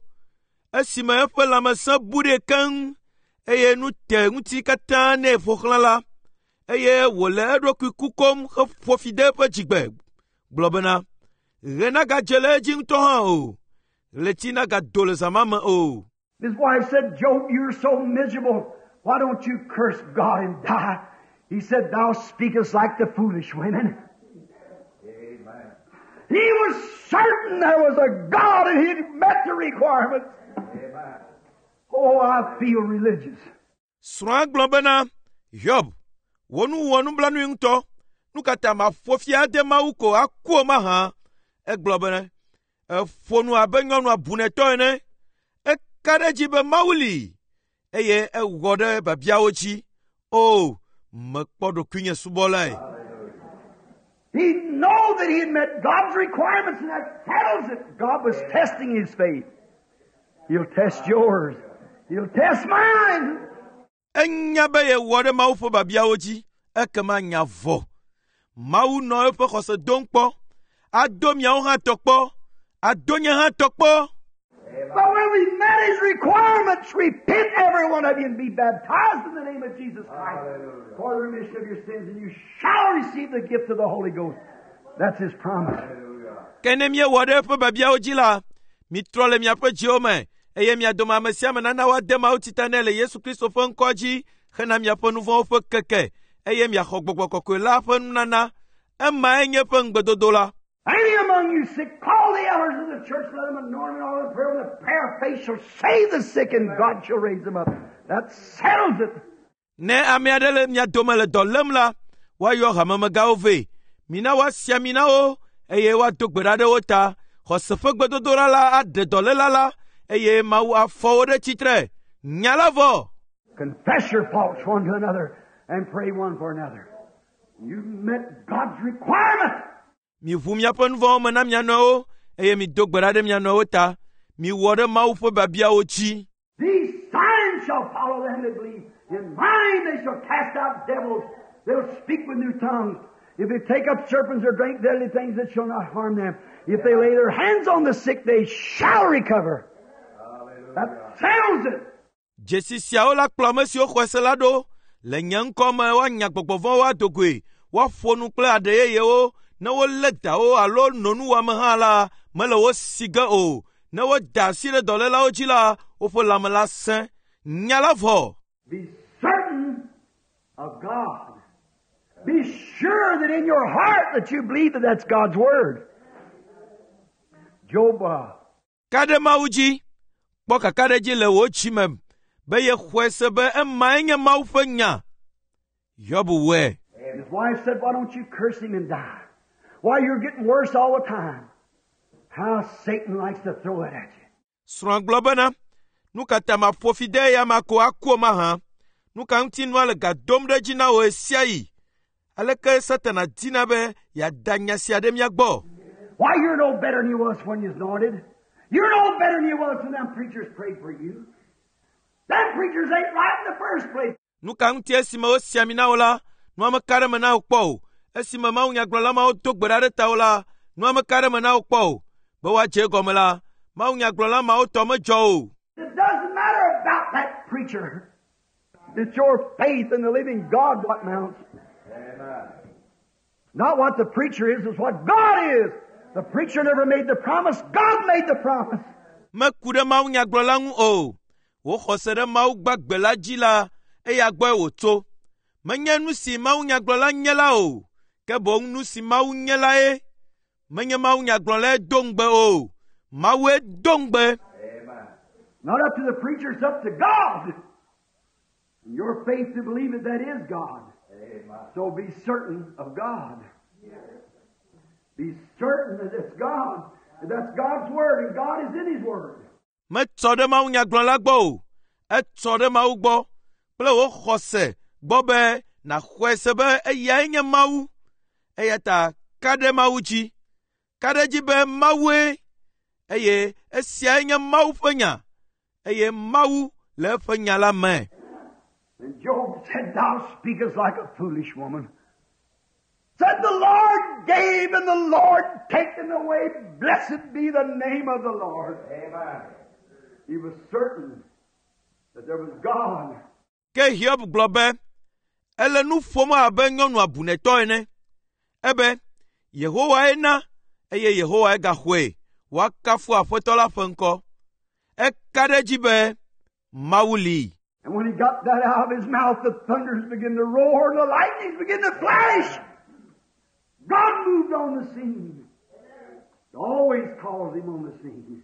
Esime eƒe lãmesẽ bu ɖee keŋ eye nu te ŋuti katã nɛ ƒo xlã la, eye wòle eɖokui kukom heƒo fi de eƒe dzigbe gblɔ bena, ɣe nagadze le edzi ŋutɔ hã o, ɣleti nagado le zã ma me o. His wife said, Job, you're so miserable. Why don't you curse God and die? He said, thou speakest like the foolish women. Amen. He was certain there was a God and he'd met the requirements. Amen. Oh, I feel religious. Srɔ̃a gblɔ bena, Hiob, wò nu wɔ nublanui ŋutɔ. Nu ka ta maƒo fi ade Mawu ko aku o mahã? Egblɔ bena, eƒo nu abe nyɔnu abunɛtɔ ene. Eka ɖe edzi be Mawu li eye ewɔ ɖe biabiawo dzi. O, mekpɔ ɖokuinye subɔlae. He knew that he had met God's requirements and that settles it. God was testing his faith. He'll test yours. He'll test mine. Enya be yewɔ ɖe Mawu ƒe biabiawo dzi, ekema nya vɔ. Mawu nɔ eƒe xɔse dom kpɔ. Ado miawo hã tɔ kpɔ. Ado nye hã tɔ kpɔ. But when we met his requirements, repent every one of you and be baptized in the name of Jesus Christ for the remission of your sins, and you shall receive the gift of the Holy Ghost. That's his promise. Ke ne míewɔ ɖe eƒe biabiawo dzi la, mitrɔ le miaƒe dziwo me eye mia dome ame sia ame nana woade mawutsi ta nɛ le Yesu Kristo ƒe ŋkɔ dzi hena miaƒe nu vɔ̃wo ƒe keke eye miaxɔ gbɔgbɔ kɔkɔe la ƒe nunana. Emae nye eƒe ŋugbedodo la. Any among you sick, call the elders of the church, let them anoint them in oil of prayer, and the prayer of faith shall save the sick, and God shall raise them up. That settles it. Ne ame aɖe le mia dome le dɔ lém la, woayɔ hamemegãwo vɛ. Mina woasi ami na wo eye woado gbe ɖa ɖe wo ta. Xɔse ƒe gbedodoɖa la aɖe dɔléla la eye Mawu afɔ wo ɖe tsitre. Nya la vɔ. Confess your faults one to another and pray one for another. You met God's requirement. Miʋu miaƒe nu vɔ̃wo me na mia nɔewo eye mido gbe ɖa ɖe mia nɔewo ta. Miwɔ ɖe Mawu ƒe biabiawo dzi. These signs shall follow them that believe. In my name they shall cast out devils. They'll speak with new tongues. If they take up serpents or drink deadly things, it shall not harm them. If they lay their hands on the sick, they shall recover. That settles it. Dzesi siawo la kplɔ ame siwo xɔe se la ɖo. Le nye ŋkɔ me woanya gbɔgbɔ vɔ̃wo ado goe. Woaƒo nu kple aɖe yeyewo. Ne wolé dawo alo no nuwɔame hã la, mele wo si ge o. Ne woda asi ɖe dɔlélawo dzi la, woƒe lãme la sẽ. Nya la vɔ. Be certain of God. Be sure that in your heart that you believe that that's God's Word. Job, uh, Ka ɖe Mawu dzi. Kpɔ kakaɖedzi le wò dzi me be yexɔe se be emae nye Mawu ƒe nya. Hiob wɔe. his wife said, Why don't you curse him and die? Why, you're getting worse all the time. How Satan likes to throw it at you. Srɔ̃a gblɔ bena, nu ka ta maƒo fi de eya ma ko aku o mahã? Nu ka ŋuti nua le ga dom ɖe edzi na wò ɣe sia ɣi? Aleke Satana dina be yeada nya sia ɖe mía gbɔ? Why, you're no better than you was when you was anointed. You're no better than you was when them preachers prayed for you. Them preachers ain't right in the first place. Nu ka ŋuti esime wosi ami na wò la, nua meka ɖe me na wò kpɔ o. Esime mawunyagblɔla mawo do gbe ɖa ɖe tawò la, nua meka ɖe me na wò kpɔ o. Be woadze egɔme la, mawunyagblɔla mawo tɔ medzɔ o. It doesn't matter about that preacher. It's your faith in the living God what mounts. Not what the preacher is, it's what God is. The preacher never made the promise. God made the promise. Meku ɖe mawunyagblɔla ŋu o. Wò xɔse ɖe Mawu gbagbe la dzi la, eya gbɔe wòtso. Menye nu si mawunyagblɔla nye la o, ke boŋ nu si Mawu nye lae. Menye mawunyagblɔlae do ŋugbe o. Mawue do ŋugbe. Not up to the preacher, it's up to God. And your faith to believe it, that is God. So be certain of God. Be certain that it's God. That that's God's Word, and God is in His Word. Metsɔ ɖe mawunyagblɔla gbɔ o. Etsɔ ɖe Mawu gbɔ kple wò xɔse gbɔ be nàxɔe se be eyae nye Mawu. Eya ta ka ɖe Mawu dzi. Ka ɖe edzi be Mawue eye esiae nye Mawu ƒe nya eye Mawu le eƒe nya la me. And Job said, Thou speakest like a foolish woman. Said the Lord gave and the Lord taken away. Blessed be the name of the Lord. Amen. He was certain that there was God. Ke Hiob gblɔ be, ele nu ƒom abe nyɔnu abunɛtɔ ene. Ebe, Yehowae na eye Yehowae gaxɔe. Woakafu Aƒetɔ la ƒe ŋkɔ. Eka ɖe edzi be Mawu li. And when he got that out of his mouth, the thunders began to roar and the lightnings began to flash. God moved on the scene. It always calls him on the scene.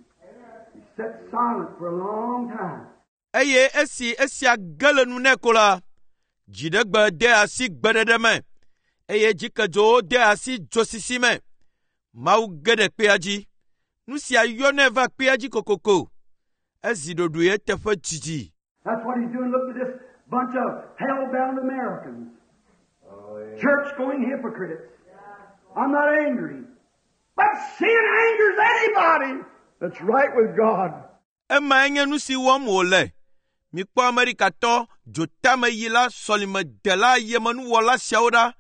He sat silent for a long time. Eye esi esia ge le nu nɛ ko la, dziɖegbe de asi gbeɖeɖe me eye dzikedzowo de asi dzosisi me. Mawu ge ɖe kpea dzi. Nu sia yɔnɛ va kpea dzi kokoko. Ezi ɖoɖoe eteƒe didi. That's what he's doing. Look at this bunch of hell-bound Americans. Church-going hypocrites. I'm not angry. But sin angers anybody that's right with God. Emae nye nu si wɔm wòle. Mikpɔ Amerikatɔ dzotameyila sɔlimedela yemenuwɔla siawo ɖa.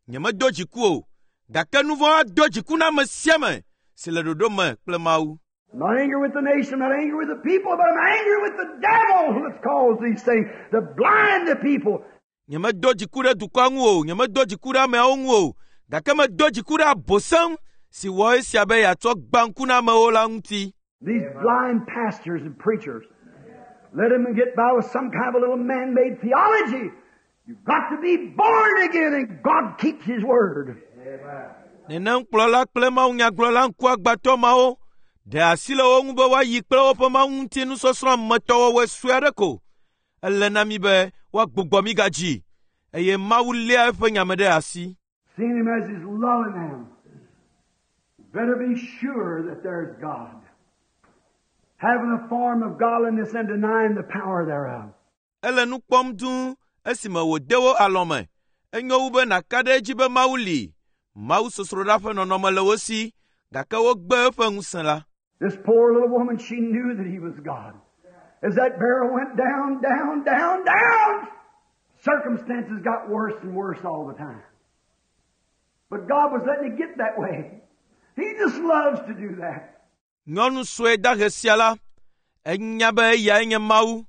Nyemedo dziku o, gake nu vɔ̃ ado dziku na ame sia ame si le ɖoɖo me kple Mawu. I'm not angry with the nation, I'm not angry with the people, but I'm angry with the devil that's caused these things to blind the people. Nyemedo dziku ɖe dukɔa ŋu o, nyemedo dziku ɖe ameawo ŋu o, gake medo dziku ɖe abosam si wɔ esia be yeatsɔ gbã ŋku na amewo la ŋuti. These blind pastors and preachers, let them get by with some kind of a little man-made theology. You've got to be born again, and God keeps His word. Nenem kplɔla kple mawunyagblɔla ŋkuagbãtɔ mawo ɖe asi le wo ŋu be woayi kple woƒe mawu ŋuti nusɔsrɔ̃ ametɔwɔwɔe sue aɖe ko. Ele na mi be woagbugbɔ mi gadzi eye Mawu léa eƒe nya me ɖe asi. Seeing Him as He's lulling them. Better be sure that there's God. Having a form of godliness and denying the power thereof. Ele nu kpɔm dũu esime wòde wo alɔme. Enyo wu be nàka ɖe edzi be Mawu li. Mawu sosroɖa ƒe nɔnɔme le wo si, gake wogbe eƒe ŋusẽ la. This poor little woman, she knew that He was God. As that barrel went down, down, down, down, circumstances got worse and worse all the time. But God was letting it get that way. He just loves to do that. Nyɔnu sue dahe sia la, enya be eyae nye Mawu.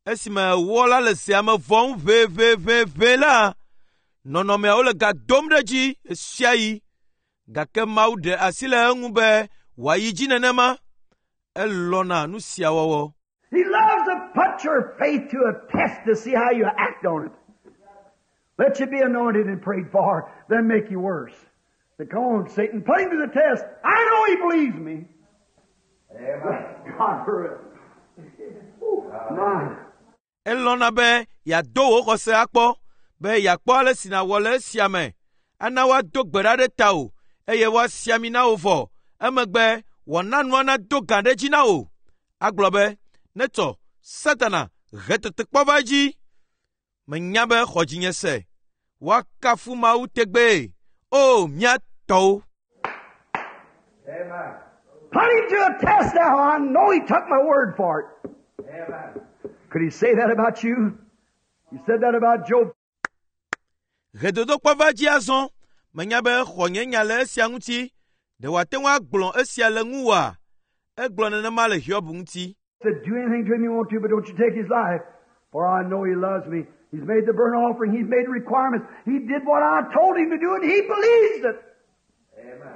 Esime ewɔ la le zea me vɔm ʋeʋeʋeʋe la, nɔnɔmeawo le ga dom ɖe edzi ɣe sia ɣi. Gake Mawu ɖe asi le eŋu be wòayi dzi nenema. Elɔ̃na nu sia wɔwɔ. He loves to put Put your faith to a test to see how you act on it. Let you be anointed and prayed for, then make you worse. Say, come on, Satan, put him to the test. I know he believes me. Amen. God for it. Ooh, my. Elɔ̃na be yeado wò xɔse akpɔ be yeakpɔ ale si nàwɔ le esia me. Ana woado gbe ɖa ɖe tawò eye woasi ami na wò vɔ. Emegbe wòana nua nado gã ɖe edzi na wò. Agblɔ be, “Netsɔ, Satana, he tetekpɔ va edzi. Menya be xɔ dzinye se. Woakafu Mawu tegbee. O, mía tɔwo!” Amen. Put him to a test now. I know he took my word for it. Amen. Could he say that about you? He said that about Job. He dodokpɔ va dzi azɔ. Menya be xɔ nye nya le esia ŋuti. Ɖe wòate ŋu agblɔ esia le ŋuwòa? Egblɔ nenema le Hiob ŋuti. Said, do anything to him you want to, but don't you take his life. For I know he loves me. He's made the burnt offering. He's made requirements. He did what I told him to do, and he believes it. Amen.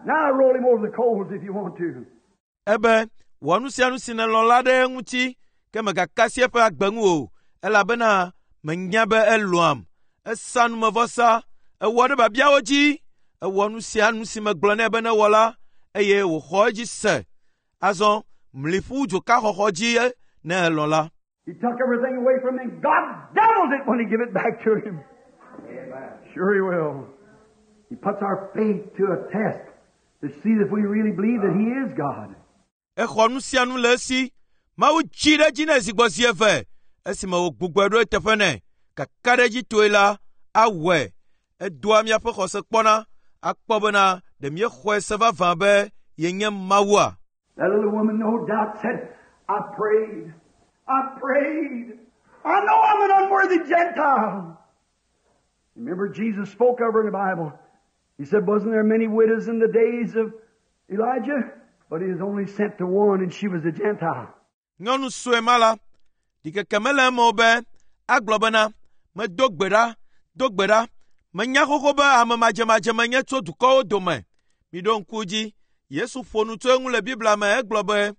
Now roll him over the coals if you want to. Ebe, wɔ nu sia nu si nèlɔ̃ la ɖe eŋuti, ke mègaka asi eƒe agbe ŋu o, elabena menya be elɔ̃am. Esa numevɔsa, ewɔ ɖe biabiawo dzi, ewɔ nu sia nu si megblɔ nɛ be newɔ la, eye wòxɔ edzi se. Azɔ mli ƒu dzoka xɔxɔ dzi ne elɔ̃ la. He took everything away from him. God doubled it when he gave it back to him. Amen. Sure he will. He puts our faith to a test to see if we really believe that he is God. Exɔ nu sia nu le esi. Mawu dzi ɖe edzi nɛ zi gbɔ zi eve esime wògbugbɔe ɖo eteƒe nɛ. Kakaɖedzitɔe la, awɔe. Edoa míaƒe xɔse kpɔna akpɔ bena ɖe míexɔe se vavã be yenye Mawua. That little woman, no doubt, said, I prayed. I prayed. I know I'm an unworthy Gentile. Remember, Jesus spoke of her in the Bible. He said, wasn't there many widows in the days of Elijah? But he was only sent to one, and she was a Gentile. Nyɔnu sue ma la, ɖikeke mele eme o be agblɔ bena, medo gbe ɖa, do gbe ɖa. Menya xoxo be ame madzemadze menye tso dukɔwo dome. Miɖo ŋku dzi, Yesu ƒo nu tso eŋu le Biblia me egblɔ be,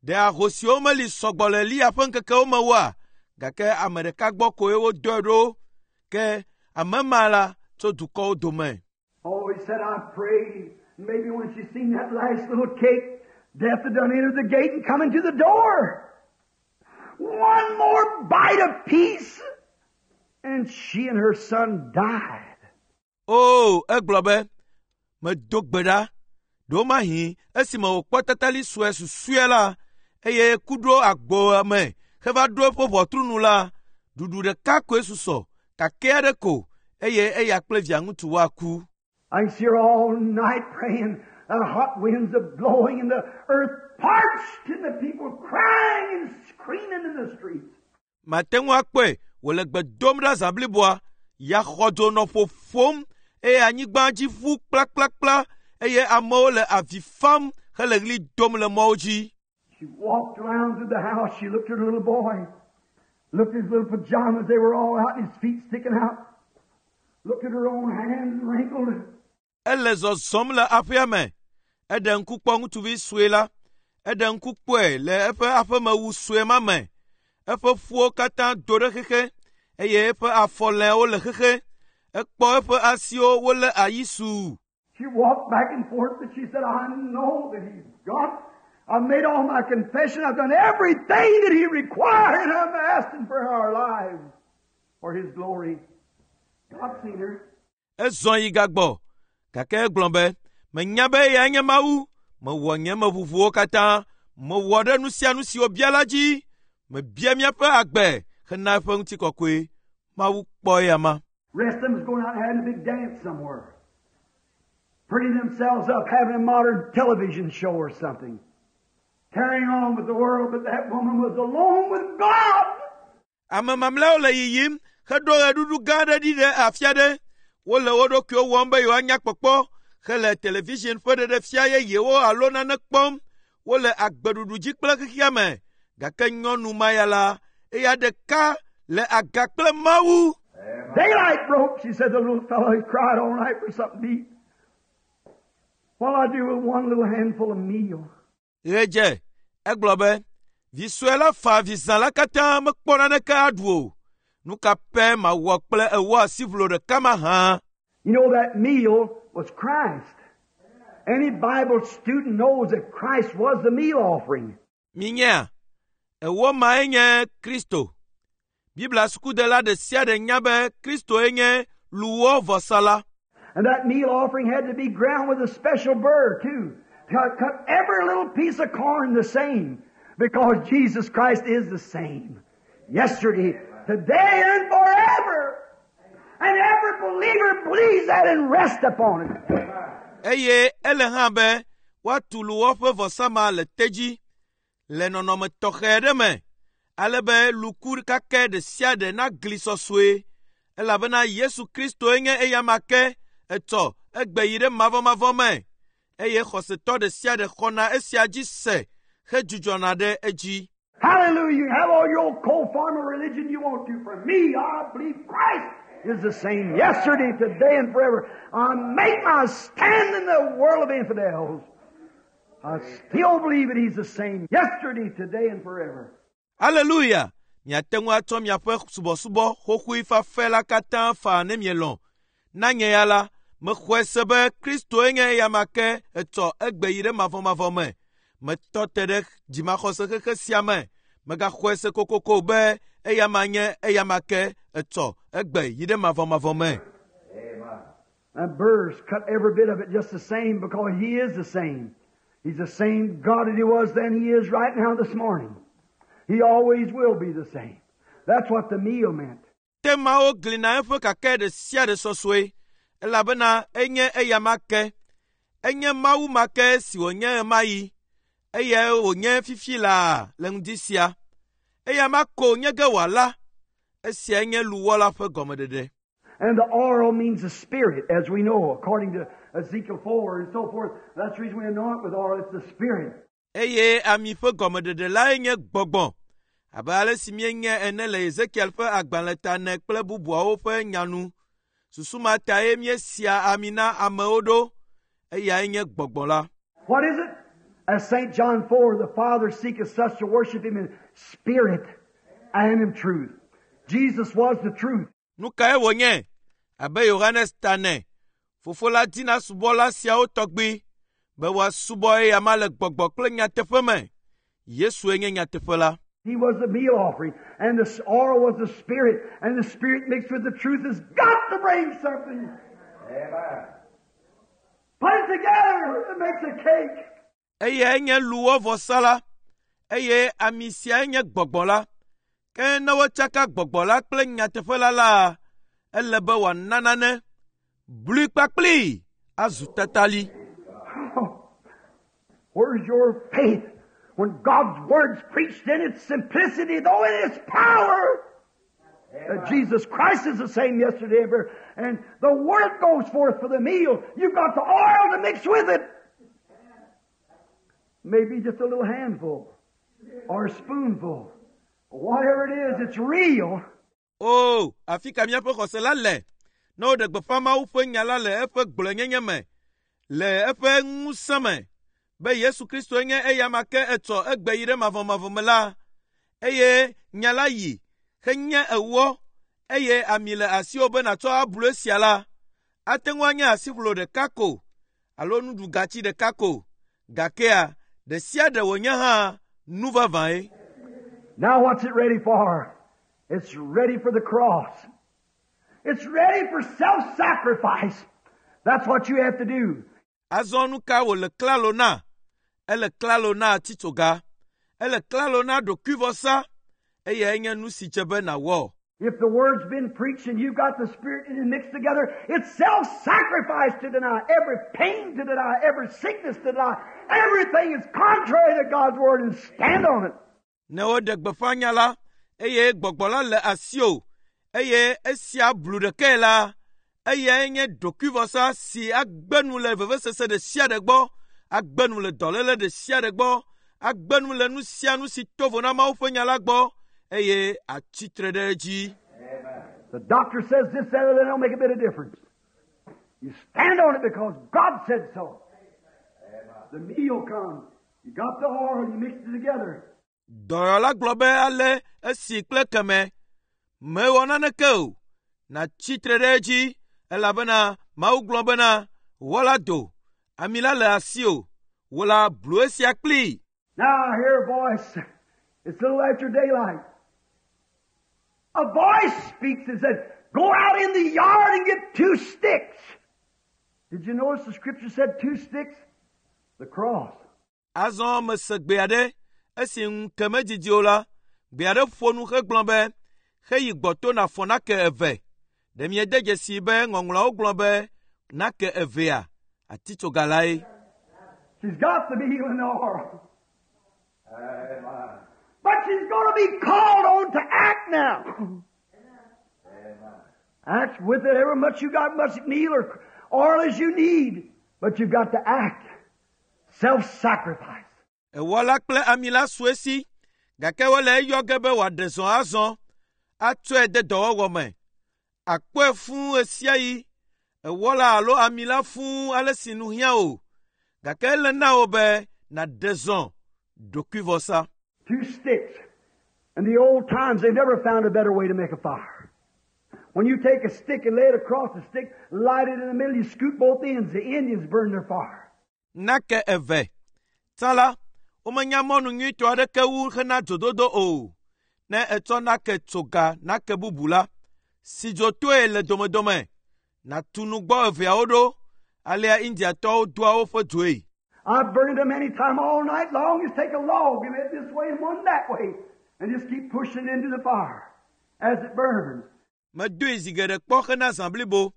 ɖe ahosiwo meli sɔgbɔ le Eliya ƒe ŋkekewo me oa? Gake ame ɖeka gbɔ koe wodɔe ɖo. Ke ame ma la tso dukɔwo dome. Oh, he said, I prayed. Maybe when she seen that last little cake, death had done entered the gate and come into the door. One more bite of peace, and she and her son died. O, egblɔ be, medo gbe ɖa. Ɖewomahi esime wòkpɔ tatali sue susɔe la, eye ku ɖo agboa me heva ɖo eƒe ʋɔtru nu la, ɖuɖu ɖeka koe susɔ, kakɛ aɖe ko, eye eya kple via ŋutsu woaku. I can see her all night praying. The hot winds are blowing and the earth parched and the people crying and screaming in the streets. Mate ŋu akpɔe wòle gbe dom ɖa zã bliboa, ya xɔdzo nɔ ƒoƒom eye anyigba dzi ƒu kplakplakpla eye amewo le avi fam hele ɣli dom le mɔwo dzi. She walked around through the house. She looked at her little boy. Looked at his little pajamas. They were all out and his feet sticking out. Looked at her own hands wrinkled. Ele zɔzɔm le aƒea me. Eɖe ŋku kpɔ ŋutsuvi sue la. Eɖe ŋku kpɔe le eƒe aƒemewu sue ma me. Eƒe ƒuwo katã do ɖe xexe eye eƒe afɔlɛawo le xexe. Ekpɔ eƒe asiwo wolé ayi suu. She walked back and forth and she said, I know that he's God. I've made all my confession. I've done everything that he required and I'm asking for our lives for his glory. God seen her. Ezɔ yi gagbɔ gake egblɔ be, menya be eyae nye Mawu. Mewɔ nye meʋuʋuwo katã. Mewɔ ɖe nu sia nu si wòbia la dzi. Mebia míaƒe agbe hena eƒe ŋutikɔkɔe. Mawu kpɔ eya ma. Rest of them was going out and having a big dance somewhere. Pretty themselves up, having a modern television show or something. Carrying on with the world, but that woman was alone with God. Ame mamlɛawo le yiyim heɖo ɣeɖuɖu gã aɖe ɖi ɖe afi aɖe. Wole wo ɖokuiwo wɔm be yewoanya kpɔkpɔ hele television ƒe ɖeɖefia yeyewo alo nane kpɔm. Wole agbeɖuɖu dzi kple xexea me. Gake nyɔnu ma ya la, eya ɖeka le aga kple Mawu. Daylight broke, she said, the little fellow, he cried all night for something to eat. What'll I do with one little handful of meal? Ɣe dze, egblɔ be, Vi sue la fa avi zã la katã mekpɔ naneke aɖu o. Nu ka pɛ mawɔ kple ewɔ asiʋlo ɖeka mahã? You know that meal was Christ. Any Bible student knows that Christ was the meal offering. Minyea, ewɔ mae nye Kristo. Biblia sukudela ɖe sia ɖe nya be Kristoe nye luwɔ vɔsala. And that meal offering had to be ground with a special burr too. Cut, cut every little piece of corn the same. Because Jesus Christ is the same. Yesterday, today, and forever. And every believer believes that and rests upon it. Eye ele hã be woatu luwɔ ƒe vɔsa ma le te dzi le nɔnɔme tɔxɛ ɖe me ale be luku kakɛ ɖe sia ɖe nagli sɔsɔe elabena Yesu Kristoe nye eyama ke etsɔ egbe yi ɖe mavɔmavɔ me eye xɔsetɔ ɖe sia ɖe xɔna esia dzi se hedzudzɔna ɖe edzi. Hallelujah. You can have all your old cold form of religion you want to. For me, I believe Christ is the same yesterday, today, and forever. I make my stand in the world of infidels. I still believe that He's the same yesterday, today, and forever. Aleluya! Miate ŋu atsɔ miaƒe subɔsubɔ xoxoe fafɛ la katã faa ne mielɔ̃. Na nye ya la, mexɔe se be Kristoe nye eyama ke etsɔ egbe yi ɖe mavɔmavɔ me. Metɔ te ɖe dzimaxɔse xexe sia me. Megaxɔe se kokoko be eyama nye eyama ke etsɔ egbe yi ɖe mavɔmavɔ me. Amen. And burrs cut every bit of it just the same because He is the same. He's the same God that He was then He is right now this morning. He always will be the same. That's what the meal meant. Temawo glina eƒe kakɛ ɖe sia ɖe sɔsɔe elabena enye eyama ke. Enye Mawu ma ke si wònye ɣemaɣi eye wònye fifi laa le ŋdi sia. Eyama ko nye ge wòala. Esiae nye luwɔ la ƒe gɔmeɖeɖe. And the oil means the Spirit, as we know, according to Ezekiel four and so forth. That's the reason we anoint with oil. It's the Spirit. Eye ami ƒe gɔmeɖeɖe lae nye gbɔgbɔ abe ale si míenye ene le Ezekiel ƒe agbalẽ ta ene kple bubuawo ƒe nya nu. Susu ma tae míesia ami na amewo ɖo. Eyae nye gbɔgbɔ la. What is it? As Saint John four, the Father seeketh such to worship Him in spirit and in truth. Jesus was the truth. Nu kae wònye? Abe Yohanes ta ene, Fofo la dina subɔla siawo tɔgbi be woasubɔ eyama le gbɔgbɔ kple nyateƒe me. Yesue nye nyateƒe la. He was the meal offering, and the oil was the Spirit, and the Spirit mixed with the truth has got to bring something. Amen. Put it together, it makes a cake. Eyae nye luwɔ vɔsa la, eye ami siae nye gbɔgbɔ la. Ke ne wotsaka gbɔgbɔ la kple nyateƒe la la, ele be wòana nane. Blui kpakplii azu tatali. Where's your faith when God's Word's preached in its simplicity, though in its power? That Jesus Christ is the same yesterday and forever. And the Word goes forth for the meal. You've got the oil to mix with it. Maybe just a little handful or a spoonful. Whatever it is, it's real. O, afi ka míaƒe xɔse la le? Ne woɖe gbeƒã Mawu ƒe nya la le eƒe gblɔenyenye me, le eƒe ŋusẽ me, be Yesu Kristoe nye eyama ke etsɔ egbe yi ɖe mavɔmavɔ me la, eye nya la yi henye ewɔ eye ami le asiwò be nàtsɔ ablu esia la, ate ŋu anye asiʋlo ɖeka ko alo nuɖugatsi ɖeka ko, gakea ɖe sia ɖe wònye hã nu vavãe. Now what's it ready for? It's ready for the cross. It's ready for self-sacrifice. That's what you have to do. Azɔ nu ka wòle klalo na? Ele klalo na atitsoga. Ele klalo na ɖokuivɔsa eyae nye nu si dze be nàwɔ. If the word's been preached and you've got the Spirit in it mixed together, it's self-sacrifice to deny every pain, to deny every sickness, to deny everything is contrary to God's word and stand on it. Ne woɖe gbeƒã nya la, eye gbɔgbɔ la le asiwò, eye esia blu ɖekae la, eyae nye ɖokuivɔsa si agbe nu le vevesese ɖe sia ɖe gbɔ, agbe nu le dɔléle ɖe sia ɖe gbɔ, agbe nu le nu sia nu si to vo na Mawu ƒe nya la gbɔ, eye atsitre ɖe edzi. The doctor says this, that, or that don't make a bit of difference. You stand on it because God said so. The meal comes. You got the oil, you mix it together. Dɔyɔla gblɔ be ale esi kple keme mewɔ naneke o. Nàtsi tre ɖe edzi elabena Mawu gblɔ bena wɔ la do, ami la le asiwò. Wò la blu esia kplii. Now I hear a voice. It's a little after daylight. A voice speaks and said, Go out in the yard and get two sticks. Did you notice the scripture said two sticks? The cross. Azɔ mese gbe aɖe esi ŋu ke medidi o la, gbe aɖe ƒo nu hegblɔ be, heyi gbɔto nàfɔ nake eve. Ɖe miede dzesi be ŋɔŋlɔawo gblɔ be nake evea atitsoga lae. She's got to be healing oil. Amen. But she's going to be called on to act now. Amen. Act with it ever much you got, much meal or oil as you need. But you've got to act. Self-sacrifice. Ewɔ la kple ami la su esi, gake wole eyɔ ge be wòaɖe zɔ azɔ, atsɔe de dɔwɔwɔ me. Akpɔe fũu ɣe sia ɣi. Ewɔ la alo ami la fũu ale si nu hiã o, gake ele na wò be nàɖe zɔ ɖokuivɔsa. Two sticks. In the old times, they never found a better way to make a fire. When you take a stick and lay it across the stick, light it in the middle, you scoot both ends. The Indians burn their fire. Nake eve. Tsã la, womenya mɔnu nyuitɔ aɖeke wu hena dzododo o. Ne ètsɔ nake tso ga nake bubu la, si dzotoe le domedome, nàtu nugbɔ eveawo ɖo, alea Indiatɔwo doa woƒe dzoe. I've burned them many time all night long. Just take a log and lay it this way and one that way, and just keep pushing it into the fire as it burns. Medoe zi geɖe kpɔ hena zã blibo,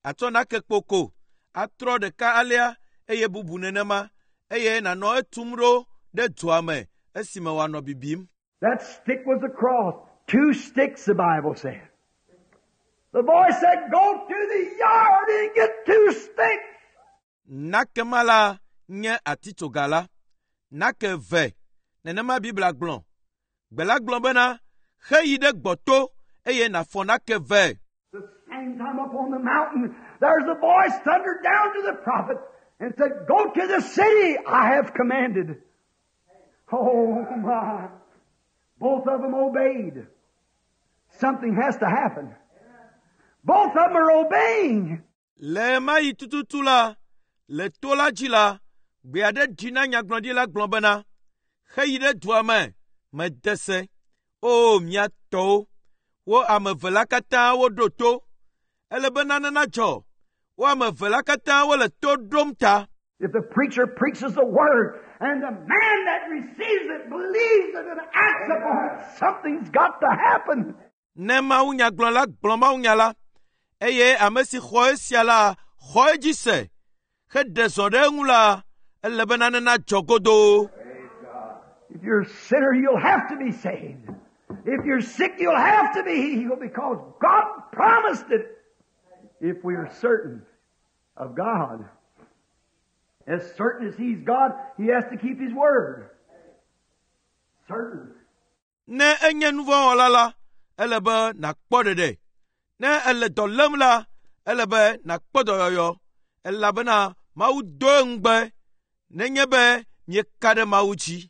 atsɔ nake kpoko, atrɔ ɖeka alea eye bubu nenema, eye nànɔ etum ɖo ɖe dzoa me esime wòanɔ bibim. That stick was the cross. Two sticks, the Bible said. The voice said, Go to the yard and get two sticks. Nake ma la nye atitsoga la. Nake eve, nenema Biblia gblɔ. Gbe la gblɔ bena, heyi ɖe gbɔto eye nàfɔ nake ve. The same time up on the mountain, there's a voice thundered down to the prophet and said, Go to the city I have commanded. Oh my. Both of them obeyed. Something has to happen. Both of them are obeying. Le ɣe ma ɣi tututu la, le to la dzi la, gbe aɖe ɖi na nyagblɔɖila gblɔ bena, heyi ɖe dua me, mede se. O mia tɔwo, wo ame eve la katã woɖo to. Ele be nane nadzɔ. Wo ame eve la katã wole to ɖom ta. If the preacher preaches the word and the man that receives it believes it and acts upon it, something's got to happen. Ne mawunyagblɔla gblɔ mawunya la, eye ame si xɔ esia la xɔ edzi se, heɖe zɔ ɖe eŋu la, ele be nane nadzɔ godoo. Praise God. If you're a sinner, you'll have to be saved. If you're sick, you'll have to be healed because God promised it. If we are certain of God. As certain as He's God, He has to keep His word. Certain. Ne enye nu vɔ̃ wɔla la, ele be nàkpɔ ɖeɖe. Ne ele dɔ lém la, ele be nàkpɔ dɔyɔyɔ elabena Mawu do ŋugbe nenye be mieka ɖe Mawu dzi.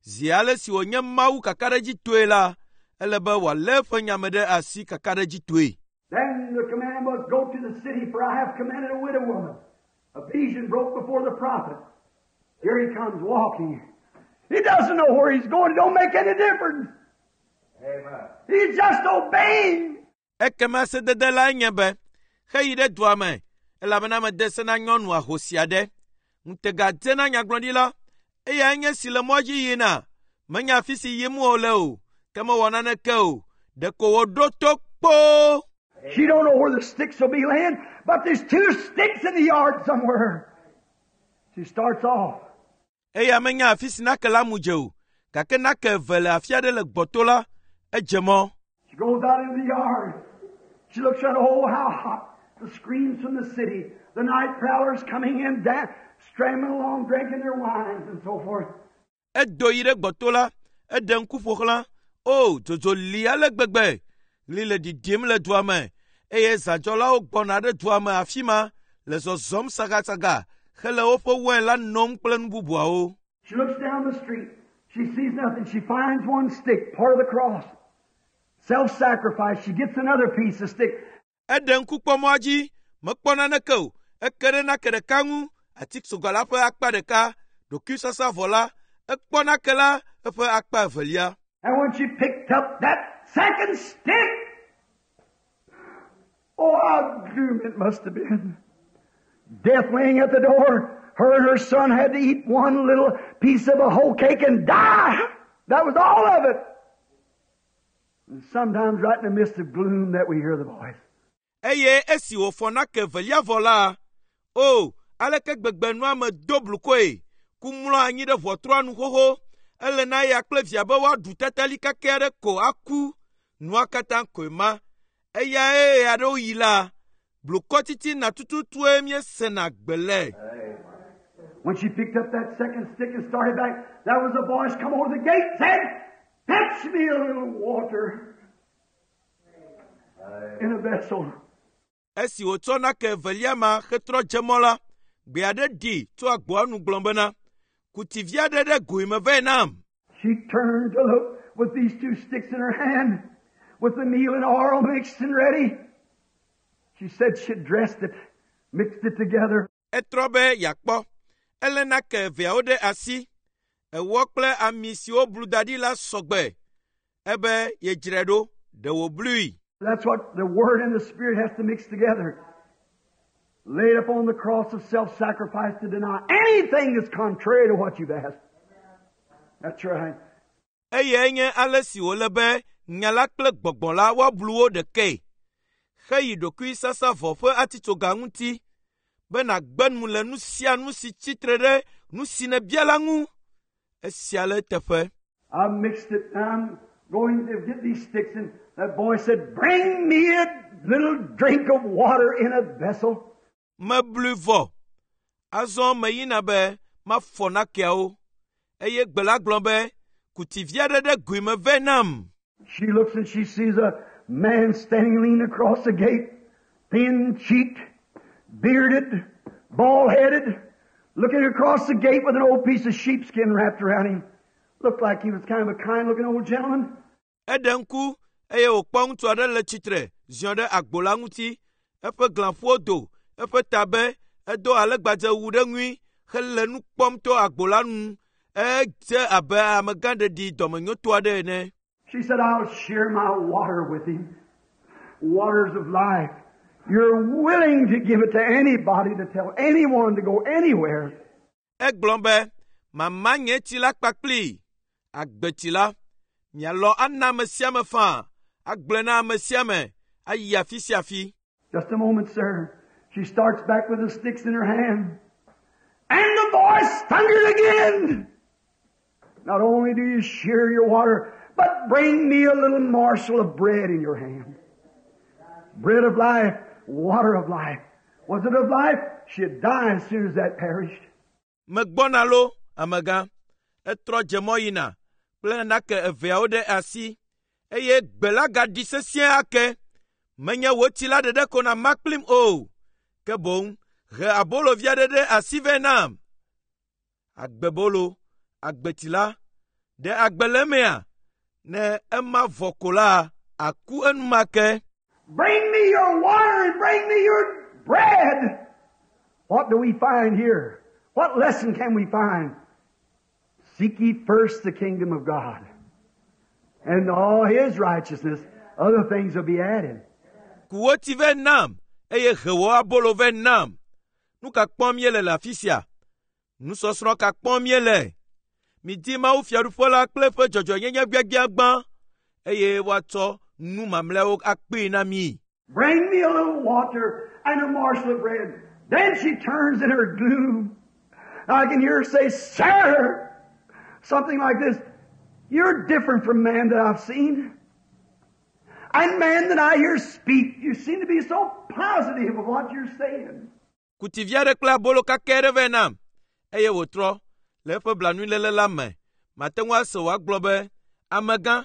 Zi ale si wònye Mawu kakaɖedzitɔe la, ele be wòalé eƒe nya me ɖe asi kakaɖedzitɔe. Then the command was, Go to the city, for I have commanded a widow woman. A vision broke before the prophet. Here he comes walking. He doesn't know where he's going. It don't make any difference. Amen. He's just obeying. Ekema sedede lae nye be, heyi ɖe dua me, elabena mede se na nyɔnu ahosi aɖe. Ŋutega dze na nyagblɔɖila, eyae nye si le mɔ dzi yina. Menya afi si yim wòle o, ke mewɔ naneke o. Ɖeko wòɖo to kpoo. She don't know where the sticks will be laying, but there's two sticks in the yard somewhere. She starts off. Eya menya afi si nake la mu dze o, gake nake eve le afi aɖe le gbɔto la, edze mɔ. She goes out into the yard. She looks around, oh, how hot. The screams from the city. The night prowlers coming in, da- stramming along, drinking their wines and so forth. Edo yi ɖe gbɔto la, eɖe ŋku ƒo xlã. O, dzodzo li ale gbegbe. Ɣli le ɖiɖim le dua me eye zãdzɔlawo gbɔna ɖe dua me afi ma le zɔzɔm sagasaga hele woƒe wain la nom kple nu bubuawo. She looks down the street. She sees nothing. She finds one stick, part of the cross. Self-sacrifice. She gets another piece of stick. Eɖe ŋku kpɔ mɔa dzi, mekpɔ naneke o. Eke ɖe nake ɖeka ŋu, atitsoga la ƒe akpa ɖeka, ɖokuisasavɔ la, ekpɔ nake la eƒe akpa evelia. And when she picked up that second stick, oh, how gloom it must have been. Death laying at the door. Her and her son had to eat one little piece of a whole cake and die. That was all of it. And sometimes right in the midst of gloom that we hear the voice. Eye esi wòfɔ nake evelia vɔ la, o, aleke gbegbe nua me do blukɔe, ku mlɔ anyi ɖe ʋɔtrua nu xoxo, ele na eya kple via be woaɖu tatali kakɛ aɖe ko aku, nua katã koe ma. Eyae ɣeaɖewo yi la, blukɔ titina tututue míesena gbe le. When she picked up that second stick and started back, there was a voice come over the gate said, Fetch me a little water in a vessel. Esi wòtsɔ nake evelia ma hetrɔ dze mɔ la, gbe aɖe ɖi tso agboa nu gblɔ bena, ku tsi vi aɖe ɖe goe me vɛ nam. She turned to look with these two sticks in her hand, with the meal and oil mixed and ready. She said she dressed it, mixed it together. Etrɔ be yeakpɔ. Elé nake eveawo ɖe asi. Ewɔ kple ami si woblu da ɖi la sɔgbe. Ebe yedzrae ɖo, ɖe wòblui. That's what the Word and the Spirit has to mix together. Laid upon the cross of self-sacrifice to deny anything that's contrary to what you've asked. That's right. Eyae nye ale si wòle be nya la kple gbɔgbɔ la woablu wo ɖekae. Heyi ɖokuisasavɔ ƒe atitsoga ŋuti be nàgbe nu le nu sia nu si tsitre ɖe nu si nèbia la ŋu. Esia le eteƒe. I mixed it and I'm going to get these sticks and that voice said, Bring me a little drink of water in a vessel. Meblui vɔ. Azɔ meyina be mafɔ nakeawo. Eye gbe la gblɔ be, ku tsi vi aɖe ɖe goe me vɛ nam. She looks and she sees a man standing leaning across the gate, thin-cheeked, bearded, bald-headed, looking across the gate with an old piece of sheepskin wrapped around him. Looked like he was kind of a kind-looking old gentleman. Eɖe ŋku eye wòkpɔ ŋutsu aɖe le tsitre ziɔ ɖe agbo la ŋuti. Eƒe glãƒuwo do, eƒe ta be edo alegbadzewu ɖe ŋui hele nu kpɔm to agbo la nu. Edze abe amegãɖeɖi dɔmenyotɔ aɖe ene. She said, I'll share my water with him. Waters of life. You're willing to give it to anybody, to tell anyone to go anywhere. Egblɔ be, mama nye tsi la kpakplii, agbetsi la. Mialɔ ana ame sia ame faa, agblɔe na ame sia ame, ayi afi sia afi. Just a moment, sir. She starts back with the sticks in her hand. And the voice thundered again. Not only do you share your water, but bring me a little morsel of bread in your hand. Bread of life, water of life. Was it of life? She'd die as soon as that perished. Megbɔna lo, amegã. Etrɔ dze mɔ yina kple nake eveawo ɖe asi eye gbe la gaɖi sesĩe ake. Menye wò tsi la ɖeɖe ko nàma kplim o, ke boŋ he abolo vi aɖe ɖe asi vɛ nam. Agbebolo, agbetsi la, ɖe agbe le emea? Ne ema vɔ ko la, aku enumake. Bring me your water and bring me your bread. What do we find here? What lesson can we find? Seek ye first the kingdom of God and all His righteousness. Other things will be added. Ku wò tsi vɛ nam eye he wò abolo vɛ nam. Nu ka kpɔm míele le afi sia? Nusɔsrɔ̃ ka kpɔm míele? Midi Mawu fiaɖuƒe la kple eƒe dzɔdzɔenyenye gbiagbia gbã eye woatsɔ nu mamlɛawo akpee na mi. Bring me a little water and a morsel of bread. Then she turns in her gloom. I can hear her say, Sir, something like this. You're different from man that I've seen. And man that I hear speak, you seem to be so positive of what you're saying. Ku tsi vi aɖe kple abolo kakɛ aɖe vɛ nam eye wòtrɔ le eƒe blanuiléle la me. Mate ŋu ase wòagblɔ be, amegã,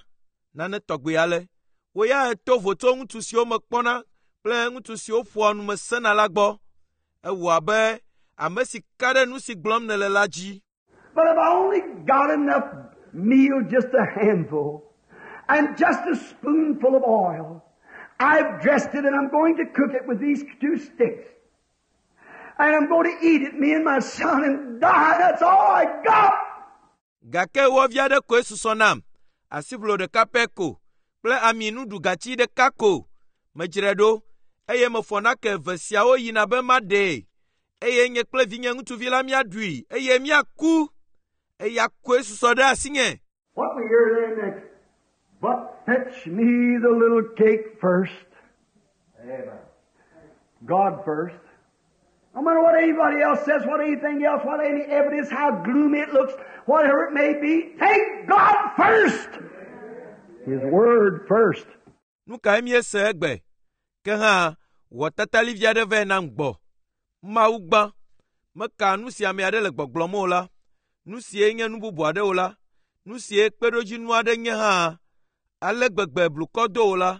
nane tɔgbi ale. Wò ya èto vo tso ŋutsu siwo mekpɔna kple ŋutsu siwo ƒoa nu mesena la gbɔ. Ewɔ abe ame si ka ɖe nu si gblɔm nèle la dzi. But if I only got enough Meal just a handful and just a spoonful of oil. I've dressed it and I'm going to cook it with these two sticks. And I'm going to eat it, me and my son, and die. That's all I got. Gake wɔ vi aɖe koe susɔ nam, asiʋlo ɖeka pɛ ko kple ami nuɖugatsi ɖeka ko. Medzrae ɖo eye mefɔ nake eve siawo yina be maɖee eye nye kple vinye ŋutsuvi la míaɖui eye míaku. Eya koe susɔ ɖe asinye. What we hear there next? But fetch me the little cake first. Amen. God first. No matter what anybody else says, what anything else, what any evidence, how gloomy it looks, whatever it may be, take God first. His Word first. Nu kae míese egbe? Ke hã wɔ tatalivi aɖe vɛ nam gbɔ. Mawu gbã. Meka nu si ame aɖe le gbɔgblɔm o la, nu sie nye nu bubu aɖe o la, nu sie kpeɖodzinu aɖe nye hã, ale gbegbe blukɔ do o la,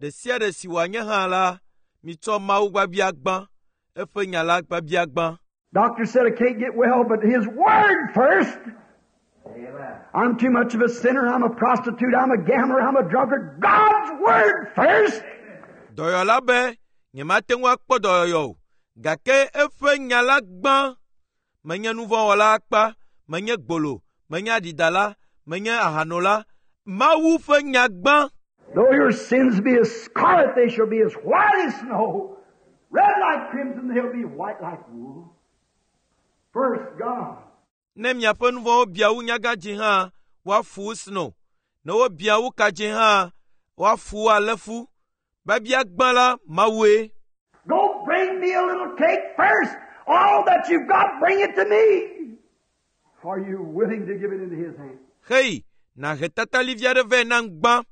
ɖe sia ɖe si wòanye hã la, mitsɔ Mawu biabia gbã, eƒe nya la biabia gbã. Doctor said I can't get well, but His Word first. Amen. I'm too much of a sinner. I'm a prostitute. I'm a gambler. I'm a drunkard. God's Word first. Dɔyɔla be nyemate ŋu akpɔ dɔyɔyɔ o, gake eƒe nya la gbã. Menye nuvɔ̃wɔla akpa, menye gbolo, menye aɖidala, menye ahanola. Mawu ƒe nya gbã. Though your sins be as scarlet, they shall be as white as snow. Red like crimson, they'll be white like wool. First, God. Ne miaƒe nu vɔ̃wo bia wu nyagãdzi hã, woafu wu sno. Ne wobia wu kadzĩ hã, woafu wu alẽfu. Biabia gbã la, Mawue. Go bring me a little cake first. All that you've got, bring it to me. Are you willing to give it into His hand? Hei, nàhe tatalivi aɖe vɛ nam gbã.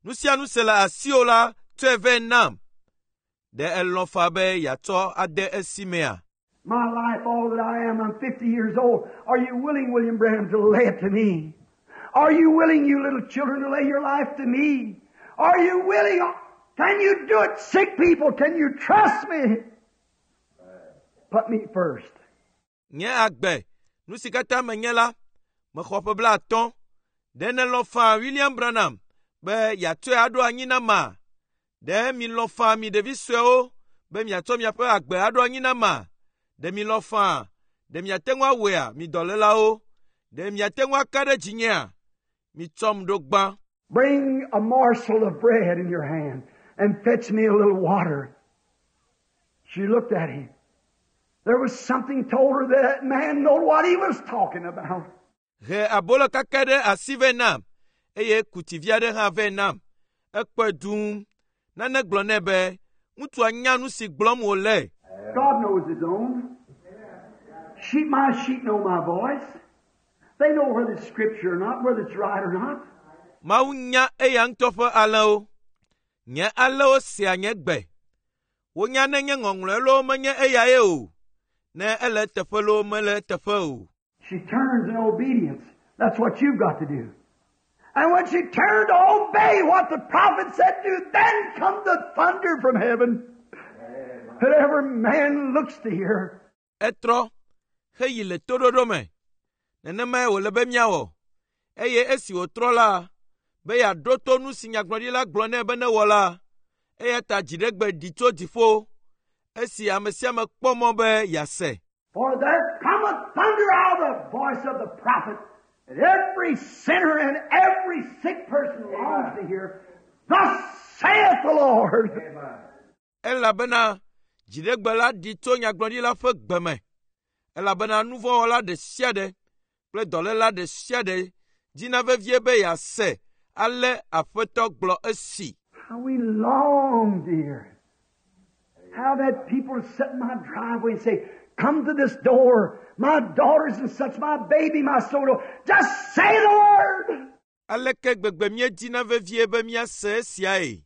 Nu sia nu si le asiwò la, tsɔe vɛ nam. Ɖe elɔ̃ faa be yeatsɔ ade esi mea? My life, all that I am, I'm fifty years old. Are you willing, William Branham, to lay it to me? Are you willing, you little children, to lay your life to me? Are you willing? Can you do it, sick people? Can you trust me? Put me first. Nye agbe, nu si katã menye la, mexɔ ƒe blaatɔ̃. Ɖe nèlɔ̃ faa William Branham be yeatsɔe aɖo anyi na ma? Ɖe milɔ̃ faa mi ɖevi suewo be miatsɔ miaƒe agbe aɖo anyi na ma? Ɖe milɔ̃ faa? Ɖe miate ŋu awɔea, mi dɔlélawo? Ɖe miate ŋu aka ɖe dzinyea? Mitsɔm ɖo gbã. Bring a morsel of bread in your hand and fetch me a little water. She looked at him. There was something told her that that man knew what he was talking about. He abolo kake ɖe asi vɛ nam eye ku tsi vi aɖe hã vɛ nam. Ekpɔe dũu. Nane gblɔ nɛ be ŋutsua nya nu si gblɔm wòle. God knows His own. Sheep, my sheep know my voice. They know whether it's scripture or not, whether it's right or not. Mawu nya eya ŋutɔ ƒe alẽwo. Nye alẽwo sea nye gbe. Wonya ne nye ŋɔŋlɔe loo menye eyae o. Ne ele eteƒe loo mele eteƒe o. She turns in obedience. That's what you've got to do. And when she turned to obey what the prophet said to, then come the thunder from heaven. That every man looks to hear. Etrɔ heyi le toɖoɖo me. Nenemae wòle be míawɔ. Eye esi wòtrɔ la, be yeaɖo to nu si nyagblɔɖila gblɔ nɛ be newɔ la, eya ta dziɖegbe ɖi tso dziƒo esi ame sia ame kpɔ mɔ be yease. For there cometh thunder out of the voice of the prophet, and every sinner and every sick person longs to hear, Thus saith the Lord. Amen. Elabena dziɖegbe la ɖi tso nyagblɔɖila ƒe gbe me. Elabena nuvɔ̃wɔla ɖe sia ɖe kple dɔléla ɖe sia ɖe dina vevie be yease ale Aƒetɔ gblɔ esi. How we long to hear it. How that people sit in my driveway and say, Come to this door, my daughters and such, my baby, my soul. Just say the word. Aleke gbegbe míedina vevie be míase esiae?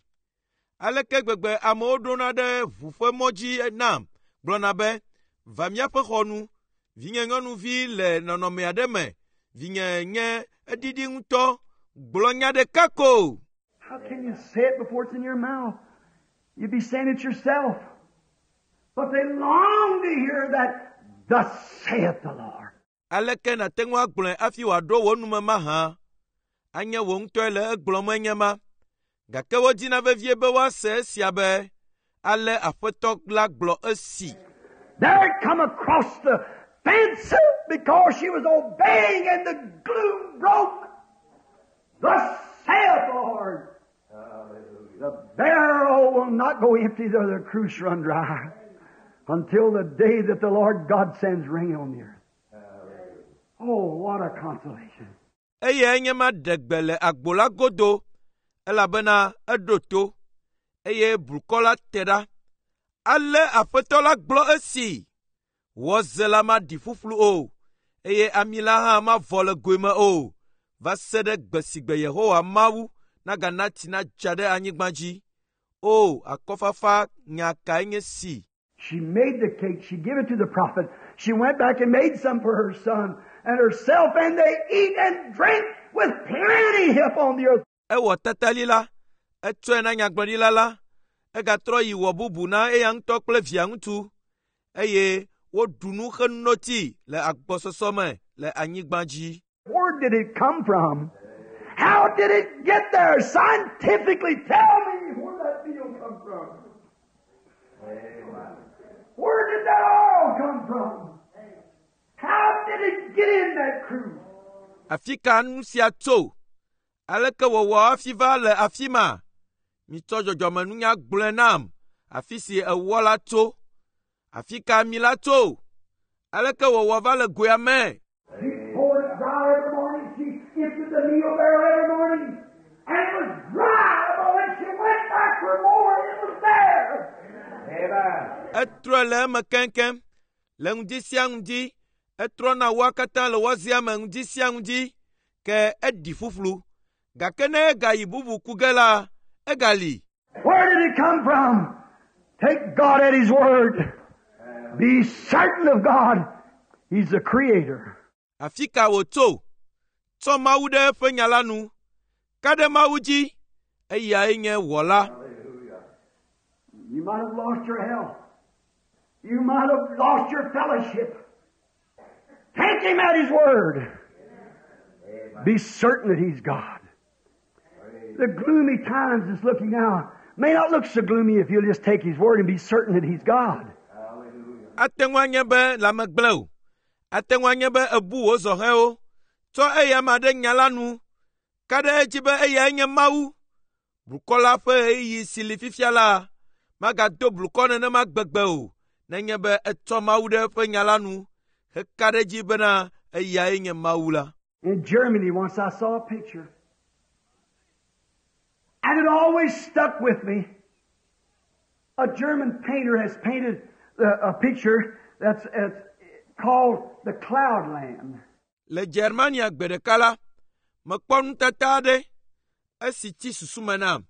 Aleke gbegbe amewo ɖona ɖe ʋu ƒe mɔ dzi nam gblɔna be, va míaƒe xɔ nu, vinye nyɔnuvi le nɔnɔme aɖe me, vinye nye eɖiɖi ŋutɔ, gblɔ nya ɖeka ko. How can you say it before it's in your mouth? You'd be saying it yourself. But they long to hear that, Thus saith the Lord. Aleke nàte ŋu agblɔe hafi wòaɖo wò nume mahã? Anye wò ŋutɔe le egblɔm enye ma. Gake wodina vevie be woase esia be, ale Aƒetɔ la gblɔ esi. There it come across the fence because she was obeying and the gloom broke. Thus saith the Lord. The barrel will not go empty nor the cruse run dry until the day that the Lord God sends rain on the earth. Oh, what a consolation. Eye enye ma ɖe gbe le agbo la godo elabena eɖo to eye blukɔ la te ɖa. Ale Aƒetɔ la gblɔ esi. Wɔze la maɖi ƒuƒlu o eye ami la hã mavɔ le goe me o va se ɖe gbe si gbe Yehowa Mawu nagana tsi nadza ɖe anyigba dzi. O, akɔfafa nya kae nye si! She made the cake. She gave it to the prophet. She went back and made some for her son and herself, and they eat and drink with plenty upon the earth. Ewɔ tatali la, etsɔe na nyagblɔɖila la, egatrɔ yi wɔ bubu na eya ŋutɔ kple via ŋutsu eye woɖu nu heno tsi le agbɔsɔsɔ me le anyigba dzi. Where did it come from? How did it get there? Scientifically, tell me where that meal come from. Where did that oil come from? How did it get in that cruse? Afi ka nu sia tso? Aleke wòwɔ hafi va le afi ma? Mitsɔ dzɔdzɔmenunya gblɔe nam afi si ewɔ la tso. Afi ka ami la tso? Aleke wòwɔ va le goea me? She poured it dry every morning. She emptied the meal barrel every morning. And it was dry, but when she went back for more, it was there. Amen. Etrɔe le eme keŋkeŋ. Le ŋdi sia ŋdi, etrɔna woa katã le wɔzea me ŋdi sia ŋdi ke eɖi ƒuƒlu. Gake ne egayi bubu ku ge la, egali. Where did it come from? Take God at His word. Be certain of God. He's the Creator. Afi ka wòtso? Tsɔ Mawu ɖe eƒe nya la nu. Ka ɖe Mawu dzi. Eyae nye wɔla. You might have lost your health. You might have lost your fellowship. Take Him at His word. Be certain that He's God. The gloomy times that's looking now may not look so gloomy if you'll just take His word and be certain that He's God. Ate ŋu anye be lãme gblẽ o. Ate ŋu anye be èbu wò zɔhɛwo. Tsɔ eya ma ɖe nya la nu. Ka ɖe edzi be eyae nye Mawu. Blukɔ la ƒe ɣeyiɣi si li fifia la, magado blukɔ nenema gbegbe o nenye be etsɔ Mawu ɖe eƒe nya la nu heka ɖe edzi bena eyae nye Mawu la. In Germany, once I saw a picture. And it always stuck with me. A German painter has painted a, a picture that's, that's called the Cloudland. Le Germania gbe ɖeka la, mekpɔ nutata aɖe esi tsi susu me nam.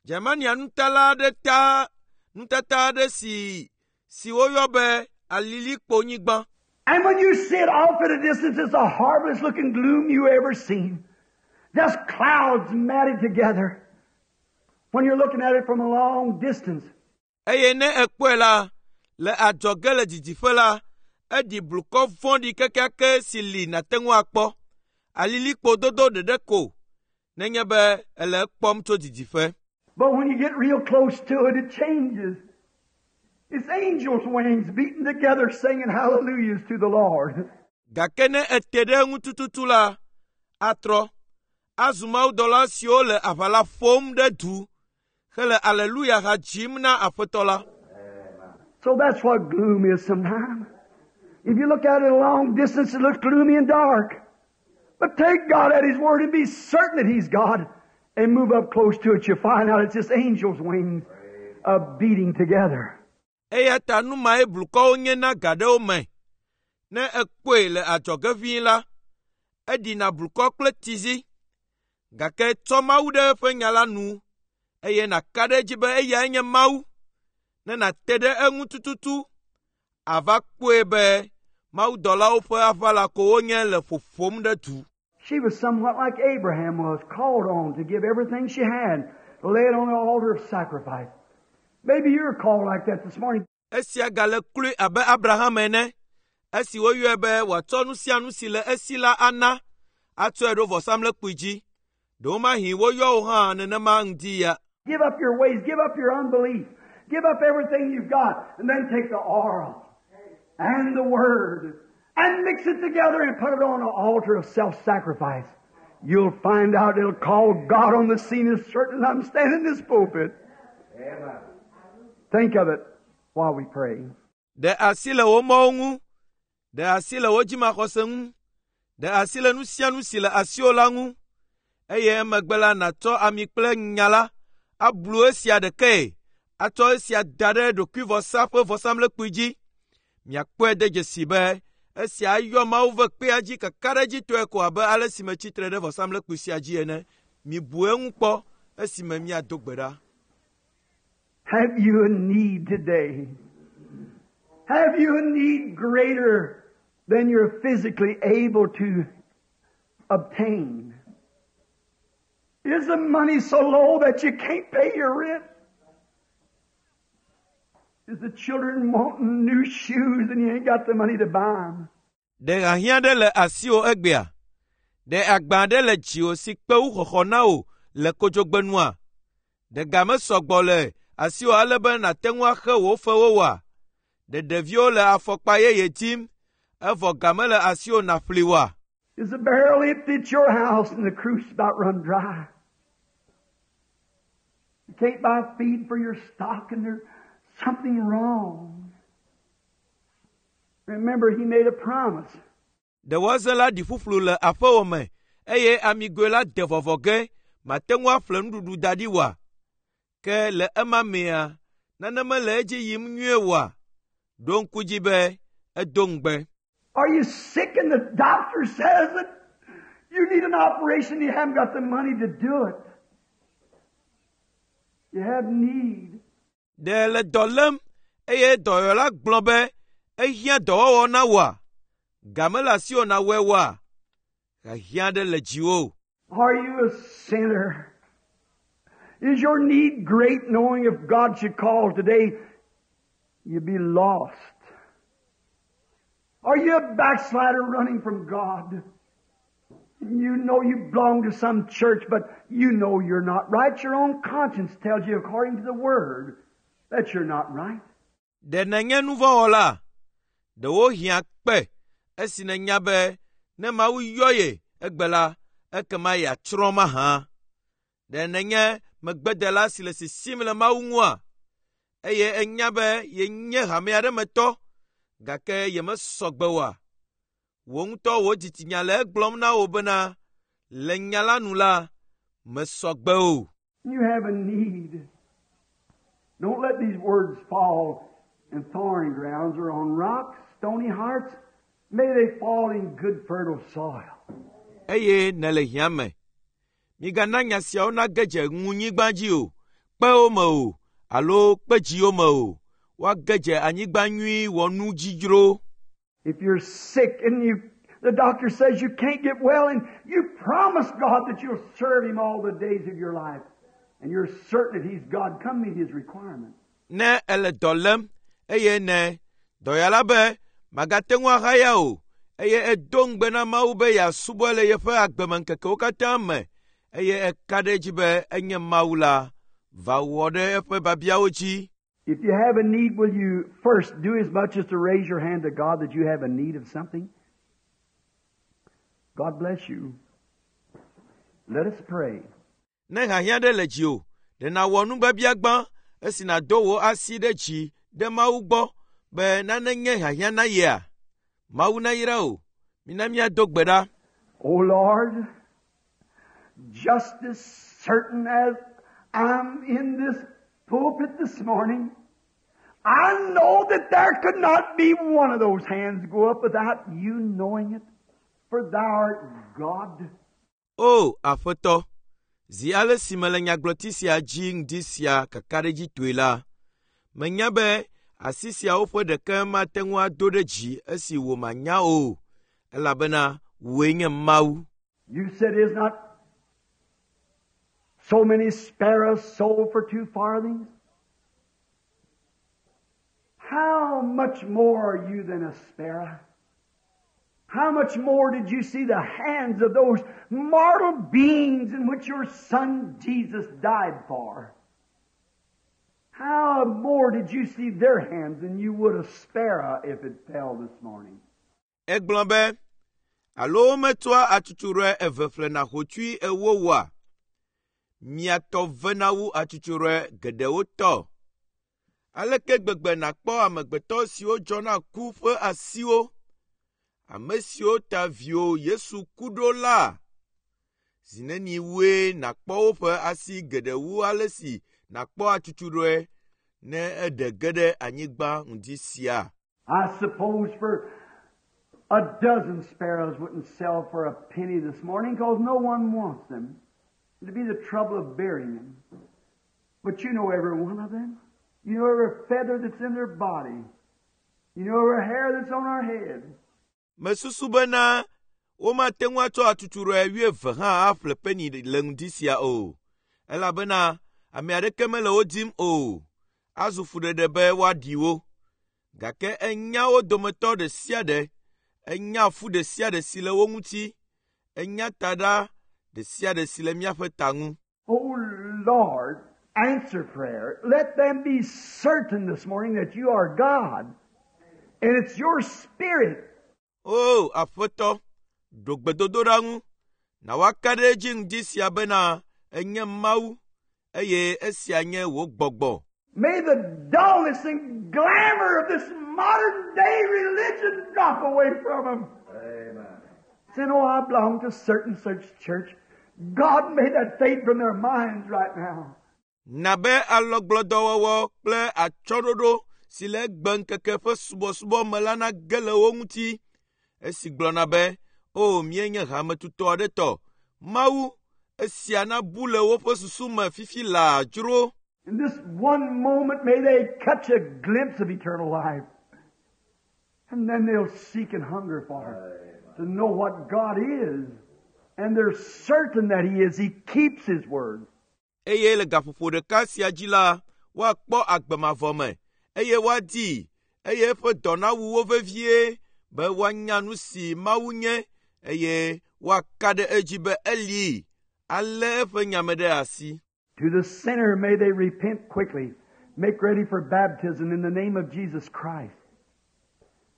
Germania nutala aɖe ta nutata aɖe si si woyɔ be alilikponyigba. And when you see it off at a distance, it's the horriblest looking gloom you ever seen. Just clouds matted together. When you're looking at it from a long distance. Eye ne èkpɔe la, le adzɔge le didiƒe la, eɖi blukɔ vɔ̃ɖi kekeake si li nàte ŋu akpɔ. Alilikpo dodo ɖeɖe ko nenye be èle ekpɔm tso didiƒe. But when you get real close to it, it changes. It's angels' wings beating together singing hallelujahs to the Lord. Gake ne ete ɖe eŋu tututu la, atrɔ azu mawudɔla siwo le aʋala ƒom ɖe du hele aleluya ha dzim na Aƒetɔ la. So that's what gloom is sometimes. If you look at it a long distance, it looks gloomy and dark. But take God at His word and be certain that He's God and move up close to it. You'll find out it's just angels' wings uh, beating together. Eya ta nu mae blukɔwo nye na ga ɖewo me. Ne èkpɔe le adzɔge ʋĩi la, eɖina blukɔ kple tizi. Gake tsɔ Mawu ɖe eƒe nya la nu eye nàka ɖe edzi be eyae nye Mawu. Ne nàte ɖe eŋu tututu, ava kpɔe be mawudɔlawo ƒe aʋala ko wonye le ƒoƒom ɖe du. She was somewhat like Abraham was, called on to give everything she had, to lay it on the altar of sacrifice. Maybe you're called like that this morning. Esia gale kloe abe Abraham ene, esi woyɔe be wòatsɔ nu sia nu si le esi la ana atsɔe ɖo vɔsamlekpui dzi. Ɖewomahi woyɔ wò hã nenema ŋdi ya. Give up your ways, give up your unbelief, give up everything you've got, and then take the oil and the Word and mix it together and put it on an altar of self-sacrifice. You'll find out it'll call God on the scene as certain as I'm standing in this pulpit. Amen. Think of it while we pray. Ɖe asi le wò mɔwo ŋu, ɖe asi le wò dzimaxɔse ŋu, ɖe asi le nu sia nu si le asiwò la ŋu, eye emegbe la nàtsɔ ami kple nya la ablu esia ɖekae atsɔ esia da ɖe ɖokuivɔsa ƒe vɔsamlekpui dzi. Miakpɔe de dzesi be esia ayɔ Mawu ƒe kpea dzi kakaɖedzitɔe ko abe ale si metsi tre ɖe vɔsamlekpui sia dzi ene. Mibu eŋu kpɔ esime míado gbe ɖa. Have you a need today? Have you a need greater than you're physically able to obtain? Is the money so low that you can't pay your rent? Is the children wanting new shoes and you ain't got the money to buy them? Ɖe hiahiã ɖe le asiwò egbea? Ɖe agba aɖe le dziwò si kpe wu xɔxɔ na wò le kodzogbenua? Ɖe ga mesɔgbɔ le asiwò ale be nàte ŋu axe wò fewo oa? Ɖe ɖeviwo le afɔkpa yeye dim, evɔ ga mele asiwò nàƒli oa? Is the barrel empty at your house and the cruse about run dry? You can't buy feed for your stock and there's something wrong. Remember, he made a promise. Ɖe wɔze la ɖi ƒuƒlu le aƒewò me eye amigoe la de vɔvɔ ge màte ŋu aƒle nuɖuɖu da ɖi oa? Ke le ema mea, nane mele edzi yim nyuie oa? Ɖo ŋku dzi be edo ŋugbe. Are you sick and the doctor says that you need an operation and you haven't got the money to do it? You have need. Ɖe le dɔ lém eye dɔyɔla gblɔ be ehiã dɔwɔwɔ na wòa? Ga mele asiwò nàwɔe oa? Hiahiã ɖe le dziwò. Are you a sinner? Is your need great, knowing if God should call today, you'd be lost? Are you a backslider running from God? You know you belong to some church, but you know you're not right. Your own conscience tells you, according to the Word, that you're not right. Ɖe nènye nuvɔ̃wɔla? Ɖewo hiã kpe esi nènya be ne Mawu yɔ ye egbe la, ekema yeatsrɔ̃ mahã. Ɖe nènye megbedela si le sisim le Mawu ŋua? Eye ènya be yenye hame aɖe me tɔ, gake yemesɔ gbe oa? Wò ŋutɔ wò dzitsinya le egblɔm na wò bena le nya la nu la, mesɔ gbe o. You have a need. Don't let these words fall in thorny grounds or on rocks, stony hearts. May they fall in good, fertile soil. Eye nèle hiã me. Migana nya siawo nage dze ŋunyigba dzi o, kpewo me o, alo kpedziwo me o. Woage dze anyigba nyui wɔnu dzi dzro. If you're sick and you, the doctor says you can't get well, and you promise God that you'll serve Him all the days of your life, and you're certain that He's God, come meet His requirement. Ne èle dɔ lém eye ne dɔyɔla be magate ŋu ahaya o eye edo ŋugbe na Mawu be yeasubɔe le yeƒe agbemeŋkekewo katã me eye eka ɖe edzi be enye Mawu la, va wɔ ɖe eƒe biabiawo dzi. If you have a need, will you first do as much as to raise your hand to God that you have a need of something? God bless you. Let us pray. Ne hiahiã ɖe le dziwò, ɖe nàwɔ nubiabia gbã esi nàdo wò asi ɖe dzi ɖe Mawu gbɔ be nane nye hiahiã na yea? Mawu nayra wò. Mina míado gbe ɖa. Oh Lord, just as certain as I'm in this pulpit this morning, I know that there could not be one of those hands go up without you knowing it, for thou art God. O Aƒetɔ, zi ale si mele nyagblɔti sia dzi ŋdi sia kakaɖedzitɔe la, menya be asi siawo ƒe ɖeke mate ŋu ado ɖe dzi esi wò manya o, elabena wòe nye Mawu. You said, is not so many sparrows sold for two farthings? How much more are you than a sparrow? How much more did you see the hands of those mortal beings in which your Son Jesus died for? How more did you see their hands than you would a sparrow if it fell this morning? Egblɔ be, alo wometsɔa atsutsurɔe eve ƒlena hotsui ewo oa? Mia tɔ vena wu atsutsurɔe geɖewo tɔ. Aleke gbegbe nàkpɔ amegbetɔ siwo dzɔna ku ƒe asiwo, ame siwo ta viwò Yesu ku ɖo la? Zi neni wue nàkpɔ woƒe asi geɖe wu ale si nàkpɔ atsutsurɔe ne eɖe ge ɖe anyigba ŋdi sia? I suppose for a dozen sparrows wouldn't sell for a penny this morning because no one wants them. It'd be the trouble of burying them. But you know every one of them. You know every feather that's in their body. You know every hair that's on our head. Mesusu bena womate ŋu atsɔ atsutsurɔe wuieve hã aƒle peni le ŋdi sia o, elabena ame aɖeke mele wo dim o. Azu fuɖeɖe be woaɖi wo. Gake ènya wo dometɔ ɖe sia ɖe, ènya fu ɖe sia ɖe si le wo ŋuti, ènya taɖa ɖe sia ɖe si le míaƒe ta ŋu. Oh Lord, answer prayer. Let them be certain this morning that you are God. And it's your spirit O Aƒetɔ, ɖo gbedodoɖa ŋu, na woaka ɖe edzi ŋdi sia bena ènye Mawu eye esia nye wò gbɔgbɔ. May the dullness and glamour of this modern day religion drop away from them. Amen. Saying, oh, I belong to certain such church. God, may that fade from their minds right now. Na be alɔgblɔdɔwɔwɔ kple atsyɔ̃ɖoɖo si le egbeŋkeke ƒe subɔsubɔ me la nage le wo ŋuti. Esi gblɔna be, o míenye hametutɔ aɖe tɔ. Mawu, esia nabu le woƒe susu me fifi laa dzro. In this one moment, may they catch a glimpse of eternal life. And then they'll seek and hunger for it, to know what God is. And they're certain that He is. He keeps His word. Eye le gaƒoƒo ɖeka sia dzi la, woakpɔ agbe mavɔ me, eye woadii, eye eƒe dɔ nawu wo vevie be woanya nu si Mawu nye, eye woaka ɖe edzi be eli, alé eƒe nya me ɖe asi. To the sinner, may they repent quickly, make ready for baptism in the name of Jesus Christ.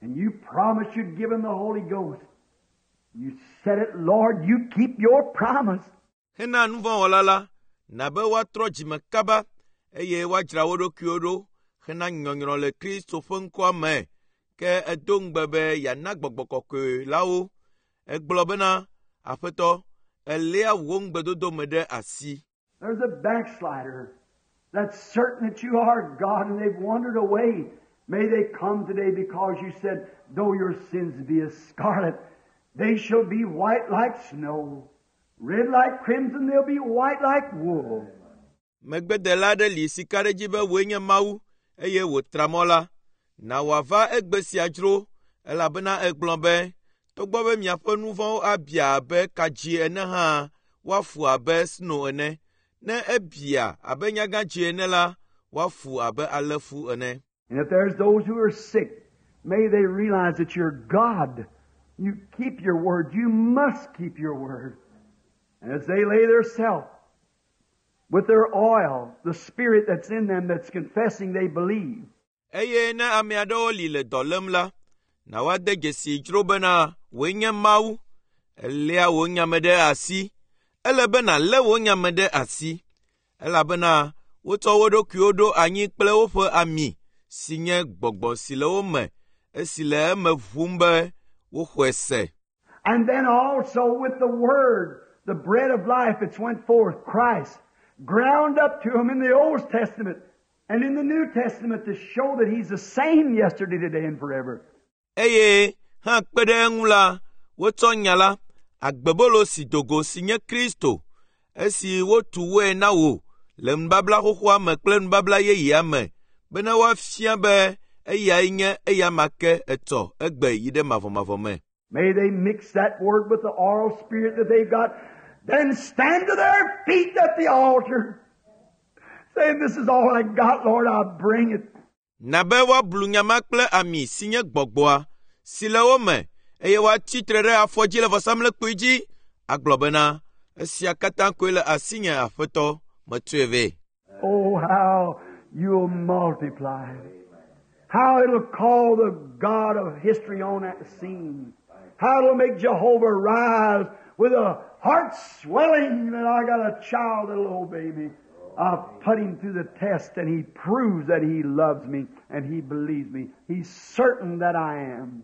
And you promised you'd give them the Holy Ghost. You said it, Lord, you keep your promise. Hena nuvɔ̃wɔla la, na be woatrɔ dzime kaba, eye woadzra wo ɖokuiwo ɖo hena nyɔnyrɔ le Kristo ƒe ŋkɔa me. Ke edo ŋugbe be yeana gbɔgbɔ kɔkɔe la wo. Egblɔ bena, Aƒetɔ, èléa wò ŋugbedodo me ɖe asi. There's a backslider that's certain that you are God and they've wandered away. May they come today because you said, though your sins be as scarlet, they shall be white like snow. Red like crimson, they'll be white like wool. Megbedela aɖe li si ka ɖe edzi be wòe nye Mawu, eye wòtra mɔ la. Na wòava egbe sia dzro, elabena egblɔ be, togbɔ be miaƒe nu vɔ̃wo abia abe kadzi ene hã, woafu abe sno ene. Ne ebia abe nyagãdzi ene la, woafu abe alẽfu ene. And if there's those who are sick, may they realize that you're God. You keep your word. You must keep your word. And as they lay their self with their oil, the spirit that's in them that's confessing they believe. Eye ne ame aɖewo li le dɔ lém la, na woade dzesi dzro bena wòe nye Mawu. Èléa wò nya me ɖe asi. Ele be nàlé wò nya me ɖe asi, elabena wotsɔ wo ɖokuiwo ɖo anyi kple woƒe ami si nye gbɔgbɔ si le wo me, esi le eme ʋum be woxɔe se. And then also with the Word, the bread of life that's went forth, Christ, ground up to him in the Old Testament and in the New Testament to show that He's the same yesterday, today, and forever. Eye hã kpe ɖe eŋu la, wotsɔ nya la, agbebolo si do go si nye Kristo, esi wotu wɔe na wò le nubabla xoxoa me kple nubabla yeyea me, bena woafia be eyae nye eyama ke etsɔ egbe yi ɖe mavɔmavɔ me. May they mix that word with the oral spirit that they've got, then stand to their feet at the altar, saying, This is all I got, Lord, I bring it. Na be woablu nya ma kple ami si nye gbɔgbɔa si le wo me, eye woatsi tre ɖe afɔ dzi le vɔsamlekpui dzi agblɔ bena esia katã koe le asinye aƒetɔ metsɔe vɛ. Oh, how you'll multiply. How it'll call the God of history on that scene. How it'll make Jehovah rise with a heart swelling that I got a child that'll obey me. I've put him through the test and he proves that he loves me and he believes me. He's certain that I am.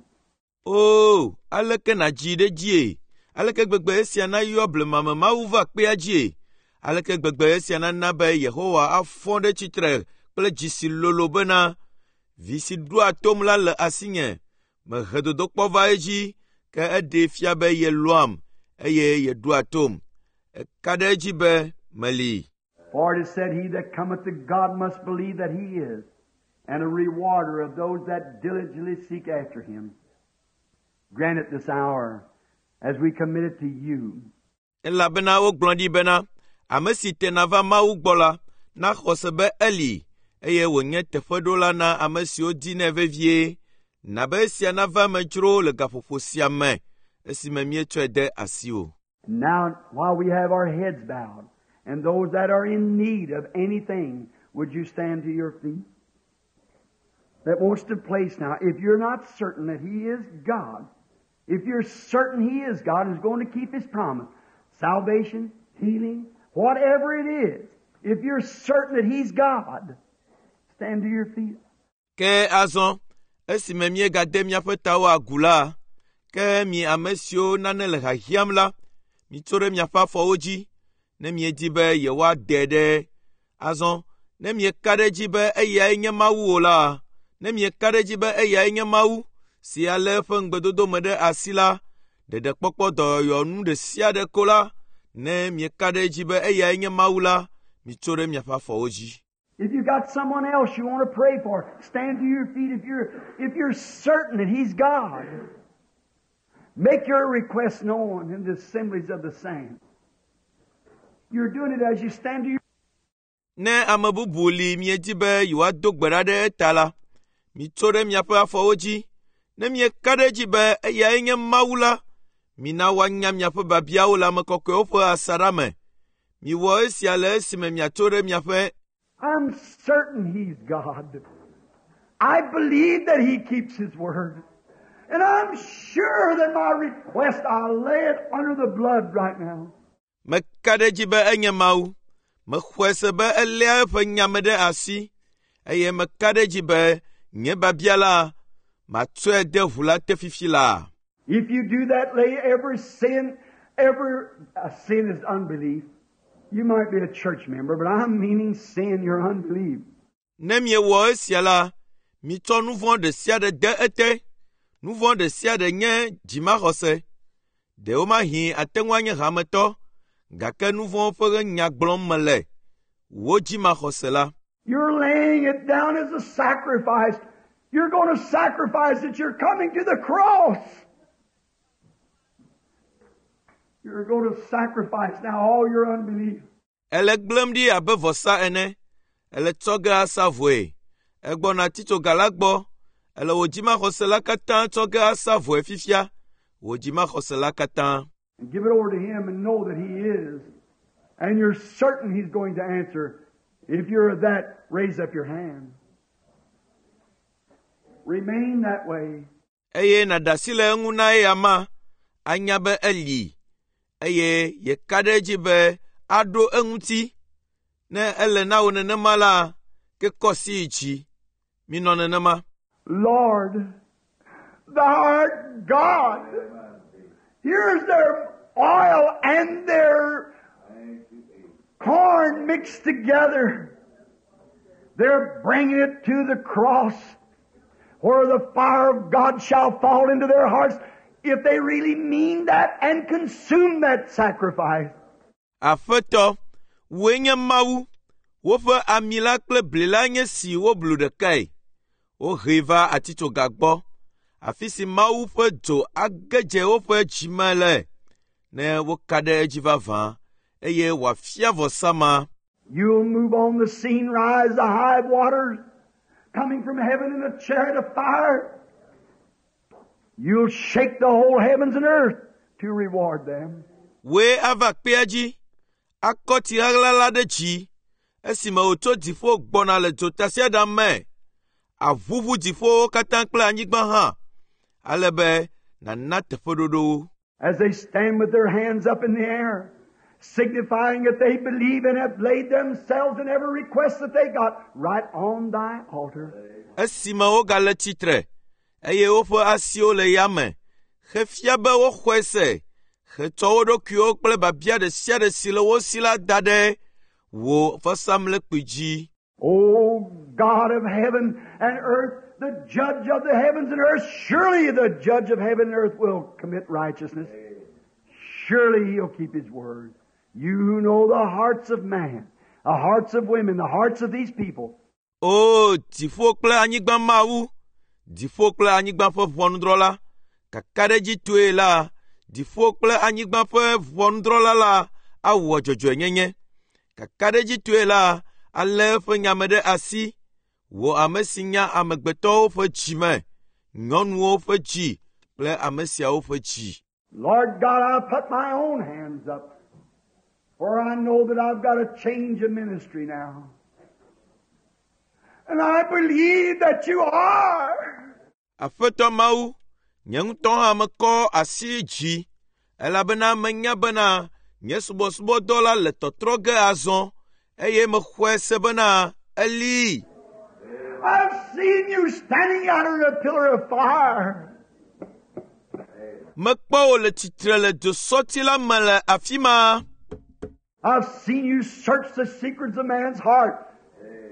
O, aleke nàdzi ɖe dzie? Aleke gbegbe esia nayɔ blemame Mawu va kpea dzie? Aleke gbegbe esia nana be Yehowa afɔ ɖe tsitre kple dzi si lolo bena vi si ɖoa tom la le asinye. Mehe dodokpɔ va edzi ke eɖee fia be yelɔ̃am eye yeɖoa tom. Eka ɖe edzi be meli. For it is said, He that cometh to God must believe that He is, and a rewarder of those that diligently seek after Him. Grant it this hour as we commit it to you. Elabena wogblɔ ɖi bena ame si tena va Mawu gbɔ la naxɔ se be eli eye wònye teƒeɖola na ame siwo dinɛ vevie. Na be esia nava eme dzro le gaƒoƒo sia me esime míetsɔe de asiwò. Now, while we have our heads bowed, and those that are in need of anything, would you stand to your feet? That wants to place now, if you're not certain that He is God, if you're certain He is God and is going to keep His promise, salvation, healing, whatever it is, if you're certain that He's God, stand to your feet. Ke azɔ esime míegade míaƒe tawo agu la, ke mi ame siwo nane le hiahiãm la, mitso ɖe miaƒe afɔwo dzi ne miedi be yewoade ɖe. Azɔ ne mieka ɖe edzi be eyae nye Mawu o la, ne mieka ɖe edzi be eyae nye Mawu si alé eƒe ŋugbedodo me ɖe asi la, ɖeɖekpɔkpɔ dɔyɔyɔ nu ɖe sia ɖe ko la, ne mieka ɖe edzi be eyae nye Mawu la, mitso ɖe miaƒe afɔwo dzi. If you've got someone else you want to pray for, stand to your feet if you're, if you're certain that He's God. Make your request known in the assemblies of the saints. You're doing it as you stand to your Ne ame bubu li miedi be yewoado gbe ɖa ɖe eta la, mitso ɖe miaƒe afɔwo dzi. Ne mieka ɖe edzi be eyae nye Mawu la, mina woanya miaƒe biabiawo le ame kɔkɔewo ƒe asaɖa me. Miwɔ esia le esime miatso ɖe miaƒe I'm certain He's God. I believe that He keeps His word. And I'm sure that my request, I'll lay it under the blood right now. Meka ɖe edzi be enye Mawu. Mexɔe se be eléa eƒe nya me ɖe asi eye meka ɖe edzi be nye biabia la, matsɔe de ʋu la te fifi laa. If you do that, lay every sin, every uh, sin is unbelief. You might be a church member, but I'm meaning sin, your unbelief. Ne miewɔ esia la, mitsɔ nu vɔ̃ ɖe sia ɖe de ete. Nu vɔ̃ ɖe sia ɖe nye dzimaxɔse. Ɖewomahi ate ŋu anye hametɔ, gake nu vɔ̃ ƒe nya gblɔm mele. Wò dzimaxɔse la. You're laying it down as a sacrifice. You're going to sacrifice it. You're coming to the cross. You're going to sacrifice now all your unbelief. Ele gblẽm ɖi abe vɔsa ene. Ele tsɔ ge asa vɔe. Egbɔna titsoga la gbɔ. Ele wò dzimaxɔse la katã tsɔ ge asa vɔe fifia. Wò dzimaxɔse la katã. And give it over to Him and know that He is. And you're certain He's going to answer. If you're that, raise up your hand. Remain that way. Eye nàɖe asi le eŋu na eya ma, anya be eli eye yeka ɖe edzi be aɖo eŋuti. Ne ele na wò nenema la, ke kɔ asi yi dzi. Minɔ nenema. Lord, Thou art God. Here's their oil and their corn mixed together. They're bringing it to the cross where the fire of God shall fall into their hearts if they really mean that and consume that sacrifice. Aƒetɔ, wòe nye Mawu. Woƒe ami la kple bli la nye si woblu ɖekae. Wohee va atitsoga gbɔ, afi si Mawu ƒe dzo age dze woƒe dzime le, ne woka ɖe edzi vavã, eye wòafia vɔsa ma. You'll move on the scene, rise the high waters, coming from heaven in a chariot of fire. You'll shake the whole heavens and earth to reward them. Wòe ava kpea dzi, akɔ tsi ɣaɣla la ɖe dzi esime wòtso dziƒo gbɔna le dzotasiaɖam me. Aʋuʋu dziƒowo katã kple anyigba hã, ale be nàna teƒeɖoɖo wo. As they stand with their hands up in the air, signifying that they believe and have laid themselves in every request that they got right on thy altar. Esime wogale tsitre, eye woƒe asiwo le yame, hefia be woxɔe se, hetsɔ wo ɖokuiwo kple biabia ɖe sia ɖe si le wo si la da ɖe wò vɔsamlekpui dzi. O God of heaven and earth, the judge of the heavens and earth, surely the judge of heaven and earth will commit righteousness. Surely he'll keep his word. You who know the hearts of man, the hearts of women, the hearts of these people, O dziƒo kple anyigba Mawu, dziƒo kple anyigba ƒe ʋɔnudrɔ̃la, kakaɖedzitɔe la, dziƒo kple anyigba ƒe ʋɔnudrɔ̃la la awɔ dzɔdzɔenyenye. Kakaɖedzitɔe la, alé eƒe nyame ɖe asi. Wò ame si nya amegbetɔwo ƒe dzi me, nyɔnuwo ƒe dzi kple ame siawo ƒe dzi. Lord God, I put my own hands up, for I know that I've got a change of ministry now. And I believe that you are. Aƒetɔ Mawu, nye ŋutɔ hã mekɔ asi dzi elabena menya bena nye subɔsubɔdɔ la le tɔtrɔ ge azɔ eye mexɔe se bena eli. I've seen you standing out in a pillar of fire. Mekpɔ wò le tsitre le dzosɔti la me le afi ma. I've seen you search the secrets of man's heart.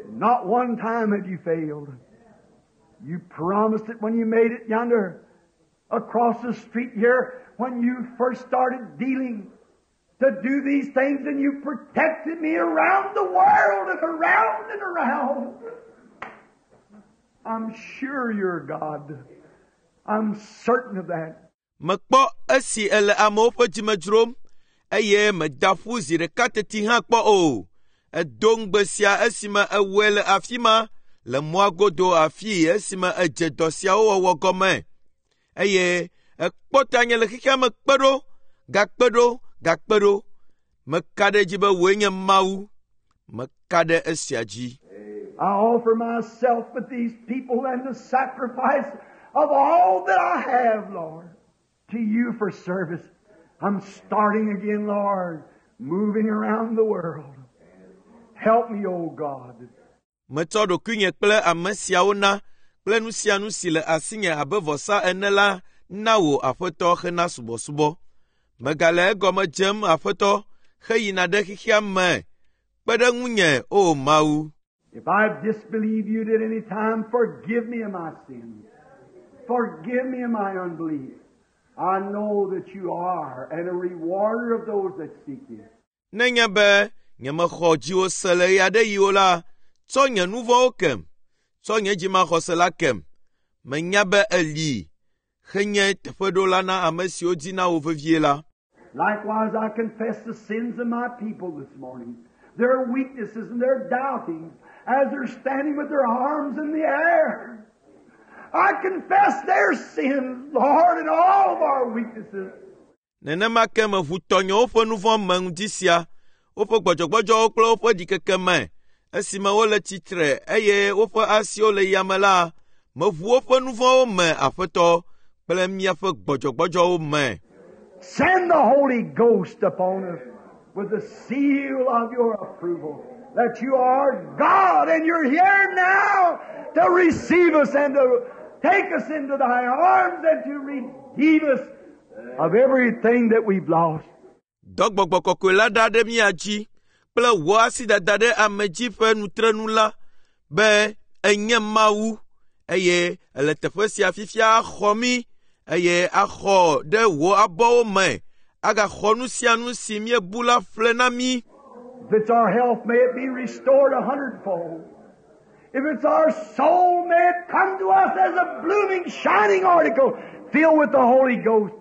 Not one time have you failed. You promised it when you made it yonder across the street here when you first started dealing to do these things, and you protected me around the world and around and around. I'm sure you're God. I'm certain of that. Mekpɔ esi ele amewo ƒe dzime dzrom eye meda ƒu zi ɖeka teti hã kpɔ o. Edo ŋugbe sia esime ewɔe le afi ma le mɔa godo afii esime edze dɔ siawo wɔwɔ gɔme eye ekpɔ tanye le xexea me kpe ɖo, gakpe ɖo, gakpe ɖo. Meka ɖe edzi be wòe nye Mawu. Meka ɖe esia dzi. I offer myself with these people and the sacrifice of all that I have, Lord, to you for service. I'm starting again, Lord, moving around the world. Help me, O God. Metsɔ ɖokuinye kple ame siawo na kple nu sia nu si le asinye abe vɔsa ene la na wò Aƒetɔ hena subɔsubɔ. Megale egɔme dzem Aƒetɔ heyina ɖe xexea me. Kpe ɖe ŋunye, O Mawu. If I've disbelieved you at any time, forgive me of my sins. Forgive me of my unbelief. I know that you are and a rewarder of those that seek you. Nenye be nyemexɔ dziwò se le ɣe aɖe ɣi o la, tsɔ nye nu vɔ̃wo kem, tsɔ nye dzimaxɔse la kem. Menya be èli henye teƒeɖola na ame siwo dina wò vevie la. Likewise, I confess the sins of my people this morning, their weaknesses and their doubtings, as they're standing with their arms in the air. I confess their sins, Lord, and all of our weaknesses. Nenema ke meʋu tɔnyewo ƒe nu vɔ̃ me ŋdi sia, woƒe gbɔdzɔgbɔdzɔwo kple woƒe ɖikeke me. Esime wole tsitre eye woƒe asiwo le yame la, meʋu woƒe nu vɔ̃wo me, Aƒetɔ, kple míaƒe gbɔdzɔgbɔdzɔwo me. Send the Holy Ghost upon us with the seal of your approval that you are God and you're here now to receive us and to take us into thy arms and to redeem us of everything that we've lost. Dɔ gbɔgbɔ kɔkɔe la ɖa ɖe mía dzi kple wò asidada ɖe ame dzi ƒe nutrenu la be enye Mawu eye ele teƒe sia fifia axɔ mí eye axɔ ɖe wò abɔwo me agaxɔ nu sia nu si míebu la ƒle na mí. If it's our health, may it be restored a hundredfold. If it's our soul, may it come to us as a blooming, shining article filled with the Holy Ghost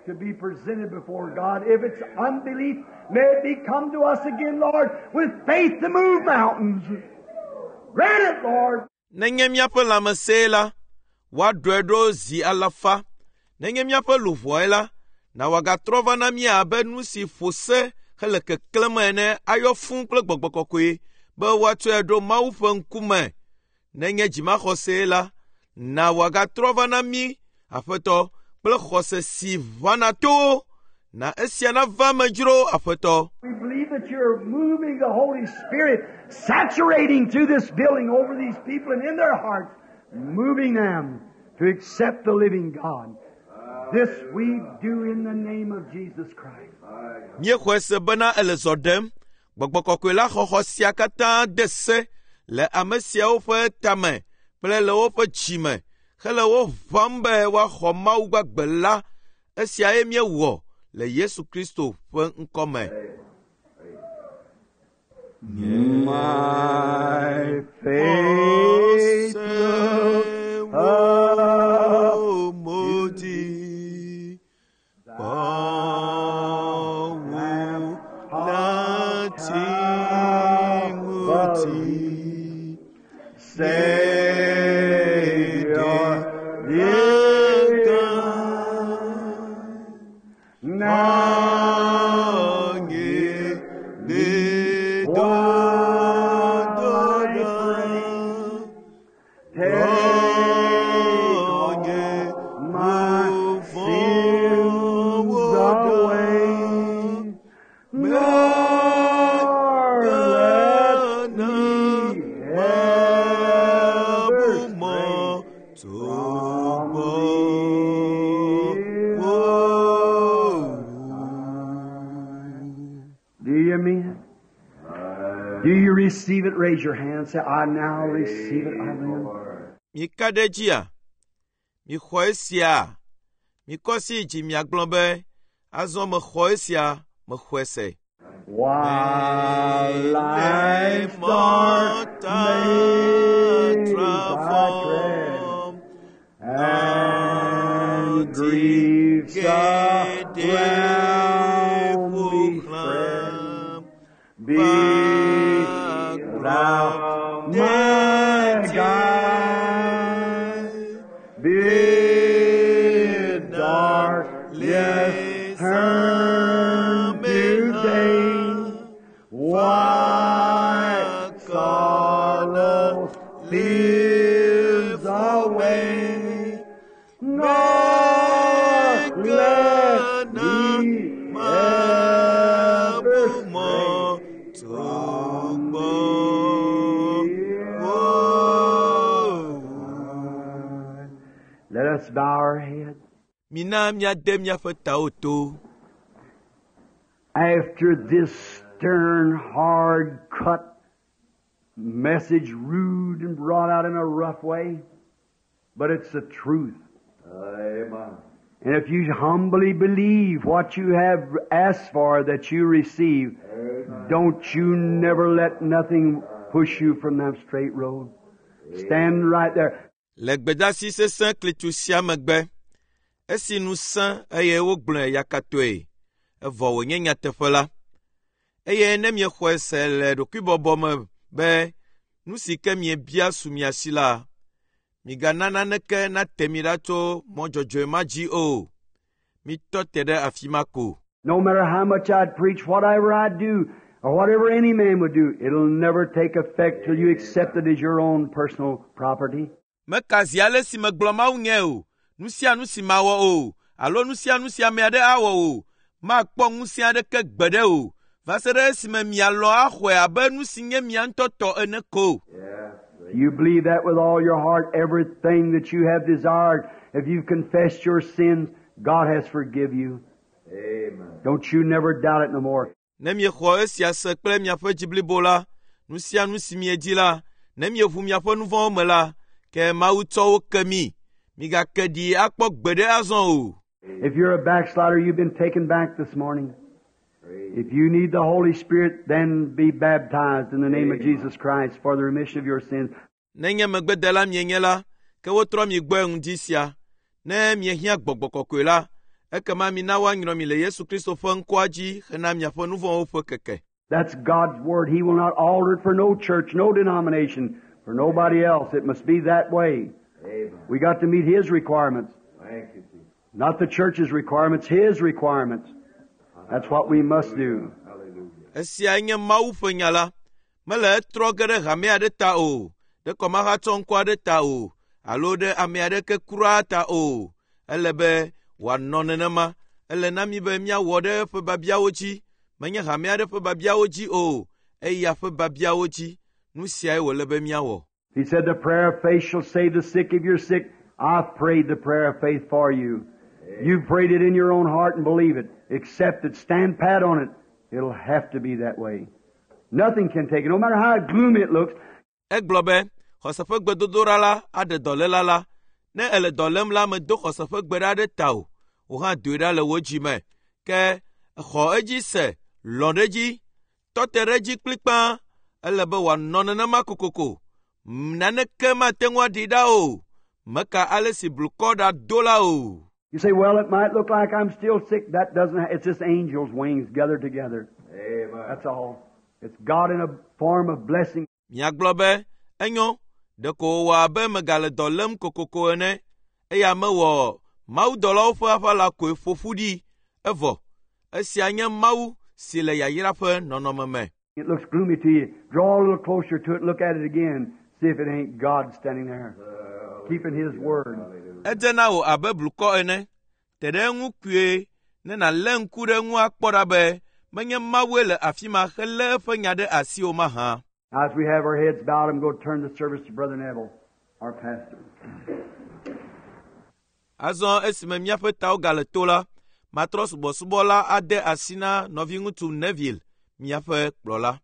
to be presented before God. If it's unbelief, may it be come to us again, Lord, with faith to move mountains. Grant it, Lord. Nenye míaƒe lãmesẽ la, woaɖɔe ɖo zi alafa. Nenye míaƒe luʋɔe la, na wòagatrɔ va na mí abe nu si ƒo se hele keklẽm ene ayɔ fũu kple gbɔgbɔ kɔkɔe be woatsɔe ɖo Mawu ƒe ŋkume. Nenye dzimaxɔsee la, na wòagatrɔ va na mí, Aƒetɔ, kple xɔse si ʋãna towo. Na esia nava me dzro, Aƒetɔ. We believe that you're moving the Holy Spirit, saturating through this building over these people and in their hearts, moving them to accept the living God. This we do in the name of Jesus Christ. Míexɔe se bena ele zɔ ɖem. Gbɔgbɔ kɔkɔe la xɔxɔ sia katã de se le ame siawo ƒe tame kple le woƒe dzime hele wo ʋãm be woaxɔ Mawu gbagbe la. Esiae míewɔ le Yesu Kristo ƒe ŋkɔme. My faith look up Modi kpɔwo láti ŋuti Savior, dear now Nye me do while do I do pray. Take all my sins away, nor let me ever stray from thee. Do you mean it? Do you receive it? Raise your hand. Say, I now receive it. I will. Mika ɖe dzia? Mixɔ esia? Mikɔ asi dzi miagblɔ be, azɔ mexɔ esia, mexɔe se. While life's dark maze I tread, and griefs around me spread, be thou my guide. Bid darkness turn to day. Wipe sorrows, fears away. Nor let me ever stray from thee. Let us bow our heads. Mina míade míaƒe tawo to. After this stern, hard cut message, rude and brought out in a rough way, but it's the truth. Amen. And if you humbly believe what you have asked for that you receive, don't you never let nothing push you from that straight road. Stand right there. Le gbedasi sesẽ klitsu sia megbe, esi nu sẽ eye wogblɔe yakatɔe, evɔ wònye nyateƒe la. Eye ne miexɔe se le ɖokuibɔbɔ me be nu si ke miebia su mia si la, migana naneke nate mi ɖa tso mɔ dzɔdzɔe ma dzi o. Mitɔ te ɖe afi ma ko. No matter how much I'd preach, whatever I'd do, or whatever any man would do, it'll never take effect till you accept it as your own personal property. Meka zi ale si megblɔ Mawu nye o, nu sia nu si mawɔ o, alo nu sia nu si ame aɖe awɔ o, makpɔ ŋusẽ aɖeke gbeɖe o, va se ɖe esime mialɔ̃ axɔe abe nu si nye mia ŋutɔ tɔ ene ko. You believe that with all your heart, everything that you have desired, if you've confessed your sins, God has forgive you. Amen. Don't you never doubt it no more. Ne miexɔ esia se kple miaƒe dzi blibo la, nu sia nu si miedi la, ne mieʋu miaƒe nu vɔ̃wo me la, ke Mawu tsɔ wo ke mi. Migake ɖi akpɔ gbeɖe azɔ o. If you're a backslider, you've been taken back this morning. If you need the Holy Spirit, then be baptized in the name of Jesus Christ for the remission of your sins. Nenye megbedela mienye la, ke wotrɔ mi gbɔe ŋdi sia. Ne miehiã gbɔgbɔ kɔkɔe la, ekema mina woanyrɔ mi le Yesu Kristo ƒe ŋkɔa dzi hena miaƒe nu vɔ̃wo ƒe keke. That's God's Word. He will not alter it for no church, no denomination, for nobody else. It must be that way. Amen. We got to meet His requirements. Thank you, Jesus. Not the church's requirements, His requirements. That's what we must do. Hallelujah. Esiae nye Mawu ƒe nya la. Mele etrɔ ge ɖe hame aɖe ta o, ɖe kɔmahatsɔ ŋkɔ aɖe ta o, alo ɖe ame aɖeke kura ta o. Ele be wòanɔ nenema. Ele na mí be míawɔ ɖe eƒe biabiawo dzi. Menye hame aɖe ƒe biabiawo dzi o, eya ƒe biabiawo dzi. Nu siae wòle be míawɔ. He said, The prayer of faith shall save the sick. If you're sick, I've prayed the prayer of faith for you. You've prayed it in your own heart and believe it. Accept it. Stand pat on it. It'll have to be that way. Nothing can take it, no matter how gloomy it looks. Egblɔ be xɔse ƒe gbedodoɖa la aɖe dɔléla la. Ne èle dɔ lém la, medo xɔse ƒe gbe ɖa ɖe tawò. Wò hã doe ɖa le wò dzi me. Ke xɔ edzi se, lɔ̃ ɖe edzi, tɔ te ɖe edzi kplikpaa. Ele be wòanɔ nenema kokoko. Naneke mate ŋu aɖi ɖa o. Meka ale si blukɔ ɖa do la o. You say, well, it might look like I'm still sick. That doesn't, it's just angels' wings gathered together. Amen. That's all. It's God in a form of blessing. Miagblɔ be, enyo, ɖeko wòwɔ abe megale dɔ lém kokoko ene eya mewɔ mawudɔlawo ƒe aʋala koe ƒo ƒu ɖi evɔ. Esia nye Mawu si le yayra ƒe nɔnɔme me. It looks gloomy to you. Draw a little closer to it and look at it again. See if it ain't God standing there, keeping His word. Edze na wò abe blukɔ ene. Te ɖe eŋu kpuie ne nàlé ŋku ɖe eŋu akpɔ ɖa be menye Mawue le afi ma helé eƒe nya ɖe asi o mahã. As we have our heads bowed, I'm going to turn the service to Brother Neville, our pastor. Azɔ esime míaƒe tawo gale to la, matrɔ subɔsubɔ la ade asi na nɔviŋutsu Neville, míaƒe kplɔla.